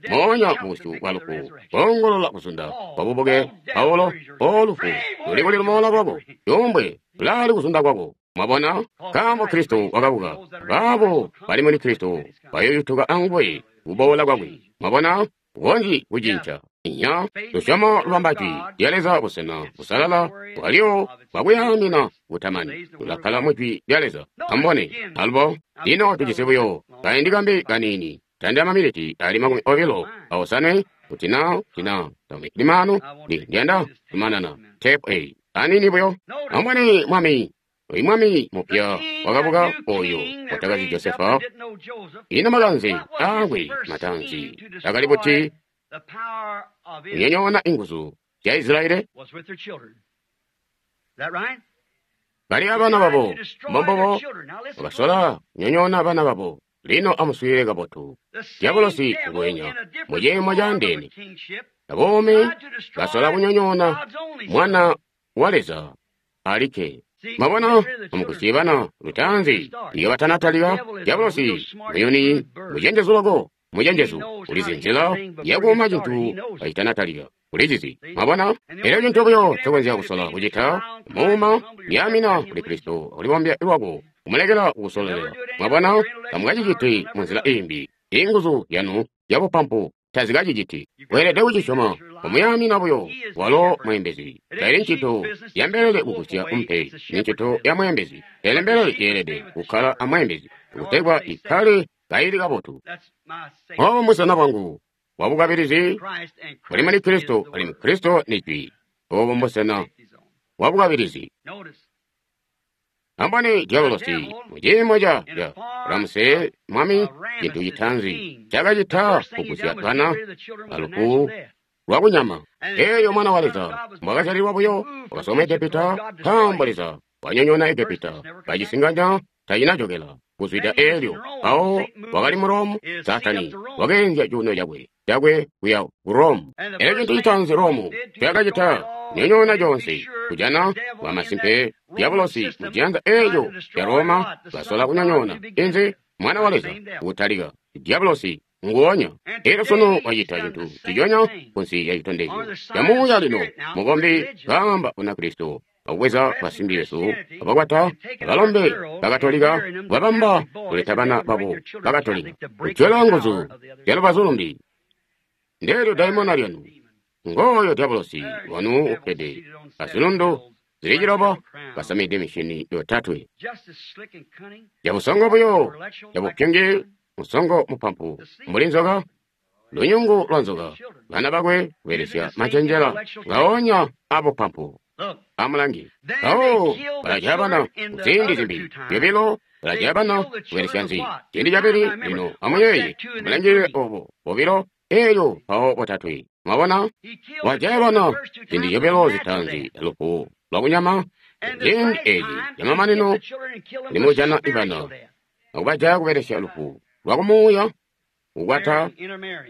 moonya mu busyu bwa lufu, boongolola kuzunda kwa bubuke. Paulo, o lufu, luli kuli lumoola lwako, cuumbwe lulaali kuzunda kwako. Mwabona? Nkaambo Kristo wakabuka, baabo bali muli Kristo bayoyutuka anguwe kuboola kwakwe. Mwabona? Kukonzyi kucinca. Inya, lusyomo lubamba jwi lya Leza busena busalala bwalyo bwakuyaamina butamani. Lulakkala mu jwi lya Leza. Amubone, alubo, lino tujisi buyo kaindi kambi kaniini, tandila maminiti ali 29 kuti na limano ndiyanda kumanana tepu eyi aniini buyo. Amubone mwami. Oyu mwami mupya wakabuka oyo watakazi Josefa. Ino makanze aakwe mataanzi akali buti kunyonyoona inguzu zya Israeli? Bali abana babo mbombobo bakasola kunyonyoona abana babo. Lino amuswiilile kabotu. Diabolosi ngwenya muciimo caandeene. Abomi basola kunyonyoona mwana wa Leza alikke. Mwabona, amukusye bana lutaanzi iyo batanatalika. Diabolosi muyuni mucenjezu loko, mucenjezu ulizi nzila yakuuma cintu kacitanatalika. Ulizizi. Mwabona, elyo cintu buyo ncokonzya kusola kucita muuma yaamina kuli Kristo akulibombya lwako kumulekela kukusololela. Mwabona, tamukaciciti munzila iimbi. Inguzu zyanu zyabupampu tazikaciciti. Weelede kucisyoma kumuyamina buyo. Walo mweembezi. Taili ncito ya mbelele kugusya umpe, ni ncito ya mweembezi. Pele mbelele yeelede kukkala amweembezi kutegwa ikkale kaili kabotu. Obo mbusena bwangu bwabukabilizi buli muli Kristo, alimwi Kristo ni Jwi. Obo mbusena bwabukabilizi. Ambone diabolosi muciimo ca Ramuse mwami, cintu citaanzi cakacita kugusya bana alufu lwakunyama. Eeyo mwana wa Leza mbwakazyalilwa buyo wakasoma Egepita, nkaambo Leza wanyonyoona Egepita, kacisinganya tacinajokela kuzwida eelyo. Mpawo wakali mu Rome, Saatani wakeenzya cuuno cakwe kuya ku Rome. Elyo cintu citaanzi Rome cakacita nyonyoona conse kujana bwamasimpe diabolosi muciyanza eeco ca Roma basola kunyonyoona inzi mwana wa Leza kutalika. Diabolosi nguonya. Elyo sunu wacita cintu ciconya kunsi ya citondezyo camuuya. Lino mukombi kaamba Bunakristo akubweza basimbi besu abakwata abalombe bakatolika babamba kuleta bana babo bakatolika kutyola nguzu zyalubazu lumbi. Ndeelyo daimona lyanu. Ngooyo diabolosi wanu ukkede azilundu zili 9 kasamide mishini 3. Yabusongo buyo, yabupyungi, musongo mupampu mbuli nzoka, lunyungu lwa nzoka, bana bakwe kubelesya macenjela ngaonya abupampu. Amulangi mpawo balajaya bana ziindi zimbi zyobilo, balajaya bana kubelesya nzi ciindi cabili. Lino amuyeeye, mulangilile obo bobilo elyo mpawo botatwe. Mwabona, wajaya bana ziindi zyobilo zitaanzi lufu lwakunyama. Ziindi eezi zyamamanino limujana ibana akubajaya kubelesya lufu lwakumuuya, kukwata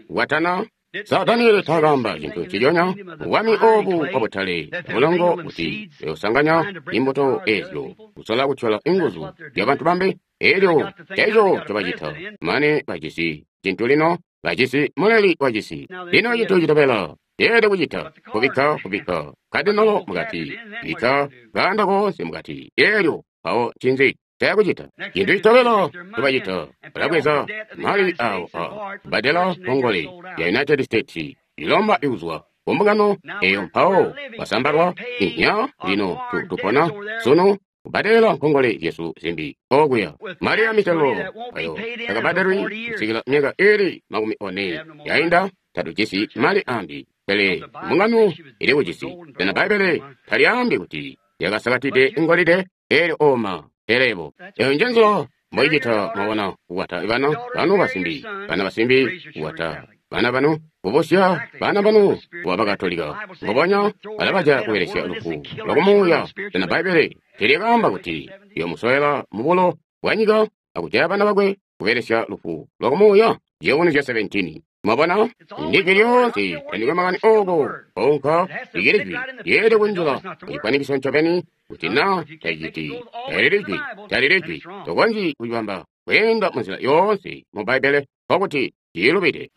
kukwatana. Sa Daniele taakamba cintu ciconya bwami obu bwabutale bulongo kuti beusanganya imbuto eezyo kusola kutyola inguzu zyabantu bambi. Elyo eco ncobacita mane bajisi cintu lino, bajisi muleli wacisi. Lino cintu citobela yeelede kucita kubikka kadinolo mukati, bikka kaanda koonse mukati. Elyo mpawo ncinzi cayakucita? Cintu citobela ncobacita balabweza mali awo a kubbadela nkongole ya United States ilomba ikuzwa kumbungano eyo, mpawo basambalwa inya. Lino tupona sunu kubbadela nkongole zyesu zimbi okuya. Mali ya mitelo ayo takabbadelwi kusikila myaka ili 40 yainda. Tatujisi mali ambi, pele mbungano ili kujisi. Sena Bbaibbele talyaambi kuti yakasakatide ingolide? Elyo oma pelebo eyo njenzila mboicita. Mwabona, kukwata bana banu basimbi, bana basimbi kukwata bana banu, kubusya bana banu kuba bakatolika. Mbubonya balabaja kubelesya lufu lwakumuuya. Sena Bbaibbele telyakaamba kuti yomusowela mubulo bwanyika akujaya bana bakwe kubelesya lufu lwakumuuya? Ciyubunuzyo 17. Mwabona? Ndijwi lyoonse, tandikwe makani oko, konka likili jwi, lyeelede kunjila kucifwanikiso ncobeni, kuti na taciti, talili jwi, talili jwi, tokonzyi kucibamba kweenda munzila yoonse mu Bbaibbele, nkokuti lilubide.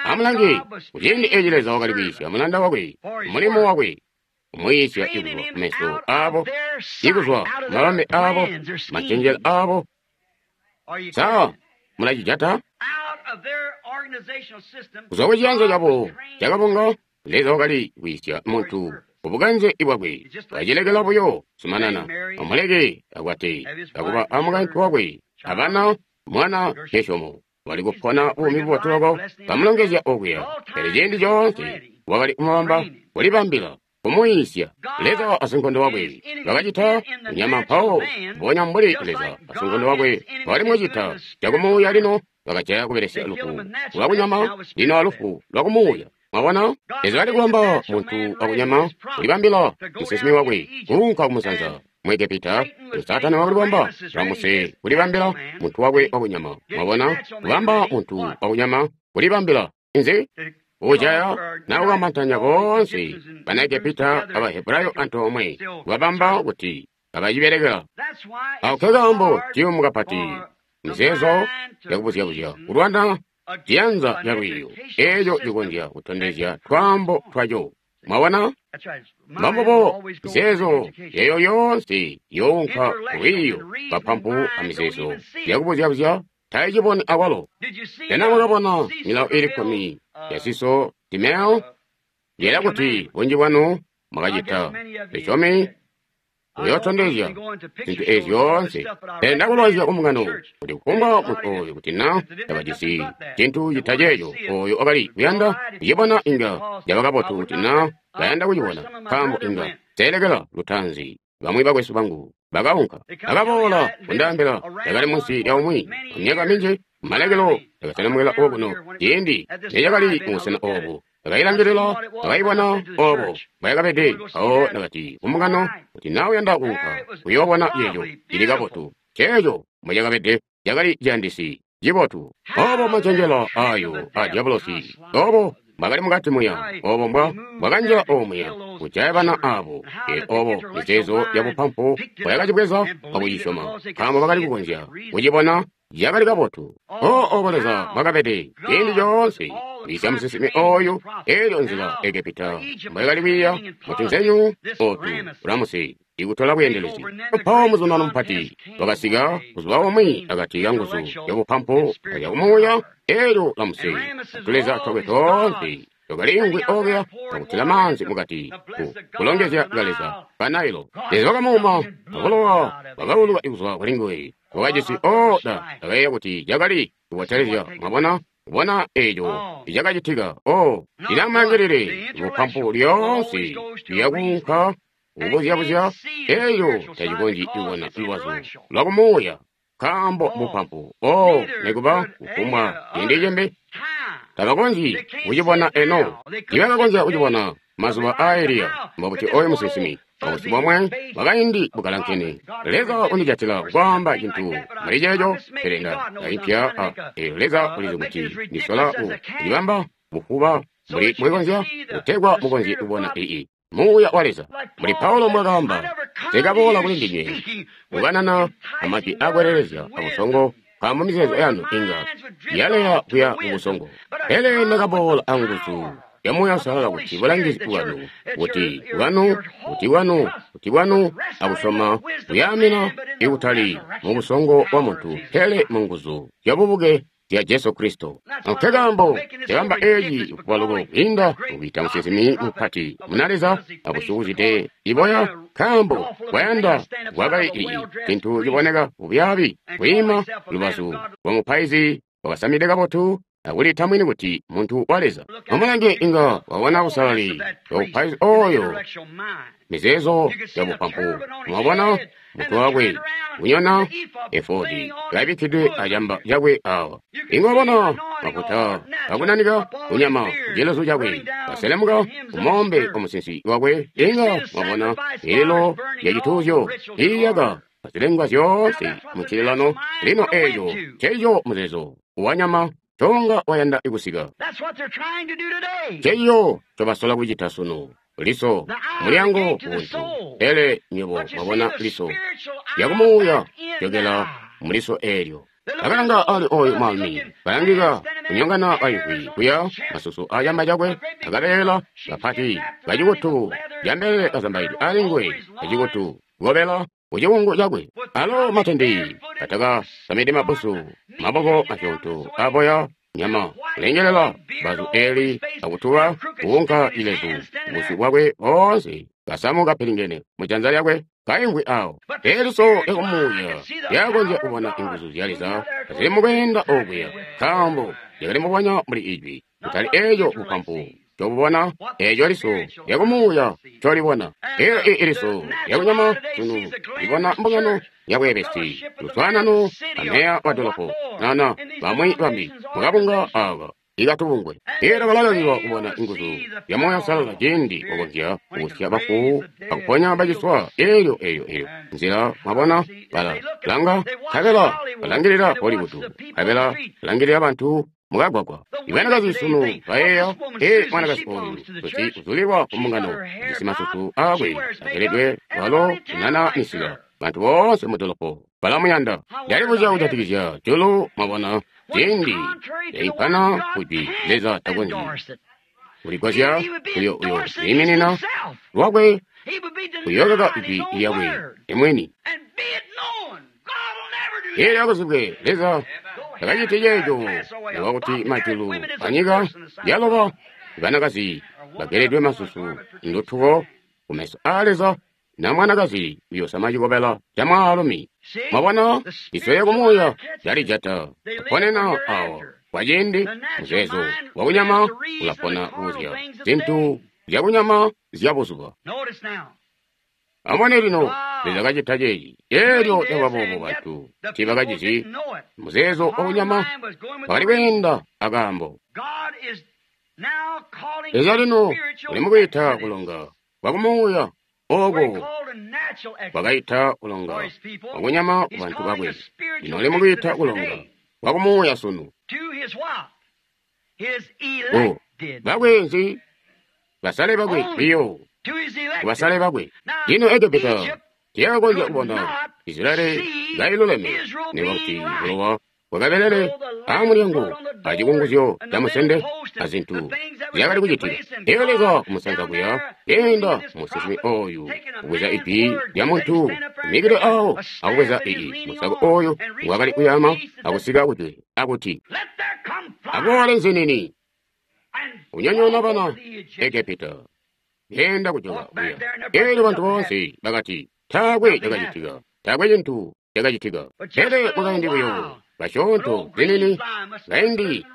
Amulange, kuciindi eci Leza wakali kwiisya mulanda wakwe, mulimo wakwe, kumwiisya ikuzwa kumeso aabo, ikuzwa mabambe aabo, macenjelo aabo. Sa mulacijata? Kuzwa kuciyanza cabo cakabunga, Leza wakali kwiisya muntu kubukanze bwakwe, kacilekela buyo zumanana, amuleke akwate, akuba amukaintu wakwe, abana, mwana Geshomu. Wali kupona buumi bubotu loko, kamulongezya okuya. Pele ciindi coonse wakali kumubamba, kulibambila, kumuyiisya. Leza asinkondo wakwe bakacita kunyama mpawo, mbonya mbuli Leza asinkondo wakwe wakali mucita cakumuuya lino bakajaya kubelesya lufu lwakunyama lino alufu lwakumuuya. Mwabona? Leza wali kubamba muntu wakunyama kulibambila musinsimi wakwe kuunka kumusanza mu Egepita. Saatani wakali kubamba Ramuse kulibambila muntu wakwe wakunyama. Mwabona? Kubamba muntu wakunyama kulibambila inzi? Ujaya na kukamantanya boonse bana Egepita aba Hebrayo antoomwe kubabamba kuti kabacibelekela. Ako kekaambo ciyumu kapati mizeezo yakubuzya-buzya kulwana ciyanza ca lwiiyo eeco cikonzya kutondezya twaambo twaco. Mwabona? Mbambubo mizeezo eyo yoonse younka lwiiyo bapampu amizeezo yakubuzya-buzya taiciboni akwalo. Sena mwakabona milawo ili kkumi ya Siso Timeo? Ndiyela kuti bunji bwanu mwakacita. Lisyomi uyootondezya zintu ezi zyoonse. Pele ndakulwaizya kumbungano kuti kufumbwa muntu ooyo kuti na tabajisi cintu cita ceeco ooyo wakali kuyanda kucibona inga caba kabotu kuti na bayanda kucibona, nkaambo inga seelekela lutaanzi. Bamwi bakwesu bangu bakaunka, bakaboola kundaambila ndakali munsi lya umwi myaka minji. Malekelo ndakaselemukila okuno ciindi necakali mubusena oobu. Ndakailangilila, ndakaibona oobo mbwayakabede. Mpawo ndakati kumbungano kuti na uyanda kuunka kuyoobona ceeco cili kabotu, ceeco mbwecakabede cakali ciyandisi cibotu. Oobo macenjelo aayo a Diabolosi, oobo mbwakali mukati muya, oobo mbwa bwakanjila omuya kujaya bana aabo. Oobo mizeezo yabupampu mbwayakacibweza akucisyoma, nkaambo bakali kukonzya kucibona cakali kabotu. Oobo Leza mbwakabede ciindi coonse kwiisya musinsimi ooyu. Eelyo nzila Egepita mbwayakali kwiiya mutunzenyu ootu Ramuse ikutola bweendelezi. Mpawo muzundano mupati wakasika buzuba bumwi akati ka nguzu zyabupampu azyakumuuya. Eelyo Ramuse atuleza twakwe toonse twakaliingwi okuya akutila maanzi mukati ku kulongezya kaleza ka Nailo. Leza wakamuuma abulowa bwakauluka kuzwa kulinguwe. Wakajisi oda ndakayeeya kuti cakali kubotelezya. Mwabona? Kubona eeco icakacitika. O linamulangilile bupampu lyoonse liyakuunka kubuzya-buzya eeco tacikonzyi kubona lubazu lwakumuuya, nkaambo bupampu. O nikuba kufumbwa ciindi cimbi tabakonzyi kucibona eno. Tibakakonzya kucibona mazuba aa Eliya. Mbobuti oyo musinsimi obusi bomwe bwakaindi bukalankene. Leza undijatila kwaamba cintu muli ceeco, pele ndaimpya eelyo Leza ulizi kuti ndisola kucibamba bufuba mbuli mwikonzya kutegwa mukonzye kubona ii Muuya wa Leza. Mbuli Paulo mbwakaamba, nsikaboola kuli ndinywe kukanana amajwi akwelelezya abusongo, nkaambo mizeezo yanu inga yaleya kuya kubusongo. Pele ndakaboola anguzu ya Muuya Uusalala kuti bulangizi bwanu, kuti bwanu, kuti bwanu, kuti bwanu akusyoma kuyaamina ikutali mubusongo bwa muntu, pele munguzu zyabubuke zya Jesu Kristo. Nkekaambo cakamba eeci kuba loko kwiinda mukwiita musinsimi mupati muna Leza akusyuuzide iboya, nkaambo kwayanda kwakali ii cintu ciboneka bubyaabi kwiima lubazu lwa mupaizi wakasamide kabotu akulita mwini kuti muntu wa Leza. Amulange inga wabona busalali bwa mupaizi ooyo, mizeezo ya bupampu. Mwabona mutwe wakwe kunyona efodi kabikkidwe acamba cakwe awa. Inga wabona mafuta akunanika kunyama kucilezu cakwe kaselemuka kumoombe wa musinsi wakwe. Inga wabona mililo ya cituuzyo iiyaka. azilengwa zyoonse mucililano. Lino eeco nceeco muzeezo wanyama conga wayanda kusika. Nceeco ncobasola kucita sunu. Liso mulyango buntu, pele nywebo mwabona liso lyakumuuya jokela muliso eelyo. Akalanga ali oyu mwaalumi kalangika kunyongana kayimvwi kuya, masusu acamba cakwe akabeela kapati kacikutu cambelele kazambaidwe ali nguwe kacikutu kobela kucikungu cakwe, alo matende atakasamide mabbusu, maboko masyoonto aboya nyama kulengelela bazu eli akutuba kuunka ilezu busyu bwakwe boonse kasamu kapilingene mujanza lyakwe kaimvwi awo. Eliso lyakumuuya lyakonzya kubona inguzu zya Leza zili mukweenda okuya, nkaambo lyakali mubonya muli ijwi, kutali eeco bupampu ncobubona, eeco liso lyakumuuya ncolibona. Elyo iliso lyakunyama sunu libona mbungano yabweebesi, luswaanano ameya wa dolopo, nana bamwi bambi mukabunga aaka ikatubungwe. Elyo balalangilwa kubona inguzu zya Muuya Uusalala ciindi wakonzya kubusya bafu akuponya baciswa. Elyo elyo nzila mwabona bala langa nkabela balangilila Hollywood, nkabela balangilila bantu mukagwagwa. Ibanakazi sunu bayeeya, ee, mwanakazi oyu kuti uzulilwa ku mbungano, ujisi masusu aakwe ageledwe, walo unana misila, bantu boonse mudolopo balamuyanda. Ndalibuzya kujatikizya julu, mwabona, ciindi yaimpana kujwi Leza takonzyi kuligwasya uyo iminina lwakwe kuyokaka ijwi lyakwe imwini. Elyo akuzibwe Leza takaciti ceeco, nikuba kuti majulu anyika yaloba, banakazi bageledwe masusu ndutuko kumeso aa Leza, na mwanakazi uyosama cikobela ca mwaalumi. Mwabona, liso lyakumuuya lyalijata kuponena awo kwaciindi. Muzeezo wakunyama ulapona kuzya zintu zyakunyama zya buzuba. Amubone lino, Leza kacita ceeci. Elyo lyaba boobo bantu tiibakacizi. Muzeezo wakunyama wakali kweenda akaambo. Leza lino uli mukwiita kulonga kwakumuuya ooko kwakaita kulonga kwakunyama kubantu bakwe. Lino uli mukwiita kulonga kwakumuuya sunu. O bakwe nzi? Basale bakwe biyo, kubasale bakwe. Lino Egepita tiyakakonzya kubona Israeli kailuleme, nikuba kuti bulowa bwakabelele amulyango acikunguzyo camusende azintu zyakali kucitika. Elyo Leza kumusanza kuya leenda musinsimi oyu kubweza ijwi lya muntu imikile awo akubweza ii musako oyu ngwakali kuyama akusika kujwe akuti akuwale nzinini unyonyoona bana Egepita. Genda kujoka kuya. Elyo bantu boonse bakati taakwe cakacitika, taakwe cintu cakacitika. Pele mukaindi buyo basyoonto zinini kaindi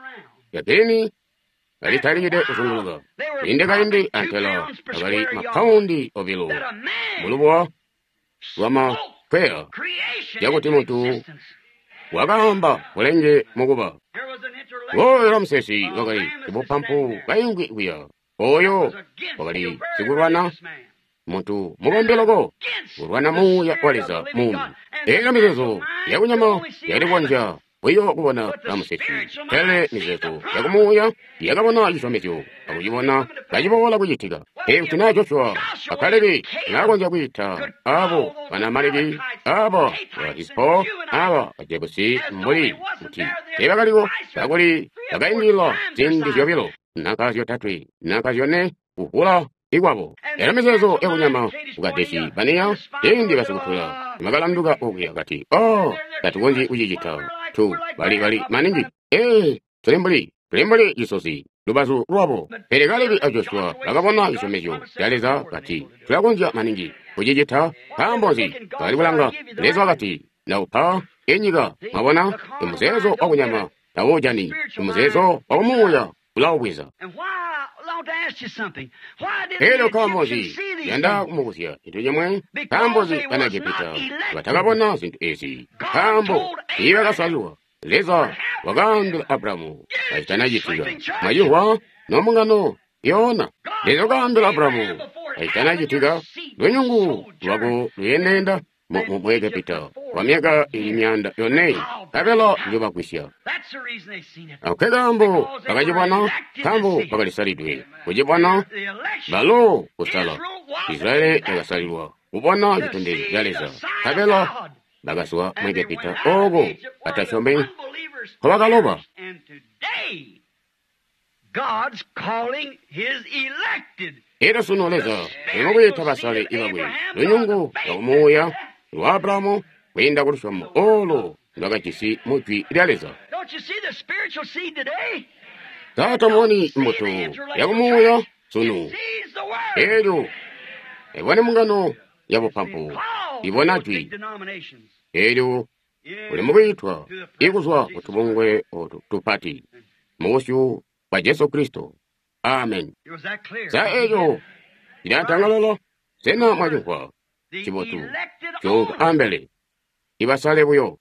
yagirini kalitalikide kuzunguluka inde kaindi antela akali mapaundi 2 mulubuwa lwamakwea yakuti muntu wakaamba bulenge mukuba. Oyo Ramsesi wakali sibupampu kaingwi kuya, oyo wakali sikulwana muntu mubombe loko kulwana muuya wa Leza muumi. Elyo mizeezo yakunyama yakali kukonzya buyo kubona Ramsesi, pele mizeezo yakumuuya yakabona cisyomezyo akucibona kaciboola kucitika. Kuti naa Joshua a Kalebi naakonzya kwiita abo bana Amaleki, aba ba Hisipo, aba Bajebusi mbuli kuti teebakaliko, kakuli bakaindilila ziindi zyobilo nanka zyotatwe nanka zyone kuvula ikwabo. Elyo mizeezo yakunyama ku Kadesi Baniya ciindi basikutula bakalanduka okuya kati, oh, tatukonzyi kucicita, tu bali maningi, ee, tuli mbuli cisozi lubazu lwabo. Pele Kalebi a Joshua bakabona cisyomezyo ca Leza kati tulakonzya maningi kucicita. Nkaambo nzi? Bakali kulanga. Leza wakati naupa inyika. Mwabona, imuzeezo wakunyama tawujani, imuzeezo wakumuuya ulaubweza. Elyo nkaambo nzi? Yanda kumubuzya cintu cimwe. Nkaambo nzi bana Egepita batakabona zintu ezi? Nkaambo tiibakasalwa. Leza wakaambila Abrahamu kacitanacitika. Mwacimvwa nombungano yoona. Leza wakaambila Abrahamu kacitanacitika, lunyungu lwako luyendeenda mu Egepita kwa myaka ili 400, nkabela njobagwisya. Ako kaambo bakacibona, nkaambo bakalisalidwe kucibona, balo kusala. Israeli yakasalilwa kubona citondezyo ca Leza, nkabela bakazwa mu Egepita ooko batasyomi nkobakaloba. Elyo sunu Leza ulimukwiita basale bakwe, lunyungu lwa kumuuya lwa Abrahamu kwiinda ku lusyomo olo lwakajisi mu Jwi lya Leza. Sa tamuboni mbuto ya kumuuya sunu? Elyo ibone mbungano ya bupampu, ibona Jwi. Elyo uli mukwiitwa ikuzwa kutubungwe otu tupati mu busyu bwa Jesu Kristo. Amen. Sa eco cilatangalala? Sena mwacimvwa? Cibotu. Cuunka ambele. Ibasale buyo.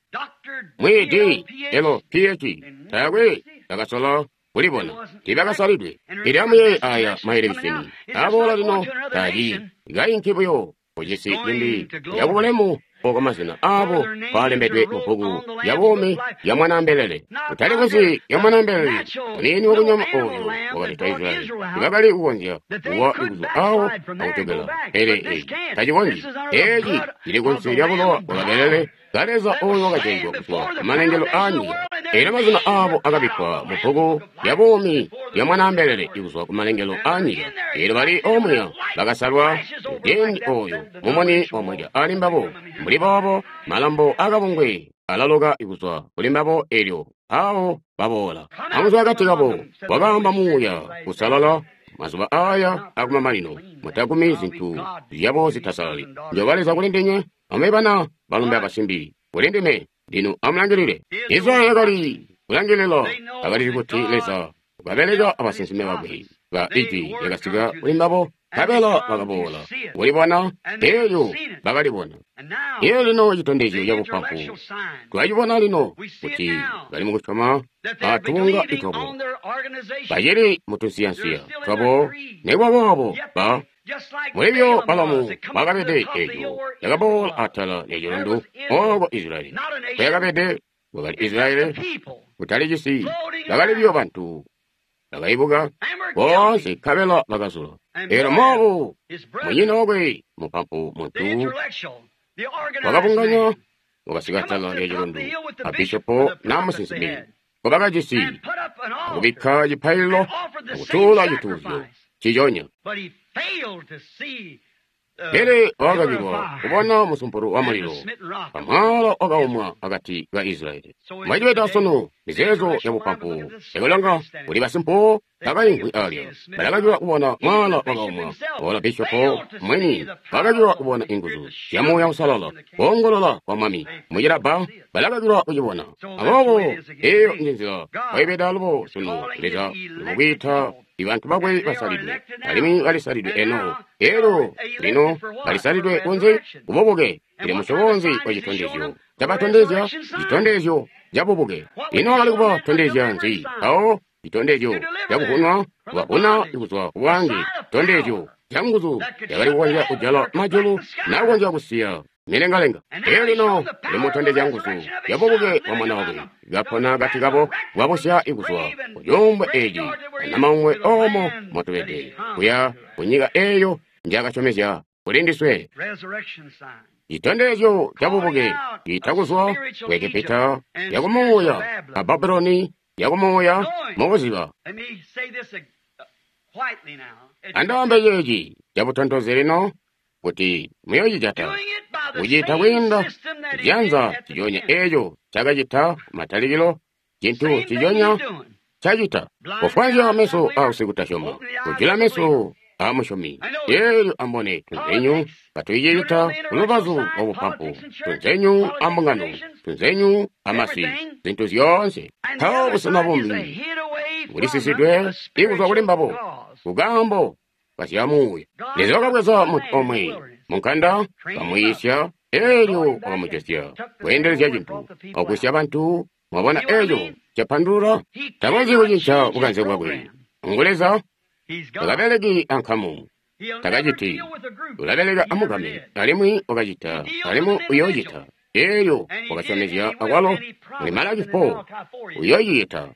Mwi D L P H taakwe bakasola kulibona, tiibakasalidwe. Pele amuyeeye aya maelekiseni aboola lino taali kainki buyo kucisi cimbi yakubulemu oko mazina aabo kwalembedwe mu bbuku lya buumi lya Mwanaambelele. Kutali kunsi lya Mwanaambelele muniini wakunyama ooyo wakaleta Israyeli, tibakali kukonzya kuwa kuzwa awo akujokela. Pele eeci tacikonzyi. Eeci cili kunsi lya bulowa bwa kabelele ka Leza ooyo wakajaigwa kuzwa kumalengelo aanyika. Elyo mazina aabo akabikkwa mu bbuku lya buumi lya Mwanaambelele kuzwa kumalengelo aanyika. Elyo bali omuya bakasalwa muciindi ooyo mumuni wamweka ali mbabo. Mbuli boobo malambo akabungwe alaloka kuzwa kuli mbabo elyo awo baboola. Amuzwa akati kabo wakaamba Muuya Uusalala mazuba aya akumamanino, mutagumi zintu zyabo zitasalali. Njoba Leza kuli ndinywe, amube bana balombe abasimbi kuli ndime. Lino amulangilile. Israyeli yakali kulangilila, bakalizi kuti Leza wakabeleka abasinsimi bakwe ba Ijwi lyakasika kuli mbabo, nkabela bakaboola kulibona, elyo bakalibona. Elyo lino citondezyo cabupampu twacibona lino kuti bali mukusyoma atubunga twabo, bacili mutunsiyansiya twabo, nikuba boobo ba mulibyo Balamu bakabede eco yakaboola atala lya cilundu ooko Israyeli kweyakabede. Wakali Israyeli kutali cisi, bakali buyo bantu bakaibuka boonse nkabela bakazula. Elyo Mowabu munyina wakwe mupampu muntu wakabunganya wakasika atala lya cilundu abishopo na musinsimi ngobakajisi, akubikka cipaililo akutuula cituuzyo ciconya. Pele wakakakilwa kubona musumpulu wa mulilo pamwala wakaumwa akati ka Israyeli. Mwacibeta sunu mizeezo ya bupampu yakulanga kuli basimpuwo bakaimvwi alya balakakilwa kubona mwala wakaumwa. Ola bishopo mwini bakakilwa kubona inguzu zya Muuya Uusalala koongolola kwa Mwami mucilabba balakakilwa kucibona. Aboobo eyo njenzila waibeda alubo sunu. Leza ulimukwiita ibantu bakwe basalidwe, alimwi balisalidwe eno. Elyo lino balisalidwe kunze kububuke. Ili musyobo nzi wa citondezyo cabatondezya? Citondezyo cabubuke. Ino wakali kubatondezya nzi? Awo citondezyo cakuvunwa, kubavuna kuzwa kubwange, citondezyo ca nguzu yakali kukonzya kujala majulu nakukonzya kusiya milengalenga. Elyo lino limutondezya nguzu yabubuke bwa Mwana wakwe kapona akati kabo, bwabusya ikuzwa kucuumbwe eeci anamaumwe omo motubede kuya kunyika eyo njakasyomezya kuli ndiswe. Citondezyo cabubuke ciita kuzwa ku Egepita yakumuuya a Babuloni yakumuuya mubuziba. Andaambe ceeci cabutontozi lino kuti muyocijata kucita kwiinda ciyanza ciconya eco cakacita kumatalikilo, cintu ciconya cacita kufwanzya meso a usikutasyoma, kujula meso a musyomi. Elyo ambone tunzenyu katuicita kulubazu lwa bupampu, tunzenyu a mbungano, tunzenyu a masi, zintu zyoonse. Mpawo busena bumbi bulisisidwe ikuzwa kuli mbabo kukaambo kasyamuuya. Leza wakabweza muntu omwe munkanda, kamwiisya, elyo wakamujosya kweendelezya cintu akwisya bantu. Mwabona eco capandulula? Takonzyi kucinca bukanze bwakwe. Ngu Leza, takabeleki ankamu. Takaciti. Ulabeleka amugame, alimwi wakacita, alimwi uyoocita. Elyo wakasyomezya akwalo muli Malaki 4 uyoocicita.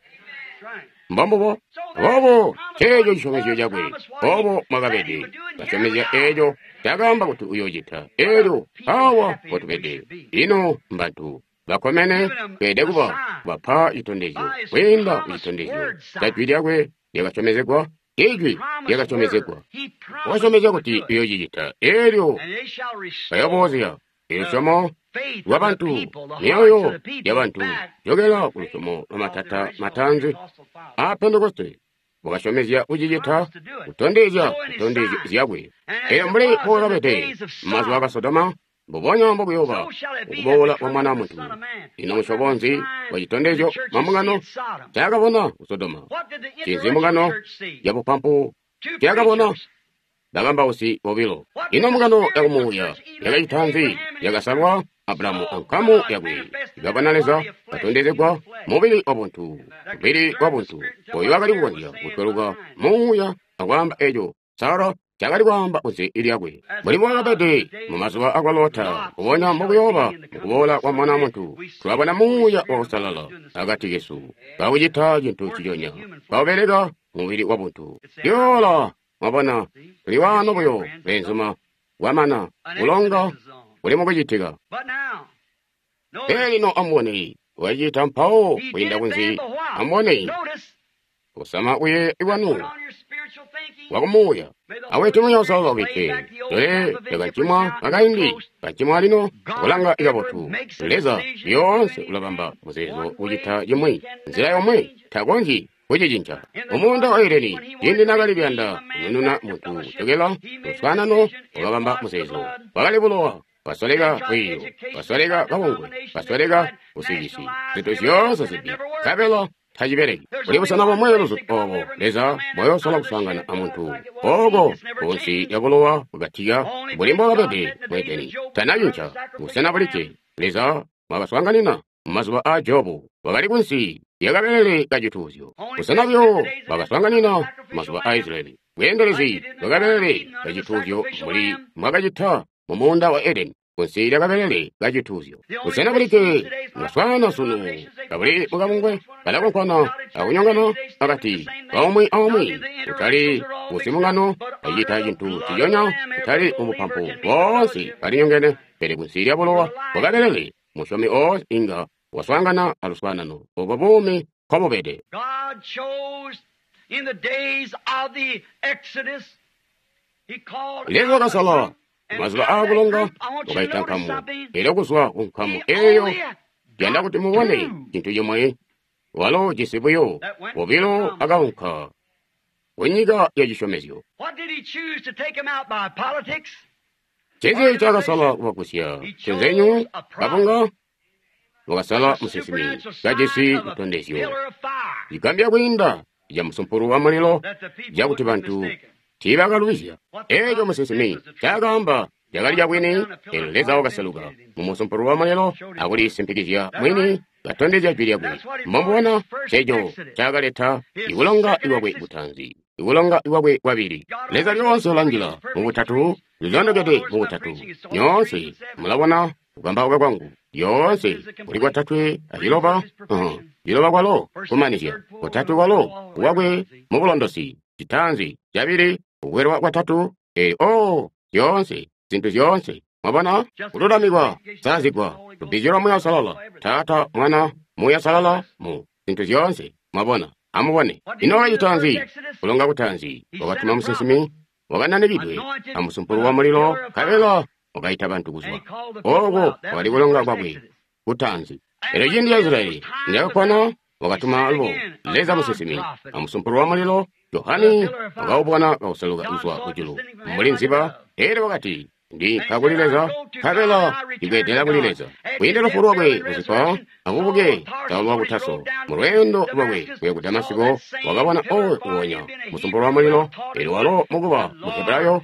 Mbombubo. Aboobo ceeco cisyomezyo cakwe, obo mwakabede. Kasyomezya eeco cakaamba kuti uyoocita. Elyo awa mpotubede. Ino mbantu bakkomene tweelede kuba bapa citondezyo kwiinda ku citondezyo ca jwi lyakwe lyakasyomezegwa. Ijwi lyakasyomezegwa. Wakasyomezya kuti uyoocicita. Elyo bayoboozya ilusyomo lwabantu, myoyo yabantu, jokela ku lusyomo lwa matata mataanzi a Pentekoste. Wakasyomezya kucicita, kutondezya zitondezyo zyakwe. Elyo mbuli mbokakabede mumazuba aka Sodoma, mbubonya mbokuyooba mukuboola kwa Mwana wa Muntu. Ino musyobo nzi wa citondezyo mambungano ncaakabona ku Sodoma? Ncinzi mbungano yabupampu ncaakabona? Bakambausi bobilo. Ino mbungano yakumuuya yakacita nzi? Yakasalwa Abrahamu ankamu yakwe. Ikabona Leza katondezegwa mubili wabuntu, mubili wabuntu oyo wakali kukonzya kutweluka muuya akwaamba eco Sara cakali kwaamba kunze lyakwe. Mbuli mbwakabede mumazuba akwa Lota, mbubonya mbokuyooba mukuboola kwa Mwana wa Muntu. Tulabona Muuya wa Kusalala akati kesu, kakucita cintu nciconya, kaubeleka mubili wabuntu. Yoola, mwabona, tuli waano buyo, beenzuma, kwamana kulonga kuli mukucitika. Pele lino amubone, wacita mpawo kwiinda kunzi. Amubone, kusama kuyeeya kwanu wakumuuya awete Muuya Uusalala ubikke dole lyakancimwa akaindi kancimwa lino kulanga ikabotu. Leza lyoonse ulabamba muzeezo kucita cimwi nzila yomwe, takonzyi kucicinca. Mumuunda wa Edeni, ciindi naakali kuyanda kunununa muntu kujokela luswaanano, wakabamba muzeezo. Wakali bulowa. Basoleka lwiiyo, basoleka kabungwe, basoleka busilisi, zintu zyoonse zimbi, nkabela tacibeleki. Kuli busena bomwe luzutu obo Leza bwayosola kuswaangana amuntu, oko kunsi lya bulowa bwakatika mbuli mbwakabede mu Edeni. Tanacinca busena bulikke Leza mwakaswaanganina mumazuba aa Jobu, wakali kunsi lya kabelele kacituuzyo. Busena buyo bwakaswaanganina mumazuba aa Israyeli, bweendelezi bwa kabelele kacituuzyo mbuli mwakacita mu muunda wa Edeni, kunsi lya kabelele kacituuzyo. Busena bulikke mwaswaana sunu kabuli mukabungwe kalakonkwana akunyongana akati kaumwi aumwi, kutali kusimungano acita cintu nciconya, kutali mubupampu, boonse balinyongene, pele kunsi lya bulowa bwa kabelele musyomi oonse inga waswaangana aluswaanano obo buumi nkobubede. God chose in the days of the Exodus, He called Leza wakasala mazuba aakulonga, wakaita nkamu. Elyo kuzwa ku nkamu eyo, yanda kuti mubone cintu cimwe. Walo jisi buyo bobilo akaunka ku nyika ya cisyomezyo. What did he choose to take him out by politics? Ncinzi ncaakasala kubagusya? Cinzenyu kabunga wakasala musinsimi kajisi citondezyo cigambya kwiinda ca musumpulu wa mulilo, cakuti bantu tiibakalubizya. Eeco musinsimi ncaakaamba cakali cabwini. Eelyo Leza wakaseluka mu musumpulu wa mulilo akulisimpikizya mwini, katondezya jwi lyakwe. Mbomubona ceeco ncakaleta ikulonga ikwakwe kutaanzi, ikulonga ikwakwe kwabili. Leza lyoonse ulanjila mubutatu, lilondokede mubutatu. Nyoonse mulabona kukambauka kwangu lyoonse kuli kwatatwe aciloba, ciloba kwalo kumanizya, kutatu kwalo kwakwe mubulondosi, citaanzi, cabili, kukwelwa kwatatu, oh, zyoonse, zintu zyoonse. Mwabona, kululamikwa, kusalazigwa, lubbizyo lwa Muuya Uusalala, Taata, Mwana, Muuya Uusalala, mu zintu zyoonse. Mwabona, amubone. Ino wakacita nzi? Kulonga kutaanzi, wakatuma musinsimi wakananikidwe amusumpulu wa mulilo, nkabela wakaita bantu kuzwa. Oko kwakali kulonga kwakwe kutaanzi. Elyo ciindi ca Israyeli niyakakwana, wakatuma alubo Leza musinsimi amusumpulu wa mulilo. Johani wakaubona kauseluka kuzwa kujulu mbuli nziba. Elyo wakati, Ndinka kuli Leza, nkabela ndibweedela kuli Leza. Kwiinda lufu lwakwe kuzipa abubuke Saulo wa ku Taso, mu lweendo lwakwe kuya ku Damasiko, wakabona oyo nguonya musumpulu wa mulilo. Elyo walo mukuba mu Hebrayo,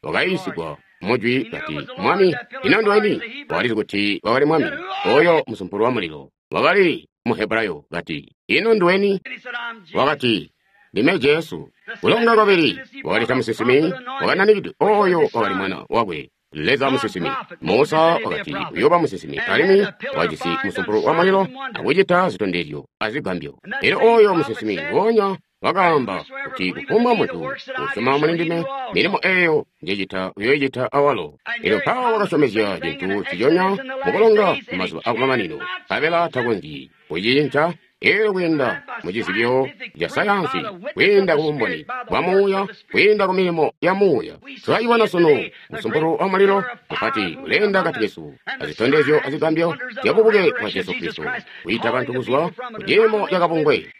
wakayiisigwa mujwi kati, Mwami, ino nduweni? Wakalizi kuti wakali Mwami, oyo musumpulu wa mulilo. Wakali mu Hebrayo kati, Ino nduweni? And he said, I'm Jesus. Wakati, Ndime Jesu. Kulonga kwabili wakaleta musinsimi wakananikidwe oyo wakali mwana wakwe Leza musinsimi. Musa wakati uyooba musinsimi alimwi wajisi musumpulu wa mulilo akucita zitondezyo azigambyo. Elyo oyo musinsimi nguonya wakaamba kuti kufumbwa muntu usyoma muli ndime, milimo eyo njecita uyoicita awalo. Elyo mpawo wakasyomezya cintu nciconya mukulonga mumazuba akumamanino, nkabela takonzyi kucicinca. Elyo kwiinda mu cizibyo ca sayansi, kwiinda ku bumboni bwa muuya, kwiinda ku milimo ya muuya, tulacibona sunu musumpulu wa mulilo mupati uleenda akati kesu, azitondezyo azigambyo zya bubuke bwa Jesu Kristo, kwiita bantu kuzwa ku ciimo ca kabungwe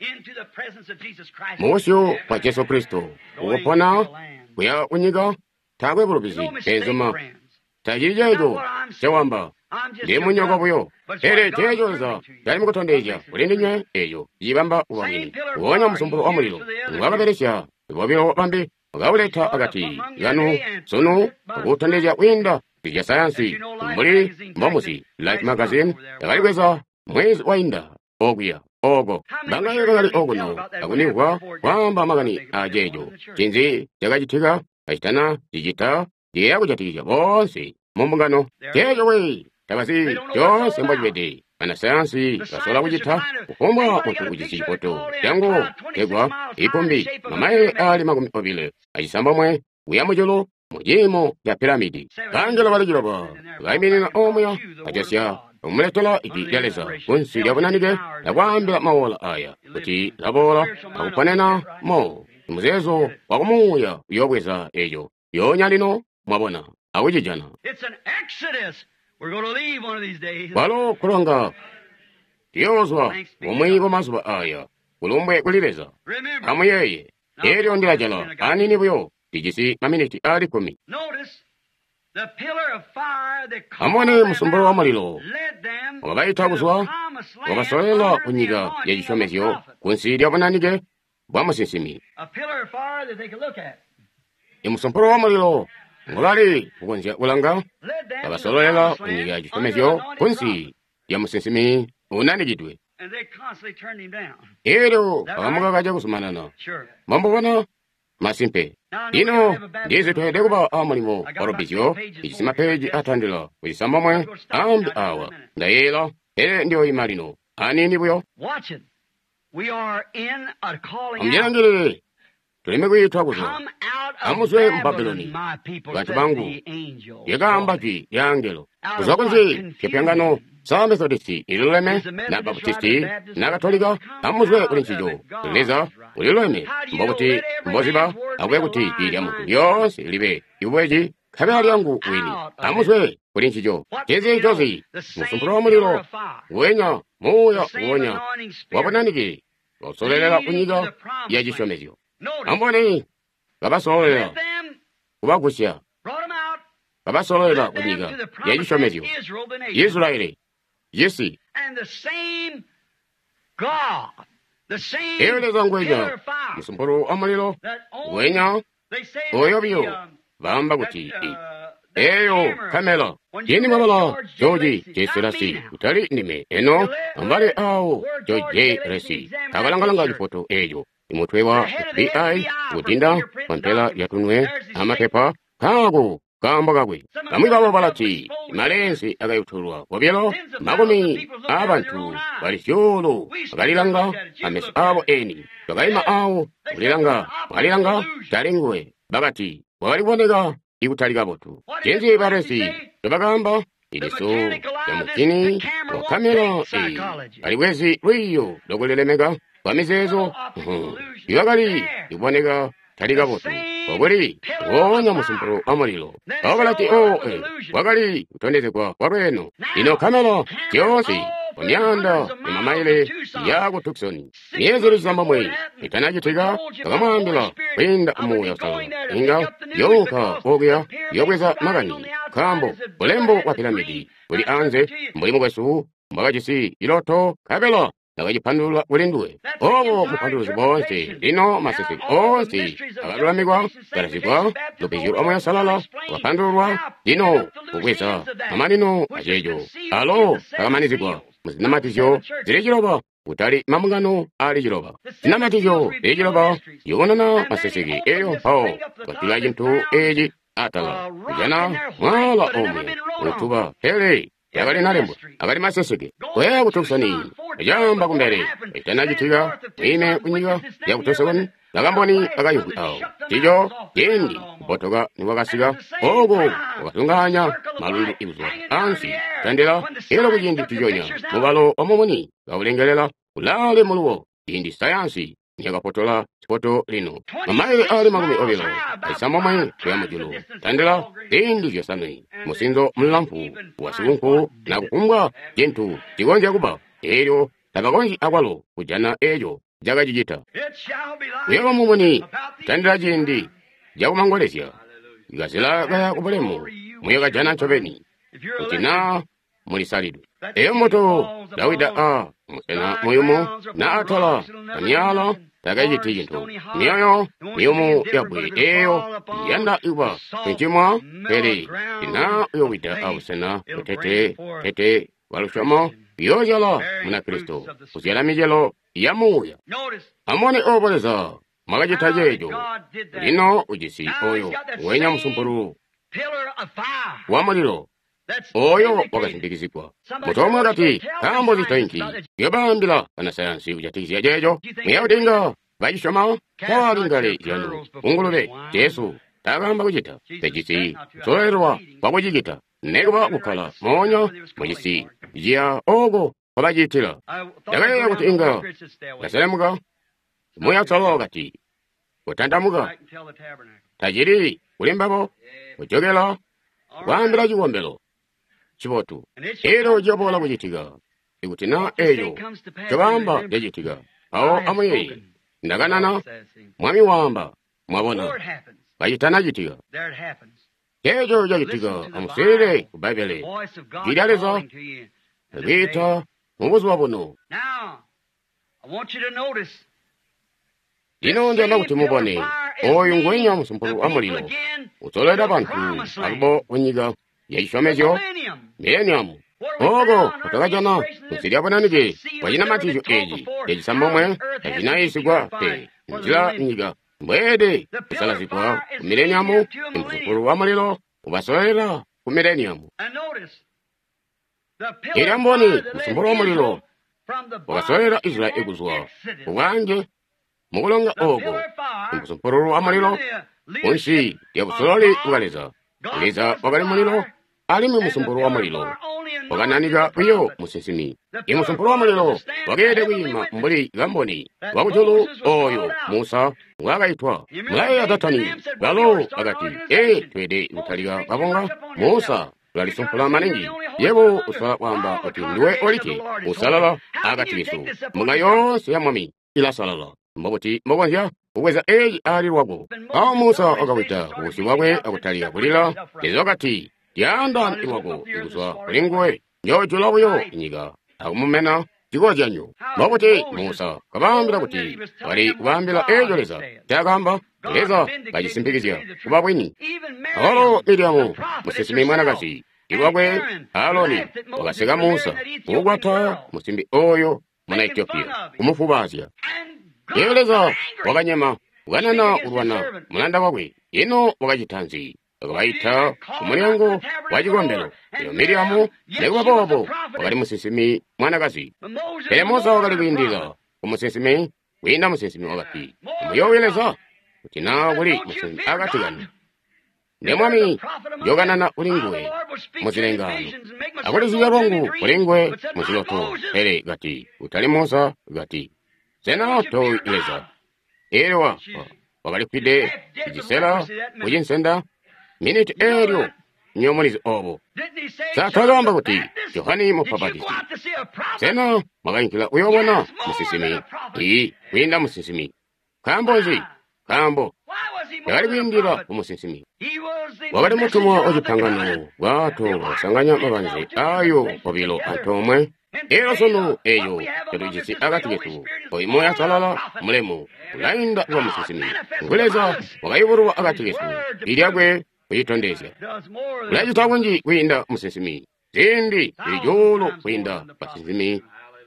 mu busyu bwa Jesu Kristo, ukupona kuya kunyika taakwe bulubizi. Benzuma, tacili ceeco ncewamba, ndi munyoko buyo, pele ceeco Leza cali mukutondezya kuli ndinywe eeco cibamba kuba bwini. Nguonya musumpulu wa mulilo ngwakabelesya bobilo bambi wakauleta akati kanu sunu akuutondezya kwiinda zya sayansi mbuli mbomuzi. Life magazine yakalikweza mwezi wainda okuya oko bangaye bakali okuno akunimvwa kwaamba makani aceeco. Cinzi cakacitika kacitana cicita ciyeeya kujatikizya boonse mu mbungano. Ceeco we tabazi coonse mbocibede. Banasayansi basola kucita kufumbwa muntu ujisi cifoto cangu tegwa ikumbi mamaile ali 29 kuya mujulu mu ciimo ca piramidi. Bangelo bali ciloba baiminina omuya bajosya kumuletela ijwi lya Leza kunsi lya bunanike akwaambila mawola aya kuti laboola akuponena mo. Muzeezo wa kumuuya uyoobweza eco yonya lino, mwabona, akucijana. Kwalo kulonga tuyoozwa bumwi bwa mazuba aya, kulumbwe kuli Leza. Amuyeeye, elyo ndilajala anini buyo, ndijisi maminiti ali 10. Amubone musumpulu wa mulilo wakabaita kuzwa, wakasololela ku nyika ya cisyomezyo kunsi lya bunanike bwa musinsimi. Imusumpulu wa mulilo ngobali kukonzya kulanga, wakasololela ku nyika ya cisyomezyo kunsi lya musinsimi unanikidwe. Elyo bakamukaka cakuzumanana. Mwambubona? Masimpe. Lino ndizi tweelede kuba a mulimo wa lubbizyo, ijisi mapeeji atandila ku 9 ambi awa. Ndayeeyela, pele ndiyoyima lino aniini buyo. Amulilangilile, tulime kwiitwa kuzwa. Amuzwe mu Babuloni, bantu bangu, lyakaamba jwi lya angelo. Kuzwa kunzi cipyangano sa Methodisti ililuleme, na Baptisti na Katolika, amuzwe kuli ncico. Leza uliluleme, mbokuti mboziba akube kuti jwi lya muntu lyoonse libe ibweji nkabela lyangu wini. Amuzwe kuli ncico. Cinzi cozi musumpulu wa mulilo nguwenya muuya nguwonya wabunanike wausolelela ku nyika ya cisyomezyo. Amubone, kabasololela kubagusya, kabasololela ku nyika ya cisyomezyo. Israeli, cisi. Elyo Leza ngwenya musumpulu wa mulilo ngwenya oyo biyo baamba kuti eyo kamela. Cindi mwabala George J. Selasi, kutali ndime eno ambale awo George J. Resi akalangalanga cifoto eco imutwe wa FBI kudinda kwampela yatunwe amapepa kaako kaambo kakwe. Bamwi babo balati malensi akayutulwa kobilo makumi aabantu bali zyuulu bakalilanga ameso abo eni, bakaima awo kulilanga bakalilanga talinguwe, bakati wakali kuboneka ikutali kabotu. Cinzi baresi nobakaamba iliso lya mukini wa kamera eyi balibwezi lwiiyo lokulilemeka kwa mizeezo ibakali ikuboneka tali kabotu kwakuli wonya musumpulu wa mulilo. Abo balati wakali kutondezegwa kwa lweeno. Lino kamera zyoonse kwa myaanda ya mamaile ya ku Tucson myezi ili 9 itanacitika, bakamwaambila kwiinda muuya usalala inga younka okuya yobweza makani, nkaambo bulembo bwa piramidi buli anze mbuli mukwesu mbwakajisi ciloto nkabela nakacipandulula kuli nduwe. Obo mupanduluzi boonse lino maseseke oonse akalulamikwa kalazigwa lubbizyo lwa Muuya Uusalala lwakapandululwa lino kubweza mamanino aceeco alo akamanizigwa muzinamatizyo zili 9 Kutali mambungano ali ciloba. Zinamatizyo zili ciloba ziyubununa maseseke. Elyo mpawo kwatula cintu eci atala, kujana mwaala omwe utuba, pele yakali nalembwa akali maseseke. Koya ku Tucson, acamba kumbele ecitanacitika, mwime kunyika ya ku Tucson, bakamboni bakayimvwi awo. Cico ciindi kubotoka nikwakasika, oko kwakazungaanya malundu ikuzwa ansi tandila elo kuciindi ciconya mubalo wa mumuni kaulengelela kulaale muluwo ciindi sayansi niyakafotola sifoto lino mamaile ali 29 kuya mujulu tandila ziindi 5 musinzo mulamfu wa sikunku na kufumbwa cintu cikonzya kuba elyo tabakonzyi akwalo kujana eco cakacicita. Kuyaba mumuni tandila ciindi cakumangolezya ikazila kaya kubulemu muyakajana ncobeni kuti naa mulisalidwe. Eyo mbuto Dawida a musena muyumu na atala amyala takaciti cintu. Myoyo miyumu yabwe eyo yanda ikuba cincimwa, pele ina uyowida abusena butete tete bwa lusyomo uyozyala Munakristo kuzyala micelo ya muuya. Amubone obo Leza mwakacita ceeco. Lino ujisi oyo wenya musumpulu wa mulilo oyo wakasimpikizigwa. Mutu omwe wakati, nkaambo zitoinki yobaambila banasayansi kujatikizya ceeco. Muya kuti inga bacisyoma tawali ngale zyanu kungulube. Jesu taakaamba kucita pejisi kusololelwa kwakucicita nekuba kukkala moonya mucisi ciya oko kwabacitila. Ndakayeeya kuti inga ndaselemuka. Muya Uusalala wakati, kutandamuka tacili kuli mbabo kujokela kwaambila cikombelo cibotu. Elyo ciyoboola kucitika ikuti na eco cobaamba cacitika. Mpawo amuyeeye, ndakanana, Mwami waamba, mwabona, kacitanacitika. Ceeco cacitika. Amuswiilile ku Bbaibbele, Jwi lya Leza likwiita mu buzuba buno. Lino ndiyanda kuti mubone oyu ngwenya musumpulu wa mulilo usololera bantu alubo kunyika ya cisyomezyo mileniamu. Oko kutakajana kunsi lya bunanike bwa cinamatizyo eci cacisambomwe tacinayisigwa pe nzila nyika mbweede kusalazigwa ku mileniamu. Imusumpulu wa mulilo ubasololera ku mileniamu. Elyo amboni musumpulu wa mulilo wakasololera Israeli kuzwa kubwange mukulonga oko umusumpululu wa mulilo kunsi lya busololi bwa Leza. Leza wakali mulilo, alimwi musumpulu wa mulilo wakananika buyo musinsimi. Imusumpulu wa mulilo wakeelede kwiima mbuli kamboni wakujulu oyo Musa ngwaakaitwa. Mulayeeya Datani, balo bakati, ee, tweede kutalika kabunga. Musa ulalisumpula maningi. Yebo usola kwaamba kuti ndiwe olikke usalala akati kesu. Mbunga yoonse ya Mwami ilasalala. Mbobuti mbokonzya kubweza eci ali lwako? Awo Musa wakawida kubusyu bwakwe akutalika kulila. Leza wakati, lyaanda lwako kuzwa kuli nguwe, njoojula buyo inyika akumumena cikozyanyo. Mbobuti Musa kabaambila kuti wali kubaambila eco Leza ncaakaamba? Leza kacisimpikizya kuba bwini. Awalo Miriamu musinsimi mwanakazi ilwakwe Aloni wakaseka Musa kukukwata musimbi oyo muna Etiopiya kumufubaazya. Elyo Leza wakanyema kukanana kulwana mulanda wakwe. Ino wakacita nzi? Wakabaita ku mulyango wa cikombelo. Elyo Miriamu nekuba boobo wakali musinsimi mwanakazi. Pele Musa wakali kwiindila ku musinsimi kwiinda musinsimi wakati, muyoowe Leza kuti naa kuli musinsimi akati kanu. Nde Mwami njokanana kuli nguwe muzilengaano, akulizibya lwangu kuli nguwe muziloto. Pele kati, utali Musa, kati, sena towi Leza? Elyo wakalifwide icisela kucinsenda miniti elyo nyomulizi obo. Sa twakaamba kuti Johani Mubapatizi, sena mwakainkila kuyoobona musinsimi? Ii, kwiinda musinsimi. Nkaambo nzi? Nkaambo yakali kwiindila ku musinsimi. Wakali mutumwa wa cipangano, bwato bwakasanganya mabanze ayo obilo antoomwe. Elyo sunu eyo catujisi akati kesu, oyu Muuya Uusalala mulemu ulainda kuba musinsimi. Ngu Leza wakayubululwa akati kesu, ilyakwe kucitondezya. Ulacita kunji kwiinda musinsimi, ziindi zili cuulu kwiinda basinsimi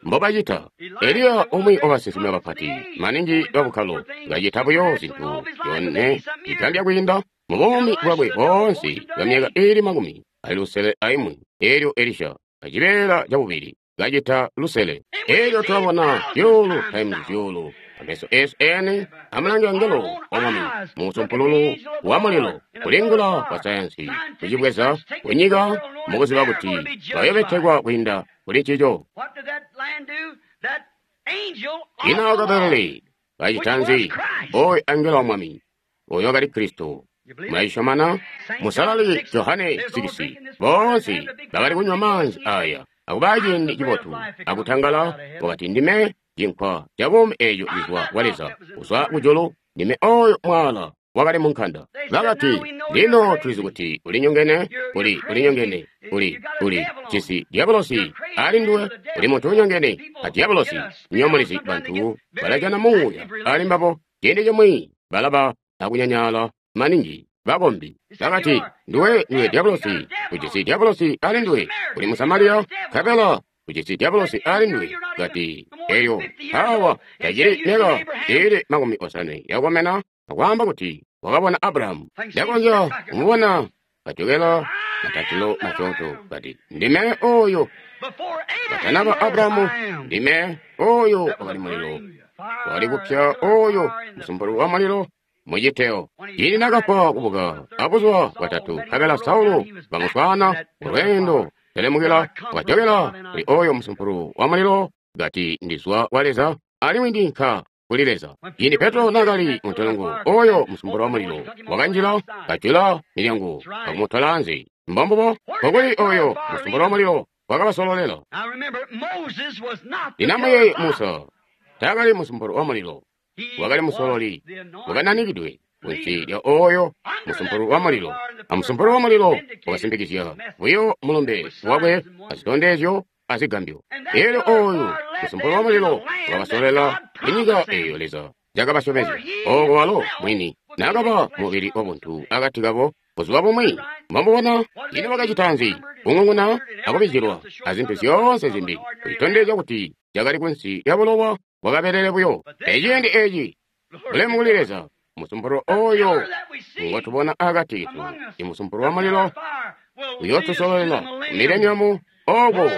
mbobacita. Eliya umwi wabasinsimi bapati maningi babukkalo kacita buyo zintu yone igambya kwiinda mu buumi bwakwe boonse bwa myaka iili 61. Elyo Elisha kacibeela cabubili kacita lusele. Elyo tulabona zyuulu times zyuulu ameso esu eni amulange angelo wa Mwami mu musumpululu wa mulilo, kulingula kwa sayansi kucibweza kunyika mukuziba kuti bayobetekwa kwiinda kuli ncico. Ino wakabelele kacita nzi? Oyo angelo wa Mwami, oyo wakali Kristo. Mulacisyomana? Musalali Johane 6, boonse bakali kunywa maanzi aya akuba ciindi cibotu akutangala, wakati, ndime cinkwa ca buumi eeco cizwa kwa Leza kuzwa kujulu, ndime oyo mwala wakali mu nkanda. Bakati, lino tulizi kuti ulinyongene, ulinyongene, uli jisi diabolosi ali nduwe, uli muntu unyongene a diabolosi. Nyomulizi bantu balajana muuya ali mbabo, ciindi cimwi balaba akunyanyala maningi bakombi. Bakati, nduwe diabolosi, ujisi diabolosi ali nduwe, uli Musamariya, nkabela ujisi diabolosi ali nduwe. Kati, elyo awa tacili myaka iili 50 yakukomena, akwaamba kuti wakabona Abrahamu. Ndakonzya kumubona kajokela matatilo masyoonto. Kati, ndime oyo katanaba Abrahamu, ndime oyo wakali mulilo wakali kupya, oyo musumpulu wa mulilo muciteo. Ciindi nakafwa kubuka abuzuba bwatatu, nkabela Saulo bamuswaana mulweendo telemukila, wakajokela kuli oyo musumpulu wa mulilo, kati, ndizwa kwa Leza alimwi ndinka kuli Leza. Ciindi Petro nakali muntolongo, oyo musumpulu wa mulilo wakanjila, kajula milyango akumutola anze. Mbombubo kokuli oyo musumpulu wa mulilo wakabasololela. Lino amuyeeye, Musa taakali musumpulu wa mulilo, wakali musololi wakananikidwe kunsi lya oyo musumpulu wa mulilo. Amusumpulu wa mulilo wakasimpikizya buyo mulumbe wakwe azitondezyo azigambyo. Elyo oyu musumpulu wa mulilo wakabasolela inyika eyo Leza yakabasyomezya, oko walo mwini nakaba mubili wabuntu akati kabo buzuba bumwi. Mbomubona ino bakacita nzi? Kung'ung'una akubijilwa azintu zyoonse zimbi, kulitondezya kuti cakali kunsi lya bulowa bwakabelele buyo. Eciindi eci bulemu kuli Leza, musumpulu oyo ngotubona akati ketu, imusumpulu wa mulilo uyootusololela mileniamu oko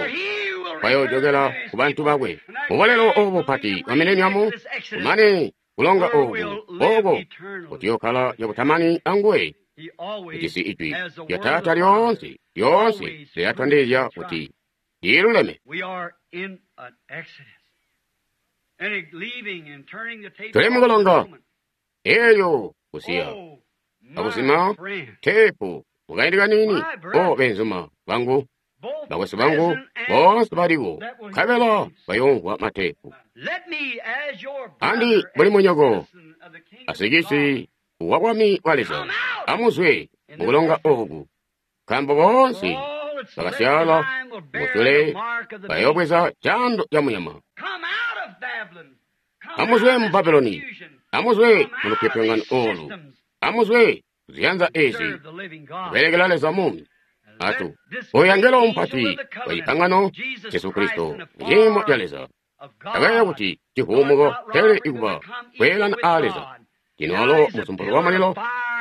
bayojokela ku bantu bakwe. Mubolelo obu bupati wa mileniamu, kumane kulonga oku oko kutiyokhala cakutamani anguwe. Ujisi ijwi lya Taata lyoonse, lyoonse lilatondezya kuti liluleme. Tuli mukulonga eyo kusiya akuzima teepu mukaindi kanini. O benzuma bangu, bakwesu bangu boonse baliko, nkabela bayoomvwa mateepu. Andi buli munyoko asikisi wa bwami bwa Leza, amuzwe mukulonga oku, nkaambo boonse bakasyala musule bayoobweza cando ca munyama. Amuzwe mu Babuloni, amuzwe mu lupyopyongano olu, amuzwe ziyanza ezi, kubelekela Leza mumi. Atu oyo angelo mupati wa cipangano Jesu Kristo muciimo ca Leza takayeeya kuti civuumuko pele ikuba kweelana a Leza. Lino walo musumpulu wa mulilo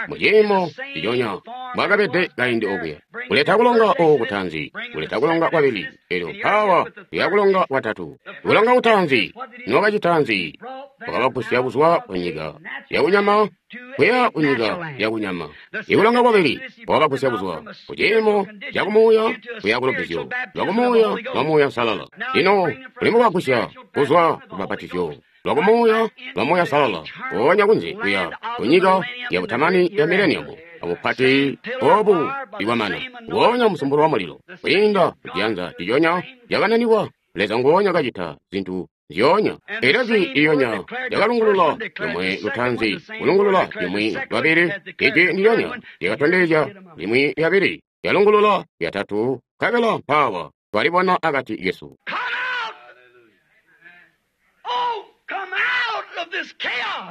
muciimo ciconya mbwakabede kaindi okuya, kuleta kulonga oku kutanzi, kuleta kulonga kwabili, elyo mpawa kuya kulonga kwatatu. Kulonga kutanzi niwakacita nzi? Wakabagusya kuzwa kunyika yakunyama kuya kunyika yakunyama. Ikulonga kwabili wakabagusya kuzwa kuciimo cakumuuya kuya kulubbizyo lwakumuuya lwa Muuya Musalala. Lino ulimukubagusya kuzwa kubapatizyo lwakumuuya lwa Muuya Musalala, goonya kunze kuya kunyika yabutamani ya mileniamu abupati obu ikwamana, ngoonya musumpulu wa mulilo kwiinda kuciyanza ciconya cakananikwa. Leza ngoonya kacita zintu zyoonya. Elyo jwi ilyonya lyakalungulula limwe lutanzi, kulungulula limwi lwabili, ijwi ndilyonya lyakatondezya limwi lyabili, lyalungulula lyatatu, nkabela mpaawa twalibona akati kesu.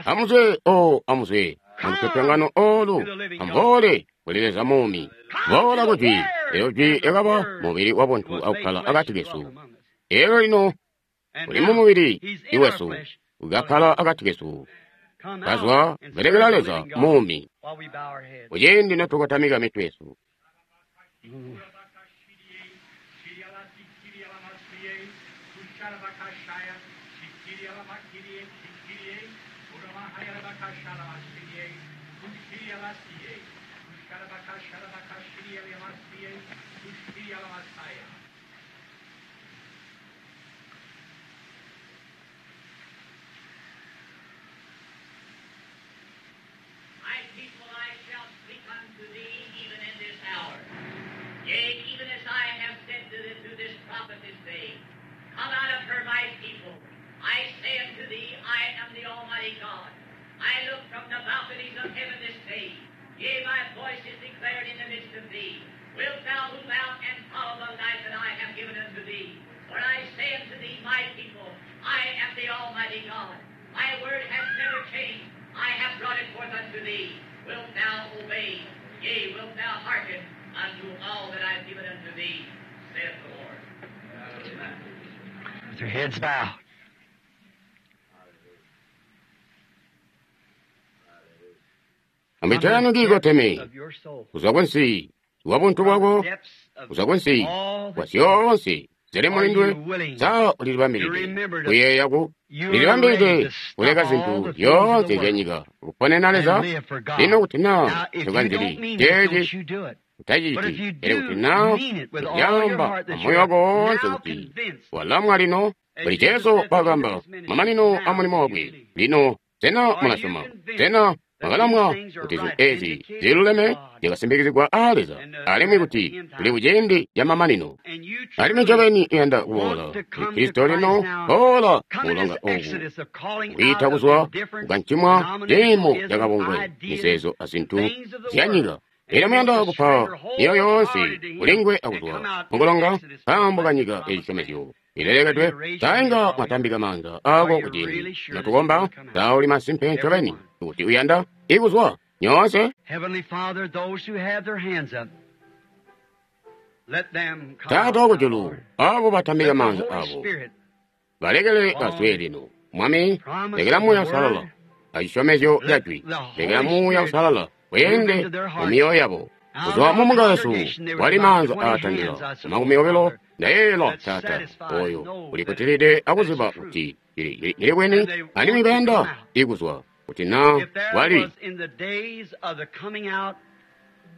Amuzwe, o amuzwe mulupyopyongano olu, amboole kuli Leza muumi. Boola kujwi, elyo jwi lyakaba mubili wabuntu akukkala akati kesu. Elyo lino Uli mu mubili iwesu, ukakkala akati kesu, kazwa belekela Leza muumi. Kuciindi notukotamika mitwe yesu. My people, I shall speak unto thee even in this hour. Yea, even as I have said to, to this prophet this day, Come out of her, my people. I say unto thee, I am the Almighty God. I look from the balconies of heaven this day. Yea, my voice is declared in the midst of thee. Wilt thou move out and follow the life that I have given unto thee? For I say unto thee, my people, I am the Almighty God. My word has never changed. I have brought it forth unto thee. Wilt thou obey? Yea, wilt thou hearken unto all that I have given unto thee, saith the Lord. With your heads bowed. Mitwe yanu kiikoteme, Of your soul. kuzwa kunsi wa buntu bwako, Depths of kuzwa kunsi all kwa that zyoonse zili mulindwe, sa ulilibambilide kuyeeya ku you are ready lilibambilide to stop kuleka all zinthu the things of zyoonse the zya world nyika kuponena and Leza. live for God. Lino kuti naa Now, if you tukanzili don't mean it, don't cheeci you do it. But if utachiti, you pele kuti do naa mean it with all your ulyamba heart that amoyo you're wako wonse now kuti convinced, walamwa lino as buli Jesus Jesu said at the end of wakamba his ministry, mamanino a now mulimo do you wakwe. believe? Lino sena Are you mulasyoma, convinced sena that these mwakalamwa things are kuti zinthu right, ezi vindicated ziluleme by God, zyakasimbikizigwa aa Leza, and alimwi we're at the kuti end tuli time, kuciindi ca mamanino. and you Alimwi truly ncobeni iyanda kuboola want to kuli come to Kristo Christ lino, now, boola come in this mulonga oku exodus of calling out kuyita of the kuzwa different kukancimwa ciimo denominationism, cakabungwe, ideas, mizeezo azinthu things of the zya world, nyika. and Elyo you want muyanda to kupa surrender myoyo yoonse wholehearted to Him kulingwe and come akuzwa out this mukulonga exodus to the nkaambo ka blessed nyika promised land. ecisyomezyo ilelekedwe. You raise your Sainga hands while we mwatambika maanza Are ako you kuciindi really sure that you notukomba, want to come out? sauli masimpe ncobeni Everyone. kuti uyanda ikuzwa nyoonse. Heavenly Father, those who have their hands up, let them come Taata out now, wakujulu, Lord. abo batambika Let the maanza Holy abo Spirit balekele bazwe on lino. Mwami, promise lekela of the Muuya Usalala Word, acisyomezyo let ca jwi, the lekela Holy Muuya Spirit Usalala move weende into their mu hearts. myoyo yabo. Out Kuzwa of mu the munga wesu congregation, there was wali about maanza 20 hands, aatandila I suppose, makumi obilo. Father, Ndayeeyela that's Taata satisfied oyo and know that ulikutilide that it's akuziba true. kuti lili bwini, And they alimwi want to come bayanda out. ikuzwa kuti naa If there wali was in the days of the coming out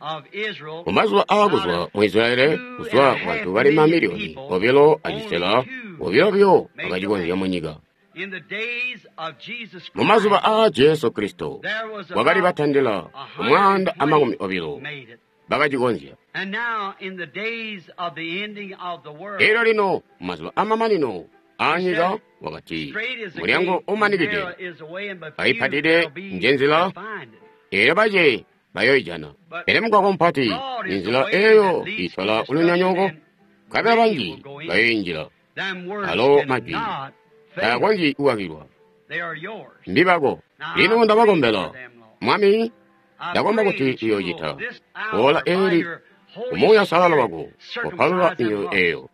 of Israel, mumazuba out aakuzwa of mu Israeli two and kuzwa a ku half bantu bali million mamiliyoni people, obilo only acisela two obilo buyo made the bakacikonzya land. mu nyika. In the days of Jesus Mu mazuba Christ, aa Jesu Kristo there was wakali about batandila umwaanda amakumi 120 obilo made it. bakacikonzya. And now, in the days of the ending of the world, Elyo lino mumazuba amamanino he aanyika said, wakati Straight is the mulyango gate, and umanikide narrow is the way, and but few ayipatide there'll be njenzila that find it. elyo bace bayoijana. But Pele mugwagwa mupati broad is the ninzila way that eyo leads to itola destruction, kulunyonyooko, and nkabela many banji will go in. bayoinjila. Them words Alo majwi cannot fail. taakonzyi kuwakilwa, They are yours. mbibako. Now Lino I pray for ndabakombela them, Lord. Mwami, I ndakomba pray kuti that you will uyoocita this ola hour, by eli your Holy umuuya usalala Spirit, wako kopalula circumcise them myoyo hearts. eyo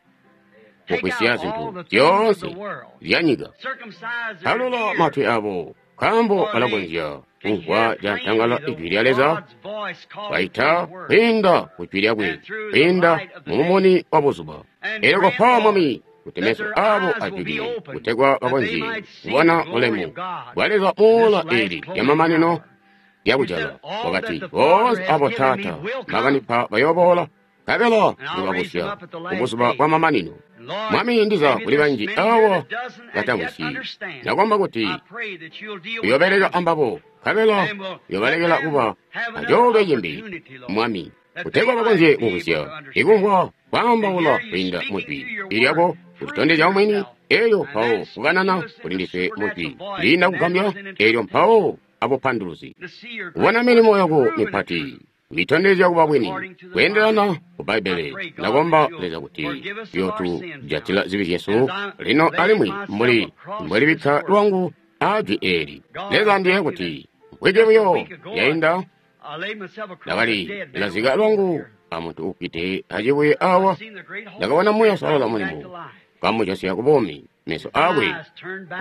Take kugwisya out all zinthu the things of zyoonse the world. zya nyika. Circumcise their Palula ears, matwi abo nkaambo for they balakonzya can kumvwa hear cantangala plainly ijwi the lya Leza God's voice calling through baita His Word kwiinda ku jwi lyakwe and through the kwiinda light of the mu day. mumuni wa buzuba. And Elyo grant, kopa Lord, Mwami kuti that meso their abo eyes will be ajulile opened, kutegwa that they bakonzye might see the kubona glory bulemu of God bwa Leza in this ola last eli lya closing mamanino hour. lya You said, kujala. All that Wakati the Father boonse has abo given me Taata will come, bakandipa bayooboola nkabela and I'll raise them ndibabusya up at the ku last buzuba day. bwa mamanino. And Lord, Mwami ndiza maybe kuli there's banji many here awa that doesn't as yet batamvwisyi. understand. Ndakomba kuti I pray that you'll deal with uyoobeleka them ambabo nkabela and will let uyobalekela them kuba have another acoolwe cimbi opportunity, Lord, Mwami that kutegwa they might bakonzye be able to kumvwisya understand. ikumvwa To kwaambaula hear you kwiinda speaking mu through jwi your ilyako word, kutitondezya proving umwini yourself, elyo and mpawo then speaking kukanana to us in kuli the ndiswe mu jwi supernatural voice, liinda and that kugambya was an elyo interpretation. mpawo abupanduluzi. To see your Kubona great milimo works yako proven the mipati truth kuitondezya kuba bwini according to the Bible. kweendelana ku I Bbaibbele. pray, God, Ndakomba that you'll Leza kuti forgive us of our sins now. yotujatila zibi zyesu As I lino lay alimwi myself mbuli across this mbwelibikka word, lwangu aa jwi eli. God, Leza I ndiye thank you that kuti mvwiki just a buyo week ago yainda I laid myself across a ndakali dead man on lazika the floor lwangu here. amuntu ukwite acibuye I awa seen the great Holy ndakabona Muuya Spirit Usalala bring him back to mulimo life. kamujosya ku buumi. Meso aakwe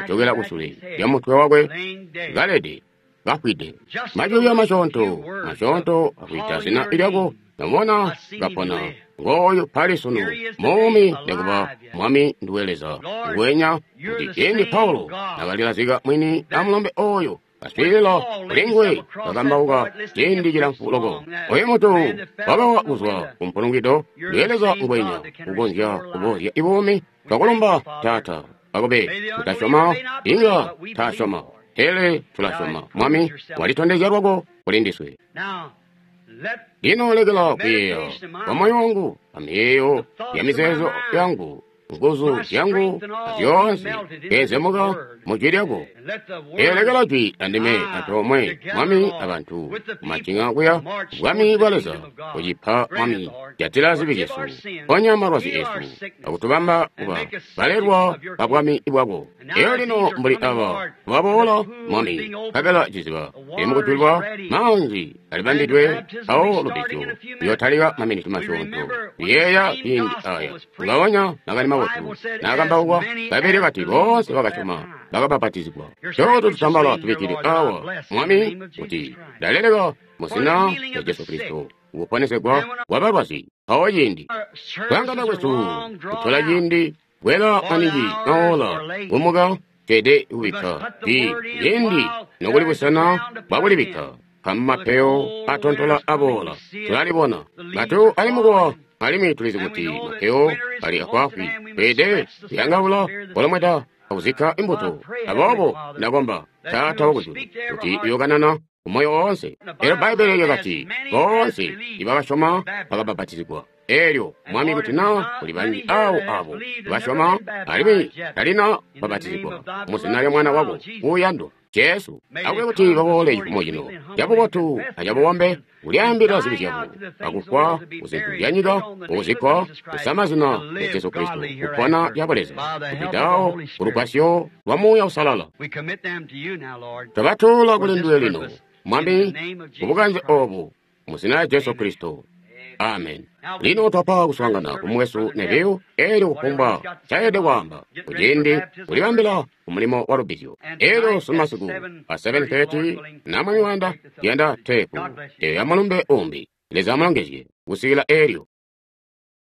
ajokela kusule lya mutwe wakwe, kalede, kafwide. Majwi masyoonto, masyoonto akwiita zina lyako, namubona kapona. Ngooyu pali sunu, muumi nekuba Mwami nduwe Leza. Nguwenya kuti ciindi Paulo nakalilazika mwini amulombe oyo, kaswiilila kuli nguwe kakambauka ciindi cilamfu loko. Oyo muntu wakawa kuzwa ku mpulungwido, nduwe Leza nguwenya ukonzya kuboozya ibuumi. Twakulomba Taata, akube kutasyoma, inga tasyoma, pele tulasyoma. Mwami walitondezya lwako kuli ndiswe. Lino lekela kuyeeya kwa moyo wangu, amiyeeyo ya mizeezo yangu, nguzu zyangu zyoonse kezemuka mu jwi lyako. Eelekela jwi andime antoomwe, Mwami, abantu kumacinga kuya bwami bwa Leza, kucipa Mwami, jatila zibi zyesu, ponya malwazi esu, akutubamba kuba balelwa ba bwami bwako. Eyo lino mbuli aba baboola, Mwami, nkabela ciziba limukujulwa, maanzi alibambidwe awo lubbizyo luyotalika maminiti masyoonto. Kuyeeya ciindi aya ngaonya makani mabotu naakambauka, Bbaibbele kati boonse bakasyoma bakabapatizigwa. Cooto tutambala tubikkile awa, Mwami, kuti ndaleleka mu zina lya Jesu Kristo kuponesegwa kwa balwazi. Mpawo ciindi kuyangana kwesu kutola ciindi kwela maningi maola kumuka tweede kubikka i ciindi nokuli busena bwakulibikka kamapeyo atontola aboola tulalibona matu ali mukuwa alimwi tulizi kuti mapeyo ali afwaafwi. Tweede kuyangaula kolomweda akuzikka imbuto. Aboobo ndakomba Taata wakujulu kuti uyokanana kumoyo woonse. Elyo Bbaibbele lyakati boonse ibakasyoma bakabapatizigwa. Elyo Mwami, kuti naa kuli banji awo abo basyoma alimwi talina babatizigwa mu zina lya Mwana wako uuyandwa Jesu, akube kuti baboole cifumo cino cabubotu acabubombe, kulyaambila zibi zyabo, akufwa kuzintu zya nyika, kuzikkwa kusama zina lya Jesu Kristo, kupona lya Buleza, kupitawo kulugwasyo lwa Muuya Usalala. Twabatola kuli nduwe lino, Mwami, kubukanze obu, mu zina lya Jesu Kristo. Amen. Lino twapa kuswaangana kumwesu Neville, elyo kufumbwa ncaelede kwaamba kuciindi kulibambila kumulimo wa lubbizyo. Elyo sunu masiku a 7:30 na Mwami wayanda, tuyanda teepu eyo ya mulumbe umbi. Leza amulongezye kusikila elyo.